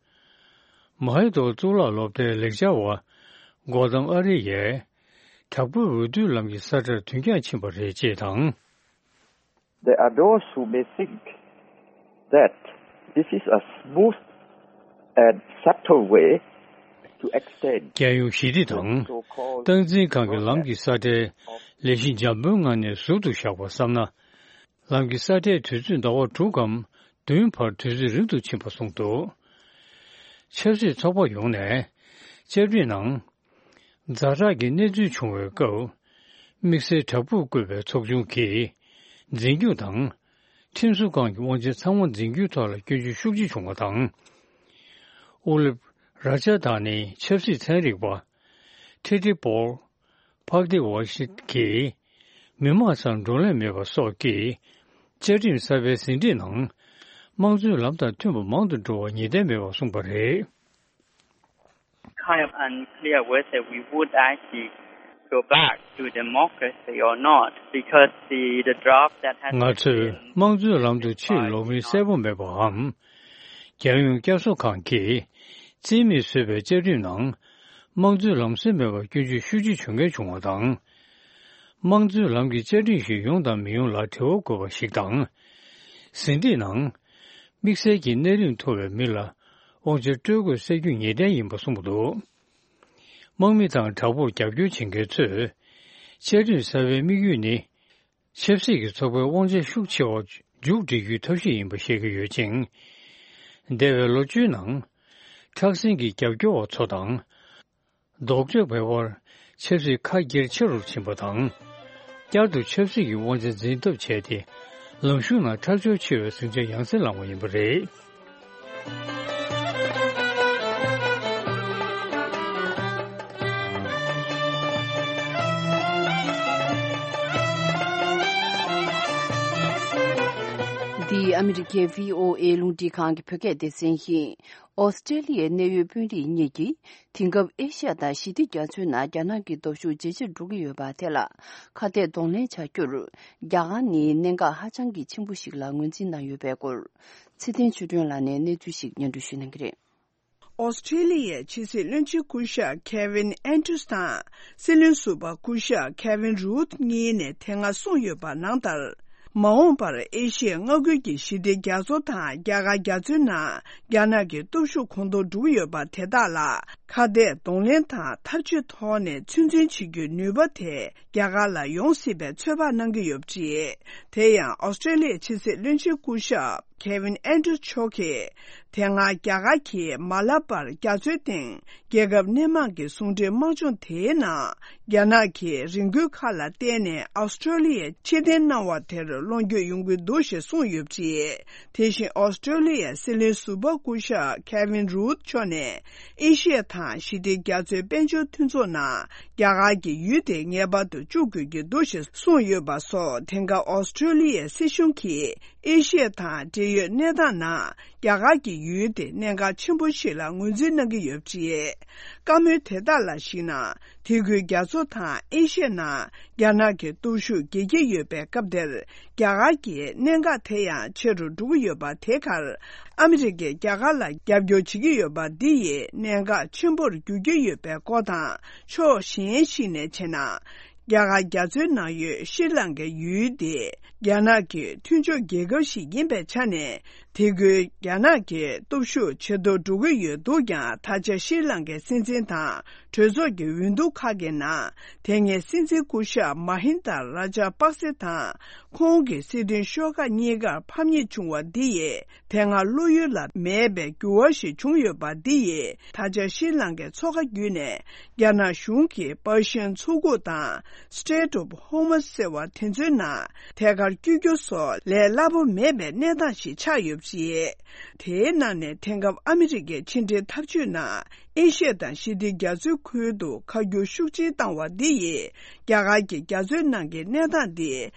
མ་ཧེ་དོལ་གཙུག་ལག་སློབ་གྲྭའི་ལེགས་སྦྱར་བ་གོ་དམ་ཨ་རི་ཡས་དྲག་པོའི་འོས་བསྡུའི་ལམ་གྱི་ས་ཁྲར་དུས་འགྱངས་ཕྱིན་པ་རེད་ཅེས་དང་། There are those who may think that this is a smooth and subtle way to extend རྒྱལ་ཡོངས་ཞི་བདེ་དང་སྟངས་འཛིན་ཁང་གི་ལམ་གྱི་ས་ཁྲའི་ལས་གཞི་འཇམ་པོའི་ངང་ནས་ཟུར་དུ་བཞག་པ་བསམ་ན། ལམ་གྱི་ས་ཁྲའི་དུས་ཚོད་ཟླ་བ་དྲུག་གམ་བདུན་བར་དུས་ཚོད་རིང་དུ་ཕྱིན་པ་གསུངས་འདུག་ཆབ་སྲིད་ཚོགས་པ་ཡོངས་ནས་བཅའ་ཁྲིམས་ནང་། ཛ་དྲག་གི་གནས་ཚུལ་བྱུང་བའི་སྐབས། དམིགས་བསལ་དྲག་པོས་བསྐོས་པའི་ཚོགས་ཆུང་གིས་འཛིན་སྐྱོང་དང་། ཁྲིམས་བཟོ་ཁང་གི་དབང་ཆ་ཚང་མ་འཛིན་སྐྱོང་ཐོག་ལ་སྐྱོན་བརྗོད་ཤུགས་ཆེ་བྱུང་བ་དང་། ཨུ་ལེབ་ར་ཅཱ་དང་ནི་ཆབ་སྲིད་ཚན་རིག་པ། ཐི་ཏི་པོལ། ཕག་ཏི་ཝ་ཤི་གིས་མི་མང་སར་བགྲོ་གླེང་མེད་པ་སོགས་ཀྱིས་བཅའ་ཁྲིམས་གསར་པའི་ཟིན་བྲིས་ནང་དམངས་གཙོའི་ལམ་དང་མཐུན་པ་མང་དུ་འགྲོ་བར་ངེས་གཏན་མེད་པ་གསུངས་པ་རེད། Kind of unclear whether we would actually go back to democracy or not, because the, the draft that has ང་ཚོས་དམངས་གཙོའི་ལམ་དུ་ཕྱིར་ལོག་མིན་གསལ་པོ་མེད་པའམ། རྒྱལ་ཡོངས་བསྐྱར་གསོ་ཁང་གིས་རྩིས་མེད་བཟོས་པའི་བཅའ་ཁྲིམས་ནང་དམངས་གཙོའི་ལམ་སྲོལ་མེད་པར་སྐྱོན་བརྗོད་ཤུགས་ཆེ་བྱུང་མཁན་བྱུང་བ་དང་། དམངས་གཙོའི་ལམ་གྱི་བཅའ་ཁྲིམས་ཤིག་ཡོང་དང་མི་ཡོང་ལ་དྲི་བ་དགོས་པ་ཞིག་དང་། ཟིན་བྲིས་ནང་དམིགས་བསལ་གྱི་གནས་རིམ་མཐོ་བའི་མི་ལ་དབང་ཆ་སྤྲོད་དགོས་གསལ་རྒྱུ་ངེས་གཏན་ཡིན་པ་གསུངས་འདུག་དམག་མི་དང་དྲག་པོར་རྒྱབ་སྐྱོར་བྱེད་མཁན་ཚོས་བཅའ་ཁྲིམས་གསར་པའི་དམིགས་ཡུལ་ནི། ཆབ་སྲིད་ཀྱི་ཚོགས་པའི་དབང་ཆ་ཤུགས་ཆེ་བ་མཇུག་སྒྲིལ་རྒྱུའི་ཐབས་ཤེས་ཡིན་པ་བཤད་ཀྱི་ཡོད་ཅིང་། འདས་པའི་ལོ་བཅུའི་ནང་། ཁྲག་ཟིང་གི་རྒྱབ་སྐྱོར་བ་ཚོ་དང་། ལྡོག་ཕྱོགས་བར་བར་ཆབ་སྲིད་ཁ་སྒེར་ཆེ་རུ་ཕྱིན་པ་དང་། བསྐྱར་དུ་ཆབ་སྲིད་ཀྱི་དབང་ཆ་འཛིན་ཐབས་བྱས་ཏེ། ལངས་ཕྱོགས་ནང་ཁྲག་སྦྱོར་ཆེ་བའི་ཟིང་ཆ་ཡང་སེ་ལངས་པ་ཡིན་པ་རེད། འདི་ཨ་མི་རི་ཀའི་བྷི་ཨོ་ཨེ་རླུང་འཕྲིན་ཁང་གི་བོད་སྐད་སྡེ་ཚན་ཡིན། ཨོ་སི་ཀྲེ་ལི་ཡའི་གནད་ཡོད་དཔོན་རིགས་གཉིས་ཀྱིས་དེང་སྐབས་ཨེ་ཤ་ཡ་དང་ཞི་བདེ་རྒྱ་མཚོའི་ནང་རྒྱ་ནག་གི་སྟོབས་ཤུགས་ཇེ་ཆེར་འགྲོ་གི་ཡོད་པ་དེ་ལ་ཁ་གཏད་གདོང་ལེན་བྱ་རྒྱུར། རྒྱ་གར་ནི་གནད་འགག་ཧ་ཅང་གི་ཆེན་པོ་ཞིག་ལ་ངོས་འཛིན་གནང་ཡོད་པའི་སྐོར། ཚེ་བརྟན་ཆོས་སྒྲོན་ལགས་ནས་གནས་ཚུལ་ཞིག་སྙན་སྒྲོན་ཞུ་གནང་གི་རེད། ཨོ་སི་ཀྲེ་ལི་ཡའི་ཕྱི་སྲིད་བློན་ཆེན་སྐུ་ཞབས་ཁེ་ཝིན་ཨན་ཏྲུས་དང་སྲིད་བློན་ཟུར་པ་སྐུ་ཞབས་ཁེ་ཝིན་རུད་གཉིས་ནས་དེ་སྔ་གསུངས་ཡོད་པ་ནང་ལྟར། མ་འོངས་པར་ཨེ་ཤི་ཡའི་མངའ་ཁུལ་གྱི་ཞི་བདེ་རྒྱ་མཚོ་དང་རྒྱ་གར་རྒྱ་མཚོའི་ནང་རྒྱ་ནག་གི་སྟོབས་ཤུགས་གོང་མཐོར་འགྲོ་གི་ཡོད་པ་དེ་དག་ལ་ཁ་གཏད་གདོང་ལེན་དང་འཐབ་ཇུས་ཐོག་ནས་ཚོད་འཛིན་བྱེད་རྒྱུའི་ནུས་པ་དེ་རྒྱ་གར་ལ་ཡོང་སྲིད་པའི་ཚོད་དཔག་གནང་གི་ཡོད་པ་རེད། དེ་ཡང་ཨོ་སི་ཀྲེ་ལི་ཡའི་ཕྱི་སྲིད་བློན་ཆེན་སྐུ་ཞབས་ཁེ་ཝིན་ཨན་ཏྲུས་མཆོག་གིས། དེ་སྔ་རྒྱ་གར་གྱིས་མ་ལ་པར་རྒྱ་མཚོའི་སྟེང་རྒྱལ་ཁབ་སྣེ་མང་གི་ཟུང་འབྲེལ་དམག་སྦྱོང་དེའི་ནང་རྒྱ་ནག་གིས་རེ་སྐུལ་ཁག་ལ་བརྟེན་ནས་ཨོ་སི་ཀྲོ་ལི་ཡར་ཕྱིར་འཐེན་གནང་བ་དེར་བློ་འགྱོད་ཡོང་གི་འདུག་ཞེས་གསུངས་ཡོད་པ་རེད། དེ་བཞིན་ཨོ་སི་ཀྲོ་ལི་ཡའི་སྲིད་བློན་ཟུར་པ་སྐུ་ཞབས་ཁེ་ཝིན་རུད་མཆོག་ནས་ཨེ་ཤི་ཡ་དང་ཞི་བདེ་རྒྱ་མཚོའི་དཔལ་འབྱོར་མཐུན་ཚོགས་ནང་རྒྱ་གར་གྱི་ཡུལ་དེ་ངེས་པར་དུ་བཅུག་དགོས་ཀྱི་འདུག་ཞེས་གསུངས་ཡོད་པ་སོགས། དེང་སྐབས་ཨོ་སི་ཀྲོ་ལི་ཡའི་སྲིད་གཞུང་གིས། ཨེ་ཤི་ཡ་དང་འབྲེལ་ཡོད་གནས་སྟངས་ནང་རྒྱ་གར་གྱི་ཡུལ་དེ་གནད་འགག་ཆེན་པོ་ཞིག་ལ་ངོས་འཛིན་གནང་གི་ཡོད་པ་རེད། བཀའ་མོལ་དེ་དག་ལ་གཞིགས་ན། དེ་ཁུལ་རྒྱ་མཚོ་དང་ཨེ་ཤི་ཡའི་ནང་རྒྱ་ནག་གི་སྟོབས་ཤུགས་རྒྱས་ཀྱི་ཡོད་པའི་སྐབས་དེར། རྒྱ་གར་གྱི་གནད་འགག་དེ་ཡང་ཆེ་རུ་འགྲོ་གི་ཡོད་པ་དེ་གར། ཨ་མི་རི་ཀས་རྒྱ་གར་ལ་རྒྱབ་སྐྱོར་བྱེད་ཀྱི་ཡོད་པ་འདི་ཡིས་གནད་འགག་ཆེན་པོར་འགྱུར་གྱི་ཡོད་པའི་སྐོར་དང་། ཕྱོགས་གཞན་ཞིག་ནས་བྱས་ན། རྒྱ་གར་རྒྱ་མཚོའི་ནང་ཡོད་ཤྲི་ལང་ཀའི་ཡུལ་དེ་རྒྱ་ནག་གི་མཐུན་ཕྱོགས་རྒྱལ་ཁབ་ཞིག་ཡིན་པའི་ཆ་ནས། དེ་ཁུལ་རྒྱ་ནག་གི་སྟོབས་ཤུགས་ཇེ་མཐོར་འགྲོ་གི་ཡོད་འདུག་ཀྱང་། ད་ཆ་ཤྲི་ལང་ཀའི་སྲིད་འཛིན་དང་གྲོས་ཚོགས་ཀྱི་འོས་བསྡུ་ཁག་གི་ནང་། དེ་སྔའི་སྲིད་འཛིན་སྐུ་ཞབས་མ་ཧིན་དཱ་ར་ཇ་པག་སེ་དང་། ཁོང་གི་སྲིད་དོན་ཤོག་ཁག་གཉིས་ཀར་ཕམ་ཉེས་བྱུང་བ་འདི་ཡིས། དེ་སྔ་བློ་ཡུལ་ལ་མེད་པའི་འགྱུར་བ་ཞིག་བྱུང་ཡོད་པ་འདི་ཡིས། ད་ཆ་ཤྲི་ལང་ཀའི་མཚོ་ཁ་བརྒྱུད་ནས་རྒྱ་ནག་གཞུང་གིས་པར་ཤིའན་མཚོ་ཁུག་དང་Strait of Hormuz ཟེར་བ་དེ་ཚོའི་ནང་ཐད་ཀར་བསྐྱོད་རྒྱུ་སོགས་ལས་སླ་པོ་མེད་པའི་གནས་སྟངས་ཤིག་ཆགས་ཡོད་པ་རེད། དེའི་ནང་ནས་དེང་སྐབས་ཨ་མི་རི་ཀའི་ཕྱི་འབྲེལ་ཐབས་ཇུས་ནང་ ཨེ་ཤི་ཡ་དང་ཞི་བདེ་རྒྱ་མཚོའི་ཁུལ་དུ་ཁ་སྒྱུར་ཤུགས་ཆེན་བཏང་བ་འདི་ཡིས། རྒྱ་གར་གྱི་རྒྱ་མཚོའི་ནང་གི་གནས་སྟངས་འདི་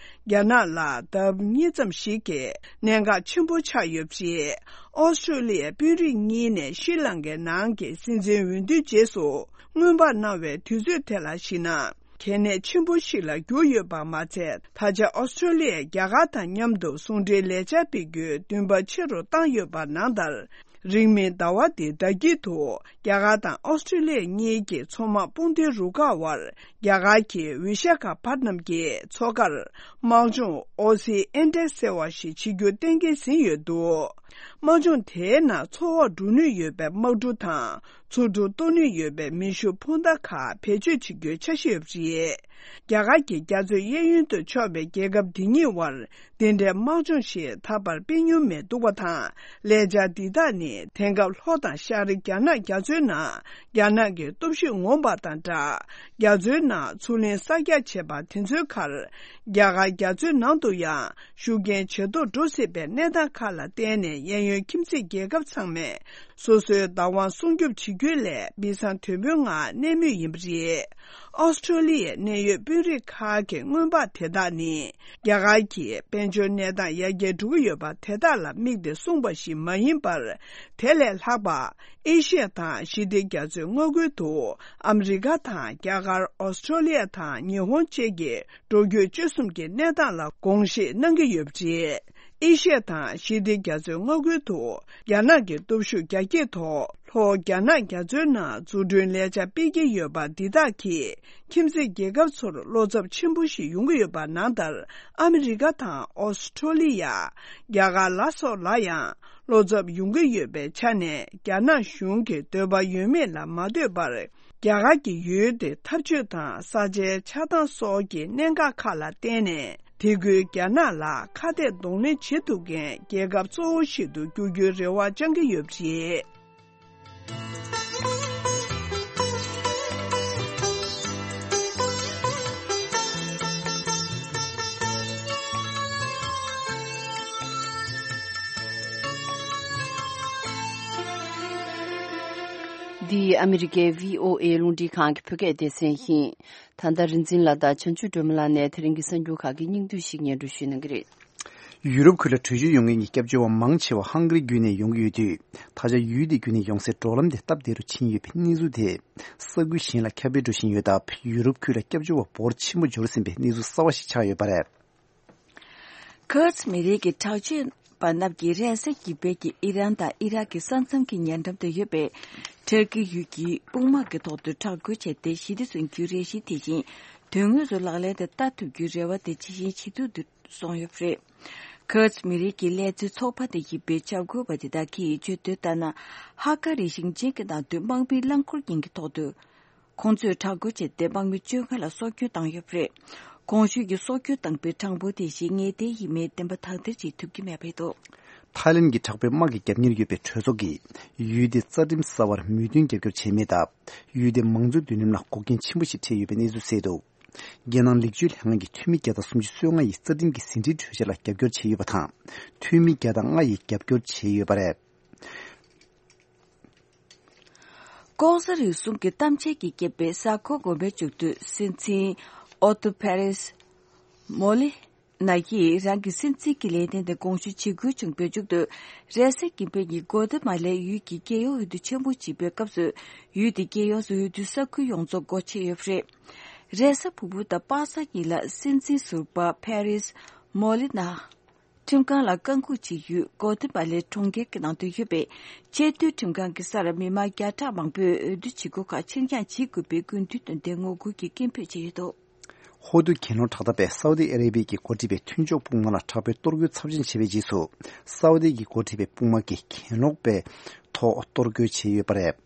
རྒྱ་ནག་ལ་ལྡབ་གཉིས་ཙམ་ཞིག་གི་གནད་འགག་ཆེན་པོ་ཆགས་ཡོད་པ་རེད། ཨོ་སི་ཀྲོ་ལི་ཡའི་དཔོན་རིགས་གཉིས་ནས་ཤྲི་ལང་ཀའི་ནང་གི་སྲིད་འཛིན་འོས་བསྡུའི་རྗེས་སུ་སྔོན་དཔག་གནང་བའི་དུས་ཚོད་དེ་ལ་གཞིགས་ན། གལ་གནད་ཆེན་པོ་ཞིག་ལ་གྱུར་ཡོད་པ་མ་ཚད། ད་ཆ་ཨོ་སི་ཀྲོ་ལི་ཡས་རྒྱ་གར་དང་མཉམ་དུ་ཟུང་འབྲེལ་ལས་འཆར་སྤེལ་རྒྱུའི་འདུན་པ་ཆེ་རུ་བཏང་ཡོད་པ་ནང་ལྟར། རིང་མིན་ཟླ་བ་འདིའི་ཟླ་དཀྱིལ་དུ་རྒྱ་གར་དང་ཨོ་སི་ཀྲོ་ལི་ཡ་གཉིས་ཀྱི་མཚོ་དམག་དཔུང་སྡེའི་རུ་ཁག་དབར་རྒྱ་གར་གྱི་བི་ཤ་ཁ་པད་ནམ་གྱི་མཚོ་ཁར་དམག་སྦྱོང་ཨོ་སི་ཨེན་ཏེག་ཟེར་བ་ཞིག་བྱེད་རྒྱུ་གཏན་འཁེལ་ཟིན་ཡོད་འདུག། དམག་སྦྱོང་དེའི་ནང་མཚོ་འོག་འགྲོ་ནུས་ཡོད་པའི་དམག་གྲུ་དང་། མཚོ་གྲུ་གཏོར་ནུས་ཡོད་པའི་མེ་ཤུགས་འཕུར་མདའ་ཁག་བེད་སྤྱོད་བྱེད་རྒྱུའི་འཆར་གཞི་ཡོད་པ་རེད། རྒྱ་གར་གྱི་རྒྱ་མཚོའི་གཡས་གཡོན་དུ་ཕྱོགས་པའི་རྒྱལ་ཁབ་འདི་གཉིས་དབར་འདི་འདྲའི་དམག་སྦྱོང་ཞིག་ད་བར་སྤེལ་མྱོང་མེད་འདུག་པ་དང་། ལས་འཆར་འདི་དག་ནི་དེང་སྐབས་ལྷོ་དང་ཤར་རྒྱ་ནག་རྒྱ་མཚོའི་ནང་རྒྱ་ནག་གི་སྟོབས་ཤུགས་ངོམ་པ་དང་སྦྲགས། རྒྱ་མཚོའི་ནང་མཚོ་གླིང་གསར་རྒྱག་བྱས་པ་དེ་ཚོའི་ཁར། རྒྱ་གར་རྒྱ་མཚོའི་ནང་དུ་ཡང་ཤུགས་རྐྱེན་ཇེ་མཐོར་འགྲོ་སྲིད་པའི་གནས་སྟངས་ཁག་ལ་བརྟེན་ནས། གཡས་གཡོན་ཁྱིམ་མཚེས་རྒྱལ་ཁབ་ཚང་མས་སོ་སོའི་བདག་དབང་སྲུང་སྐྱོབ་བྱེད་རྒྱུའི་སླད་སྦས་གསང་དོད་པོའི་ངང་གནས་མུས་ཡིན་པ་རེད། ཨོ་སི་ཀྲོ་ལི་ཡའི་གནད་ཡོད་དཔོན་རིགས་ཁག་གི་སྔོན་དཔག་དེ་དག་ནི། རྒྱ་གར་གྱི་དཔལ་འབྱོར་གནས་སྟངས་ཡར་རྒྱས་འགྲོ་གི་ཡོད་པ་དེ་དག་ལ་དམིགས་ཏེ་གསུངས་པ་ཞིག་མ་ཡིན་པར། དེ་ལས་ལྷག་པ། ཨེ་ཤི་ཡ་དང་ཞི་བདེ་རྒྱ་མཚོའི་མངའ་ཁུལ་དུ་ཨ་མི་རི་ཀ་དང་རྒྱ་གར། ཨོ་སི་ཀྲོ་ལི་ཡ་དང་ཉི་ཧོང་བཅས་ཀྱི་འགྲོ་སྐྱོད་སྤྱོད་གསུམ་གྱི་གནས་སྟངས་ལ་དགོངས་བཞེས་གནང་གི་ཡོད་པ་རེད། ཨེ་ཤི་ཡ་དང་ཞི་བདེ་རྒྱ་མཚོའི་མངའ་ཁུལ་དུ་རྒྱ་ནག་གི་སྟོབས་ཤུགས་རྒྱ་སྐྱེད་ཐོག་ལྷོ་རྒྱ་ནག་རྒྱ་མཚོའི་ནང་འཛུགས་སྐྲུན་ལས་འཆར་སྤེལ་གྱི་ཡོད་པ་འདི་དག་གིས། ཁྱིམ་མཚེས་རྒྱལ་ཁབ་ཚོར་བློ་འཚབ་ཆེན་པོ་ཞིག་ཡོང་གི་ཡོད་པ་ནང་ལྟར། ཨ་མི་རི་ཀ་དང་ཨོ་སི་ཀྲོ་ལི་ཡ། རྒྱ་གར་ལ་སོགས་ལ་ཡང་བློ་འཚབ་ཡོང་གི་ཡོད་པའི་ཆ་ནས། རྒྱ་ནག་གཞུང་གི་འདོད་པ་ཡོད་མེད་ལ་མ་ལྟོས་པར། རྒྱ་གར་གྱི་ཡུལ་དེ་འཐབ་ཇུས་དང་ས་ཆའི་ཆགས་སྟངས་སོགས་ཀྱི་གནད་འགག་ཁག་ལ་བརྟེན་ནས། དེ་ཁུལ་རྒྱ་ནག་ལ་ཁ་གཏད་གདོང་ལེན་བྱེད་ཐུབ་མཁན་རྒྱལ་ཁབ་གཙོ་བོ་ཞིག་ཏུ་འགྱུར་རྒྱུའི་རེ་བ་བཅང་གི་ཡོད་པ་རེད། འདི་ཨ་མི་རི་ཀའི་བྷི་ཨོ་ཨེ་རླུང་འཕྲིན་ཁང་གི་བོད་སྐད་སྡེ་ཚན་ཡིན། ད་ལྟ་རིག་འཛིན་ལགས་དང་བྱང་ཆུབ་སྒྲོལ་མ་ལགས་ནས་དེ་རིང་གི་གསར་འགྱུར་ཁག་གི་སྙིང་བསྡུས་ཤིག་སྙན་སྒྲོན་ཞུ་གནང་གི་རེད། ཡུ་རོབ་ཁུལ་ལ་བྲོས་བྱོལ་ཡོང་མཁན་གྱི་སྐྱབས་བཅོལ་བ་མང་ཆེ་བ་ཧང་ག་རི་བརྒྱུད་ནས་ཡོང་གི་ཡོད་དུས། ད་ཆ་ཡུལ་དེ་བརྒྱུད་ནས་ཡོང་སའི་འགྲོ་ལམ་དེ་སྟབས་བདེ་རུ་ཕྱིན་ཡོད་པའི་གནས་ཚུལ་དེ། ས་ཁུལ་གཞན་ལ་ཁྱབ་སྤེལ་འགྲོ་བཞིན་ཡོད་སྟབས། ཡུ་རོབ་ཁུལ་ལ་སྐྱབས་བཅོལ་བ་འབོར་ཆེན་པོ་འབྱོར་ཟིན་པའི་གནས་ཚུལ་གསར་བ་ཞིག་ཆགས་ཡོད་པ་རེད། ཁུར་ཛི་མི་རིགས་ཀྱི་དྲག་སྤྱོད་པ་རྣམས་ཀྱིས་རེས་གཟའ་གི་བོད་ཀྱི་ཨི་རན་དང་ཨི་རག་གི་ས་མཚམས་ཀྱི་ཉེ་འགྲམ་དུ་ཡོད་པའི་ཊར་ཀི་ཡུལ་གྱི་དཔུང་དམག་གི་ཐོག་ཏུ་དྲག་རྒོལ་བྱས་ཏེ། ཞི་བདེ་བཟུང་རྒྱུའི་རེ་ཞིག་དེ་བཞིན་དོན་དངོས་སུ་ལག་ལེན་དུ་བསྟར་ཐུབ་རྒྱུའི་རེ་བ་དེ་ཇེ་ཞན་ཇེ་སྡུག་ཏུ་སོང་ཡོད་པ་རེད། ཁུར་ཛི་མི་རིགས་ཀྱི་ལས་བཟོའི་ཚོགས་པ་དེ་ཡིན་པའི་འཇབ་རྒོལ་བ་དེ་དག་གིས་བརྗོད་དོན་ལྟར་ན། ཧ་ཀ་རི་ཞིང་ཆེན་གྱི་ནང་དུ་དམག་མིའི་རླངས་འཁོར་རྐྱེན་གྱི་ཐོག་ཏུ། ཁོང་ཚོས་དྲག་རྒོལ་བྱས་ཏེ། དམག་མི་བཅོ་ལྔ་ལ་སྲོག་སྐྱོན་བཏང་ཡོད་པ་རེད། གོང་ཞུས་ཀྱི་སྲོག་སྐྱོན་བཏང་པའི་གྲངས་འབོར་དེ་བཞིན་ངེས་གཏན་ཡིན་མིན་བདེན་པ་དག་ཐེར་བྱེད་ཐུབ་ཀྱི་མེད་པ་རེད་འདུག། ཐའི་ལེན་གྱི་དྲག་པོའི་དམག་གི་རྒྱབ་གཉེར་ཡོད་པའི་གྲོས་ཚོགས་ཀྱིས་ཡུལ་དེའི་རྩ་ཁྲིམས་གསར་བར་མོས་མཐུན་རྒྱབ་སྐྱོར་བྱས་མེད་སྟབས། ཡུལ་དེའི་མང་གཙོའི་མདུན་ལམ་ལ་འགོག་རྐྱེན་ཆེན་པོ་ཞིག་འཕྲད་ཡོད་པའི་གནས་ཚུལ་གསལ་འདུག། རྒྱལ་ནང་ལེགས་བཅོས་ལྷན་ཁང་གི་འཐུས་མི་བརྒྱ་དང་སུམ་ཅུ་སོ་ལྔ་ཡིས་རྩ་ཁྲིམས་ཀྱི་ཟིན་བྲིས་གྲོས་འཆར་ལ་རྒྱབ་སྐྱོར་བྱས་ཡོད་པ་དང་། འཐུས་མི་བརྒྱ་དང་ལྔ་ཡིས་རྒྱབ་སྐྱོར་བྱས་ཡོད་པ་རེད། ལྐོག་ཟ་རུལ་སུངས་ཀྱི་གཏམ་འཆལ་གྱི་རྐྱེན་པས་གཟའ་འཁོར་དགོན་པའི་མཇུག་ཏུ་སྲིད་འཛིན་ཨོ་ཏོ་ཕེ་རེས་མོ་ལི་ན་ཡིས་རང་གི་སྲིད་འཛིན་གྱི་ལས་དོན་དེ་དགོངས་ཞུ་བྱེད་དགོས་བྱུང་བའི་མཇུག་ཏུ། རེས་གཟའ་སྤེན་པའི་ཉིན་གོ་ཏི་མ་ལའི་ཡུལ་གྱི་རྒྱལ་ཡོངས་འོས་བསྡུ་ཆེན་པོ་བྱེད་པའི་སྐབས་སུ། ཡུལ་དེ་རྒྱལ་ཡོངས་སུ་འོས་བསྡུའི་ས་ཁུལ་ཡོངས་རྫོགས་སྒོ་ཕྱེ་ཡོད་པ་རེད། རེས་གཟའ་ཕུར་བུ་དང་པ་སངས་ཉིན་ལ་སྲིད་འཛིན་ཟུར་པ་ཕེ་རེས་མོ་ལི་ན། ཁྲིམས་ཁང་ལ་བཀའ་འགུག་བྱེད་ཡུལ་གོ་ཏི་མ་ལའི་གྲོང་ཁྱེར་གྱི་ནང་དུ་ཡོད་པའི་ཆེས་མཐོའི་ཁྲིམས་ཁང་གི་སར་མི་མང་བརྒྱ་ཕྲག་མང་པོས་འོས་བསྡུ་བྱེད་སྒོ་ཁག་ཕྱིར་འགྱངས་བྱེད་དགོས་པའི་དགོས་འདུན་བཏོན་ཏེ་ངོ་རྒོལ་གྱི་སྐད་འབོད་བྱས་ཡོད་འདུག། ཧོར་དུ་གྱེན་ལོག་དྲག་འཐབ་པས་སའུ་ཏི་ཨ་རེ་བྷི་ཡ་གིས་འགོ་ཁྲིད་པའི་མཐུན་ཕྱོགས་དཔུང་དམག་ལ་དྲག་པོའི་གཏོར་རྒོལ་ཚབས་ཆེན་བྱས་པའི་རྗེས་སུ། སའུ་ཏི་གིས་འགོ་ཁྲིད་པའི་དཔུང་དམག་གིས་གྱེན་ལོག་པའི་ཐོག་གཏོར་རྒོལ་བྱས་ཡོད་པ་རེད།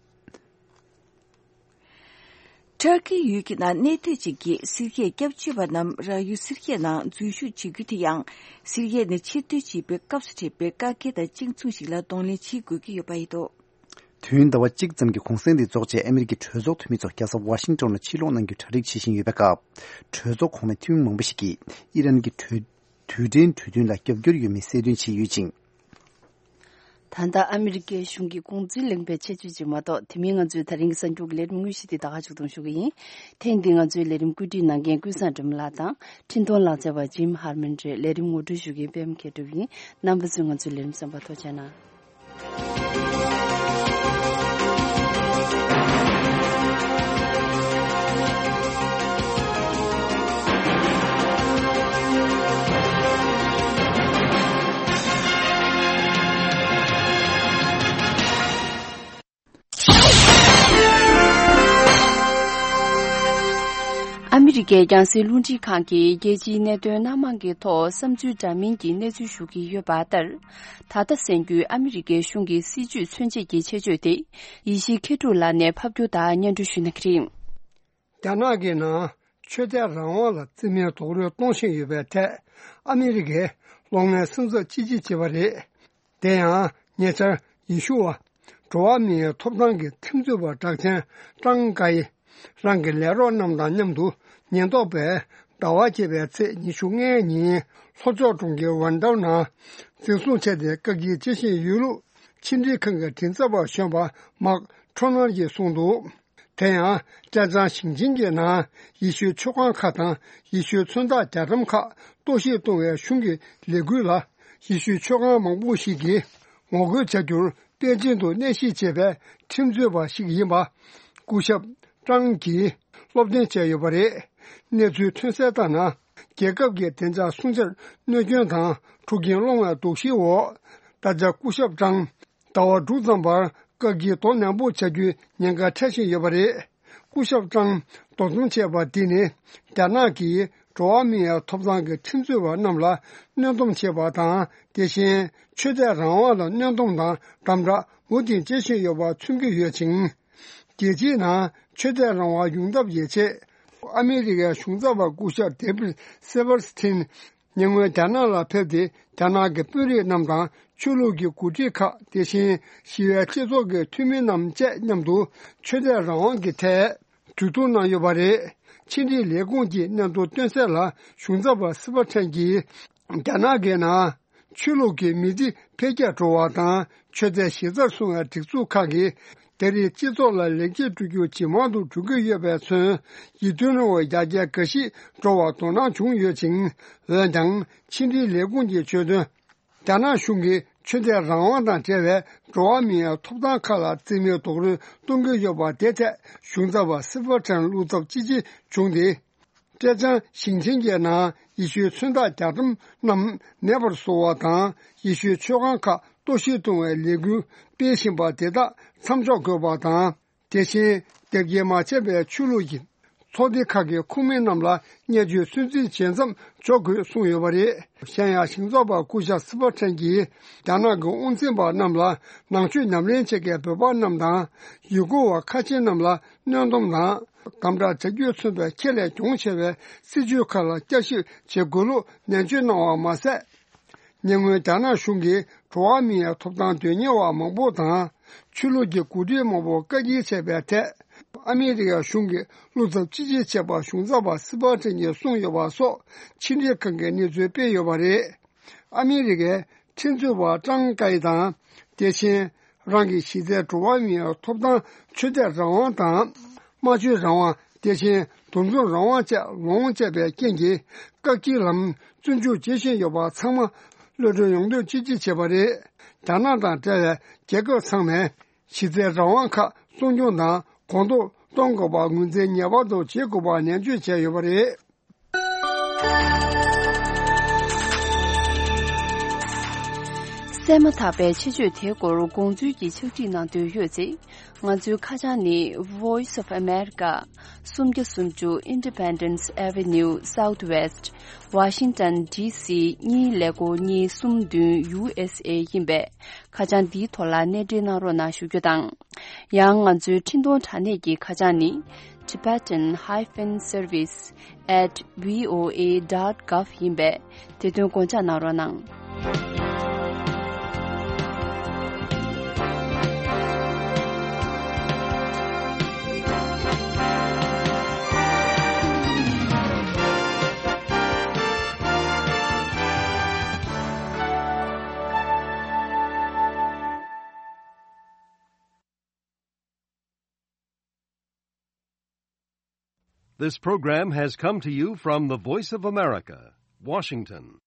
ཊར་ཀི་ཡུལ་གྱི་ནང་གནས་སྡོད་བྱེད་མཁན་སི་རི་ཡའི་སྐྱབས་བཅོལ་བ་རྣམས་རང་ཡུལ་སི་རི་ཡའི་ནང་འཛུལ་ཞུགས་བྱེད་རྒྱུ་དེ་ཡང་། སི་རི་ཡ་ནས་ཕྱིར་སྡོད་བྱེད་པའི་སྐབས་སུ་འཕྲད་པའི་བཀག་རྒྱ་དང་གཅིག་མཚུངས་ཤིག་ལ་གདོང་ལེན་བྱེད་དགོས་ཀྱི་ཡོད་པ་ཡིན་འདུག། དུས་ཡུན་ཟླ་བ་གཅིག་ཙམ་གྱི་གུང་སེང་དེ་རྫོགས་རྗེས་ཨ་མི་རི་ཀའི་གྲོས་ཚོགས་འཐུས་མི་ཚོ་རྒྱལ་ས་ཝ་ཤིང་ཊོན་ལ་ཕྱིར་ལོག་གནང་རྒྱུའི་གྲ་སྒྲིག་བྱེད་བཞིན་ཡོད་པའི་སྐབས། གྲོས་ཚོགས་གོང་མའི་འཐུས་མི་མང་པོ་ཞིག་གིས་ཨི་རན་གྱི་གྲོས་དུས་དྲན་གྲོས་མཐུན་ལ་རྒྱབ་སྐྱོར་ཡོད་མེད་གསལ་སྟོན་བྱས་ཡོད་ཅིང་། ད་ལྟ་ཨ་མི་རི་ཀའི་གཞུང་གི་དགོངས་ཚུལ་གླེང་བའི་ཆེད་བརྗོད་ཅིག་མ་གཏོགས། དེ་མིན་ང་ཚོའི་ད་རིང་གི་གསར་འགྱུར་གྱི་ལས་རིམ་དངོས་གཞི་དེ་ད་ག་ཞིག་གཏོང་ཞུ་གི་ཡིན། ཐེངས་འདིའི་ང་ཚོའི་ལས་རིམ་བཀོད་སྒྲིག་གནང་མཁན་ཀུན་བཟང་སྒྲོལ་མ་ལགས་དང་། འཕྲིན་གཏོང་ལག་རྩལ་བ་ཇིམ་ཧར་མན་རེད། ལས་རིམ་ངོ་སྤྲོད་ཞུ་མཁན་པད་མ་མཁས་གྲུབ་ཡིན། རྣམ་པ་ཚོས་ང་ཚོའི་ལས་རིམ་གསན་པར་ཐུགས་རྗེ་གནང་། ཨ་མི་རི་ཀའི་རྒྱང་སྲིང་རླུང་འཕྲིན་ཁང་གིས་རྒྱལ་སྤྱིའི་གནད་དོན་སྣ་མང་གི་ཐོག་བསམ་ཚུལ་འདྲ་མིན་གྱི་གནས་ཚུལ་ཞུ་གི་ཡོད་པ་ལྟར། ད་ལྟ་གསན་རྒྱུའི་ཨ་མི་རི་ཀའི་གཞུང་གི་སྲིད་བྱུས་མཚོན་བྱེད་ཀྱི་ཆེད་བརྗོད་དེ། ཡེ་ཤེས་མཁས་གྲུབ་ལགས་ནས་ཕབ་སྒྱུར་དང་སྙན་སྒྲོན་ཞུ་གནང་གི་རེད། རྒྱ་ནག་གི་ནང་ཆོས་དད་རང་དབང་ལ་རྩིས་མེད་རྡོག་རོལ་གཏོང་བཞིན་ཡོད་པའི་ཐད། ཨ་མི་རི་ཀས་ལོ་ལྔའི་སུན་གཙེར་ཅི་ཅི་བྱས་པ་རེད། དེ་ཡང་ཉེ་ཆར་ཡེ་ཤུ་བ། འགྲོ་བ་མིའི་ཐོབ་ཐང་གི་ཁྲིམས་རྩོད་པ་གྲགས་ཅན་ཀྲང་ཀའེ། རང་གི་ལས་རོགས་རྣམས་དང་མཉམ་དུ་ཉེན་རྟོག་པས་ཟླ་བ་བརྒྱད་པའི་ཚེས་ཉི་ཤུ་ལྔའི་ཉིན་ལྷོ་ཕྱོགས་གྲོང་ཁྱེར་ཝན་ཏའུ་ནང་འཛིན་བཟུང་བྱས་ཏེ་བཀག་སྐྱིལ་བྱེད་བཞིན་ཡོད་ལུགས་ཕྱི་འབྲེལ་ཁང་གི་མགྲིན་ཚབ་པ་གཞོན་པ་མཱག་ཁྲོ་ནར་གྱིས་གསུངས་འདུག་དེ་ཡང་། ཀྲེ་ཅང་ཞིང་ཆེན་གྱི་ནང་ཡེ་ཤུའི་མཆོད་ཁང་ཁག་དང་ཡེ་ཤུའི་མཚོན་རྟགས་རྒྱ་གྲམ་ཁག་གཏོར་བཤིག་གཏོང་བའི་གཞུང་གི་ལས་འགུལ་ལ། ཡེ་ཤུའི་མཆོད་ཁང་མང་པོ་ཞིག་གིས་ངོ་རྒོལ་བྱ་རྒྱུར་པེ་ཅིན་དུ་གནས་གཞིས་བྱས་པའི་ཁྲིམས་རྩོད་པ་ཞིག་ཡིན་པ། སྐུ་ཞབས་ཀྲང་གིས་སློབ་སྟོན་བྱས་ཡོད་པ་རེད། གནས་ཚུལ་ཐོན་གསལ་ལྟར་ན། རྒྱལ་ཁབ་ཀྱི་བདེ་འཇགས་སྲུང་བྱར་གནོད་སྐྱོན་དང་འཁྲུག་རྐྱེན་སློང་བའི་དོགས་གཞིའི་འོག་ད་ཆ་སྐུ་ཞབས་ཀྲང་ཟླ་བ་དྲུག་ཙམ་པར་བཀག་སྐྱིལ་དོ་ནན་པོ་བྱ་རྒྱུའི་ཉེན་ཁ་འཕྲད་བཞིན་ཡོད་པ་རེད། སྐུ་ཞབས་ཀྲང་འདུ་འཛོམས་བྱས་པ་འདི་ནི་རྒྱ་ནག་གིས་འགྲོ་བ་མིའི་ཐོབ་ཐང་གི་ཁྲིམས་རྩོད་པ་རྣམས་ལ་གནོན་སྡོམ་བྱས་པ་དང་། དེ་བཞིན་ཆོས་དད་རང་དབང་ལ་གནོན་སྡོམ་དང་དམ་དྲག་མུ་མཐུད་བྱེད་བཞིན་ཡོད་པ་མཚོན་གྱི་ཡོད་ཅིང་། རྒྱལ་སྤྱིའི་ནང་ཆོས་དད་རང་དབང་ཡོང་ཐབས་ཀྱི་ཆེད། ཨ་མི་རི་ཀའི་གཞུང་ཚབ་པ་སྐུ་ཞབས་ཌེ་བིད་སེ་བར་སི་ཐིན། ཉེ་སྔོན་རྒྱ་ནག་ལ་ཕེབས་ཏེ། རྒྱ་ནག་གི་དཔོན་རིགས་རྣམས་དང་ཆོས་ལུགས་ཀྱི་འགོ་ཁྲིད་ཁག་དེ་བཞིན་ཞི་བའི་སྤྱི་ཚོགས་ཀྱི་འཐུས་མི་རྣམས་བཅས་མཉམ་དུ་ཆོས་དད་རང་དབང་གི་ཐད་གྲོས་བསྡུར་གནང་ཡོད་པ་རེད། ཕྱི་འབྲེལ་ལས་ཁུངས་ཀྱིས་སྙན་ཐོ་བཏོན་གསལ་ལ། གཞུང་ཚབ་པ་སི་བ་ཁྲན་གྱིས་རྒྱ་ནག་གི་ནང་ཆོས་ལུགས་ཀྱི་མི་ཚེ་འཕེལ་རྒྱས་འགྲོ་བ་དང་ཆོས་དད་གཞི་རྩར་བཟུང་བའི་སྒྲིག་འཛུགས་ཁག་གིས། དེ་རིང་སྤྱི་ཚོགས་ལ་ལེགས་སྐྱེས་འགྲོ་རྒྱུ་ཇེ་མང་དུ་འགྲོ་གི་ཡོད་པས་མཚོན། ཡིད་རྟོན་རང་དབང་ཡར་རྒྱས་འགའ་ཞིག་འགྲོ་བར་དོ་སྣང་བྱུང་ཡོད་ཅིང་། འོན་ཀྱང་ཕྱི་འབྲེལ་ལས་ཁུངས་ཀྱིས་བརྗོད་དོན། རྒྱ་ནག་གཞུང་གིས་ཆོས་དད་རང་དབང་དང་འབྲེལ་བའི་འགྲོ་བ་མིའི་ཐོབ་ཐང་ཁག་ལ་རྩིས་མེད་རྡོག་རོལ་གཏོང་གི་ཡོད་པ་དེ་ཐད་གཞུང་ཚབ་པ་སི་བ་ཁྲན་བློ་འཚབ་ཅི་ཆེ་བྱུང་སྟེ། ཀྲེ་ཅང་ཞིང་ཆེན་གྱི་ནང་ཡེ་ཤུའི་མཚོན་རྟགས་རྒྱ་གྲམ་རྣམས་མེད་པར་བཟོ་བ་དང་། ཡེ་ཤུའི་མཆོད་ཁང་ཁག་གཏོར་བཤིག་གཏོང་བའི་ལས་འགུལ་སྤེལ་བཞིན་པ་དེ་དག་མཚམས་འཇོག་དགོས་པ་དང་། དེ་བཞིན་དེབ་སྐྱེལ་མ་བྱས་པའི་ཆོས་ལུགས་ཀྱི་ཚོགས་སྡེ་ཁག་གི་ཁོངས་མི་རྣམས་ལ་བརྙས་བཅོས་སུན་གཙེར་ཇེ་མཚམས་འཇོག་དགོས་གསུངས་ཡོད་པ་རེད། གཞན་ཡང་གཞུང་ཚབ་པ་སྐུ་ཞབས་སི་བ་ཁྲན་གྱིས་རྒྱ་ནག་གི་དབང་འཛིན་པ་རྣམས་ལ་ནང་ཆོས་ཉམས་ལེན་བྱེད་མཁན་བོད་པ་རྣམས་དང་ཡུ་གུར་བ་ཁ་ཆེ་རྣམས་ལ་གནོན་སྡོམ་དང་། དམ་དྲག་བྱ་རྒྱུས་མཚོན་པའི་ཁྱད་ལས་གྱོང་ཆེ་བའི་སྲིད་བྱུས་ཁག་ལ་བསྐྱར་ཞིབ་བྱེད་དགོས་ལུགས་ནན་བརྗོད་གནང་བ་མ་ཟད། ཉེ་སྔོན་རྒྱ་ནག་གཞུང་གིས་འགྲོ་བ་མིའི་ཐོབ་ཐང་དོན་གཉེར་བ་མང་པོ་དང་ཆོས་ལུགས་ཀྱི་འགོ་ཁྲིད་མང་པོ་བཀག་སྐྱིལ་བྱས་པའི་ཐད། ཨ་མི་རི་ཀ་གཞུང་གིས་བློ་འཚབ་ཅི་ཆེ་བྱས་པ་གཞུང་ཚབ་པ་སི་བ་ཁྲན་གྱིས་གསུངས་ཡོད་པ་སོགས་ཕྱི་འབྲེལ་ཁང་གིས་གནས་ཚུལ་སྤེལ་ཡོད་པ་རེད། ཨ་མི་རི་ཀའི་ཁྲིམས་རྩོད་པ་ཀྲང་ཀའེ་དང་། དེ་བཞིན། རང་གི་གཞི་རྩའི་འགྲོ་བ་མིའི་ཐོབ་ཐང་ཆོས་དད་རང་དབང་དང་། སྨྲ་བརྗོད་རང་དབང་། དེ་བཞིན་འདུ་འཛོམས་རང་དབང་བཅས་ལོངས་སྤྱད་པའི་རྐྱེན་གྱིས། བཀག་སྐྱིལ་ལམ་བཙོན་འཇུག་བྱེད་བཞིན་ཡོད་པ་ཚང་མ་གློད་གྲོལ་ཡོང་དོན་ཅི་ཅི་བྱེད་པ་རེད། རྒྱ་ནག་དང་འབྲེལ་བའི་རྒྱལ་ཁབ་ཚང་མས་གཞི་རྩའི་རང་དབང་ཁག་སྲུང་སྐྱོང་དང་གོང་མཐོར་གཏོང་དགོས་པ་ངོས་འཛིན་ངེས་པར་དུ་བྱེད་དགོས་པ་ནན་བརྗོད་བྱས་ཡོད་པ་རེད། གསན་མ་ཐག་པའི་ཆེད་བརྗོད་དེའི་སྐོར་དགོངས་ཚུལ་གྱི་ཕྱག་བྲིས་གནང་འདོད་ཡོད་ཚེ། ང་ཚོའི་ཁ་བྱང་ནི། Voice of America། སུམ་བརྒྱ་སུམ་ཅུ་Independence Avenue Southwest། Washington D C གཉིས་ཀླད་ཀོར་གཉིས་གསུམ་བདུན། U S A ཡིན་པས། ཁ་བྱང་འདིའི་ཐོག་ལ་གནས་འབྲེལ་གནང་རོགས་གནང་ཞུ་རྒྱུ་དང་། ཡང་ང་ཚོའི་འཕྲིན་གཏོང་དྲ་གནས་ཀྱི་ཁ་བྱང་ནི། Tibetan hyphen service at V O A dot gov ཡིན་པས། དེ་དོན་དགོངས་འཇགས་གནང་རོགས་གནང་། This program has come to you from the Voice of America, Washington.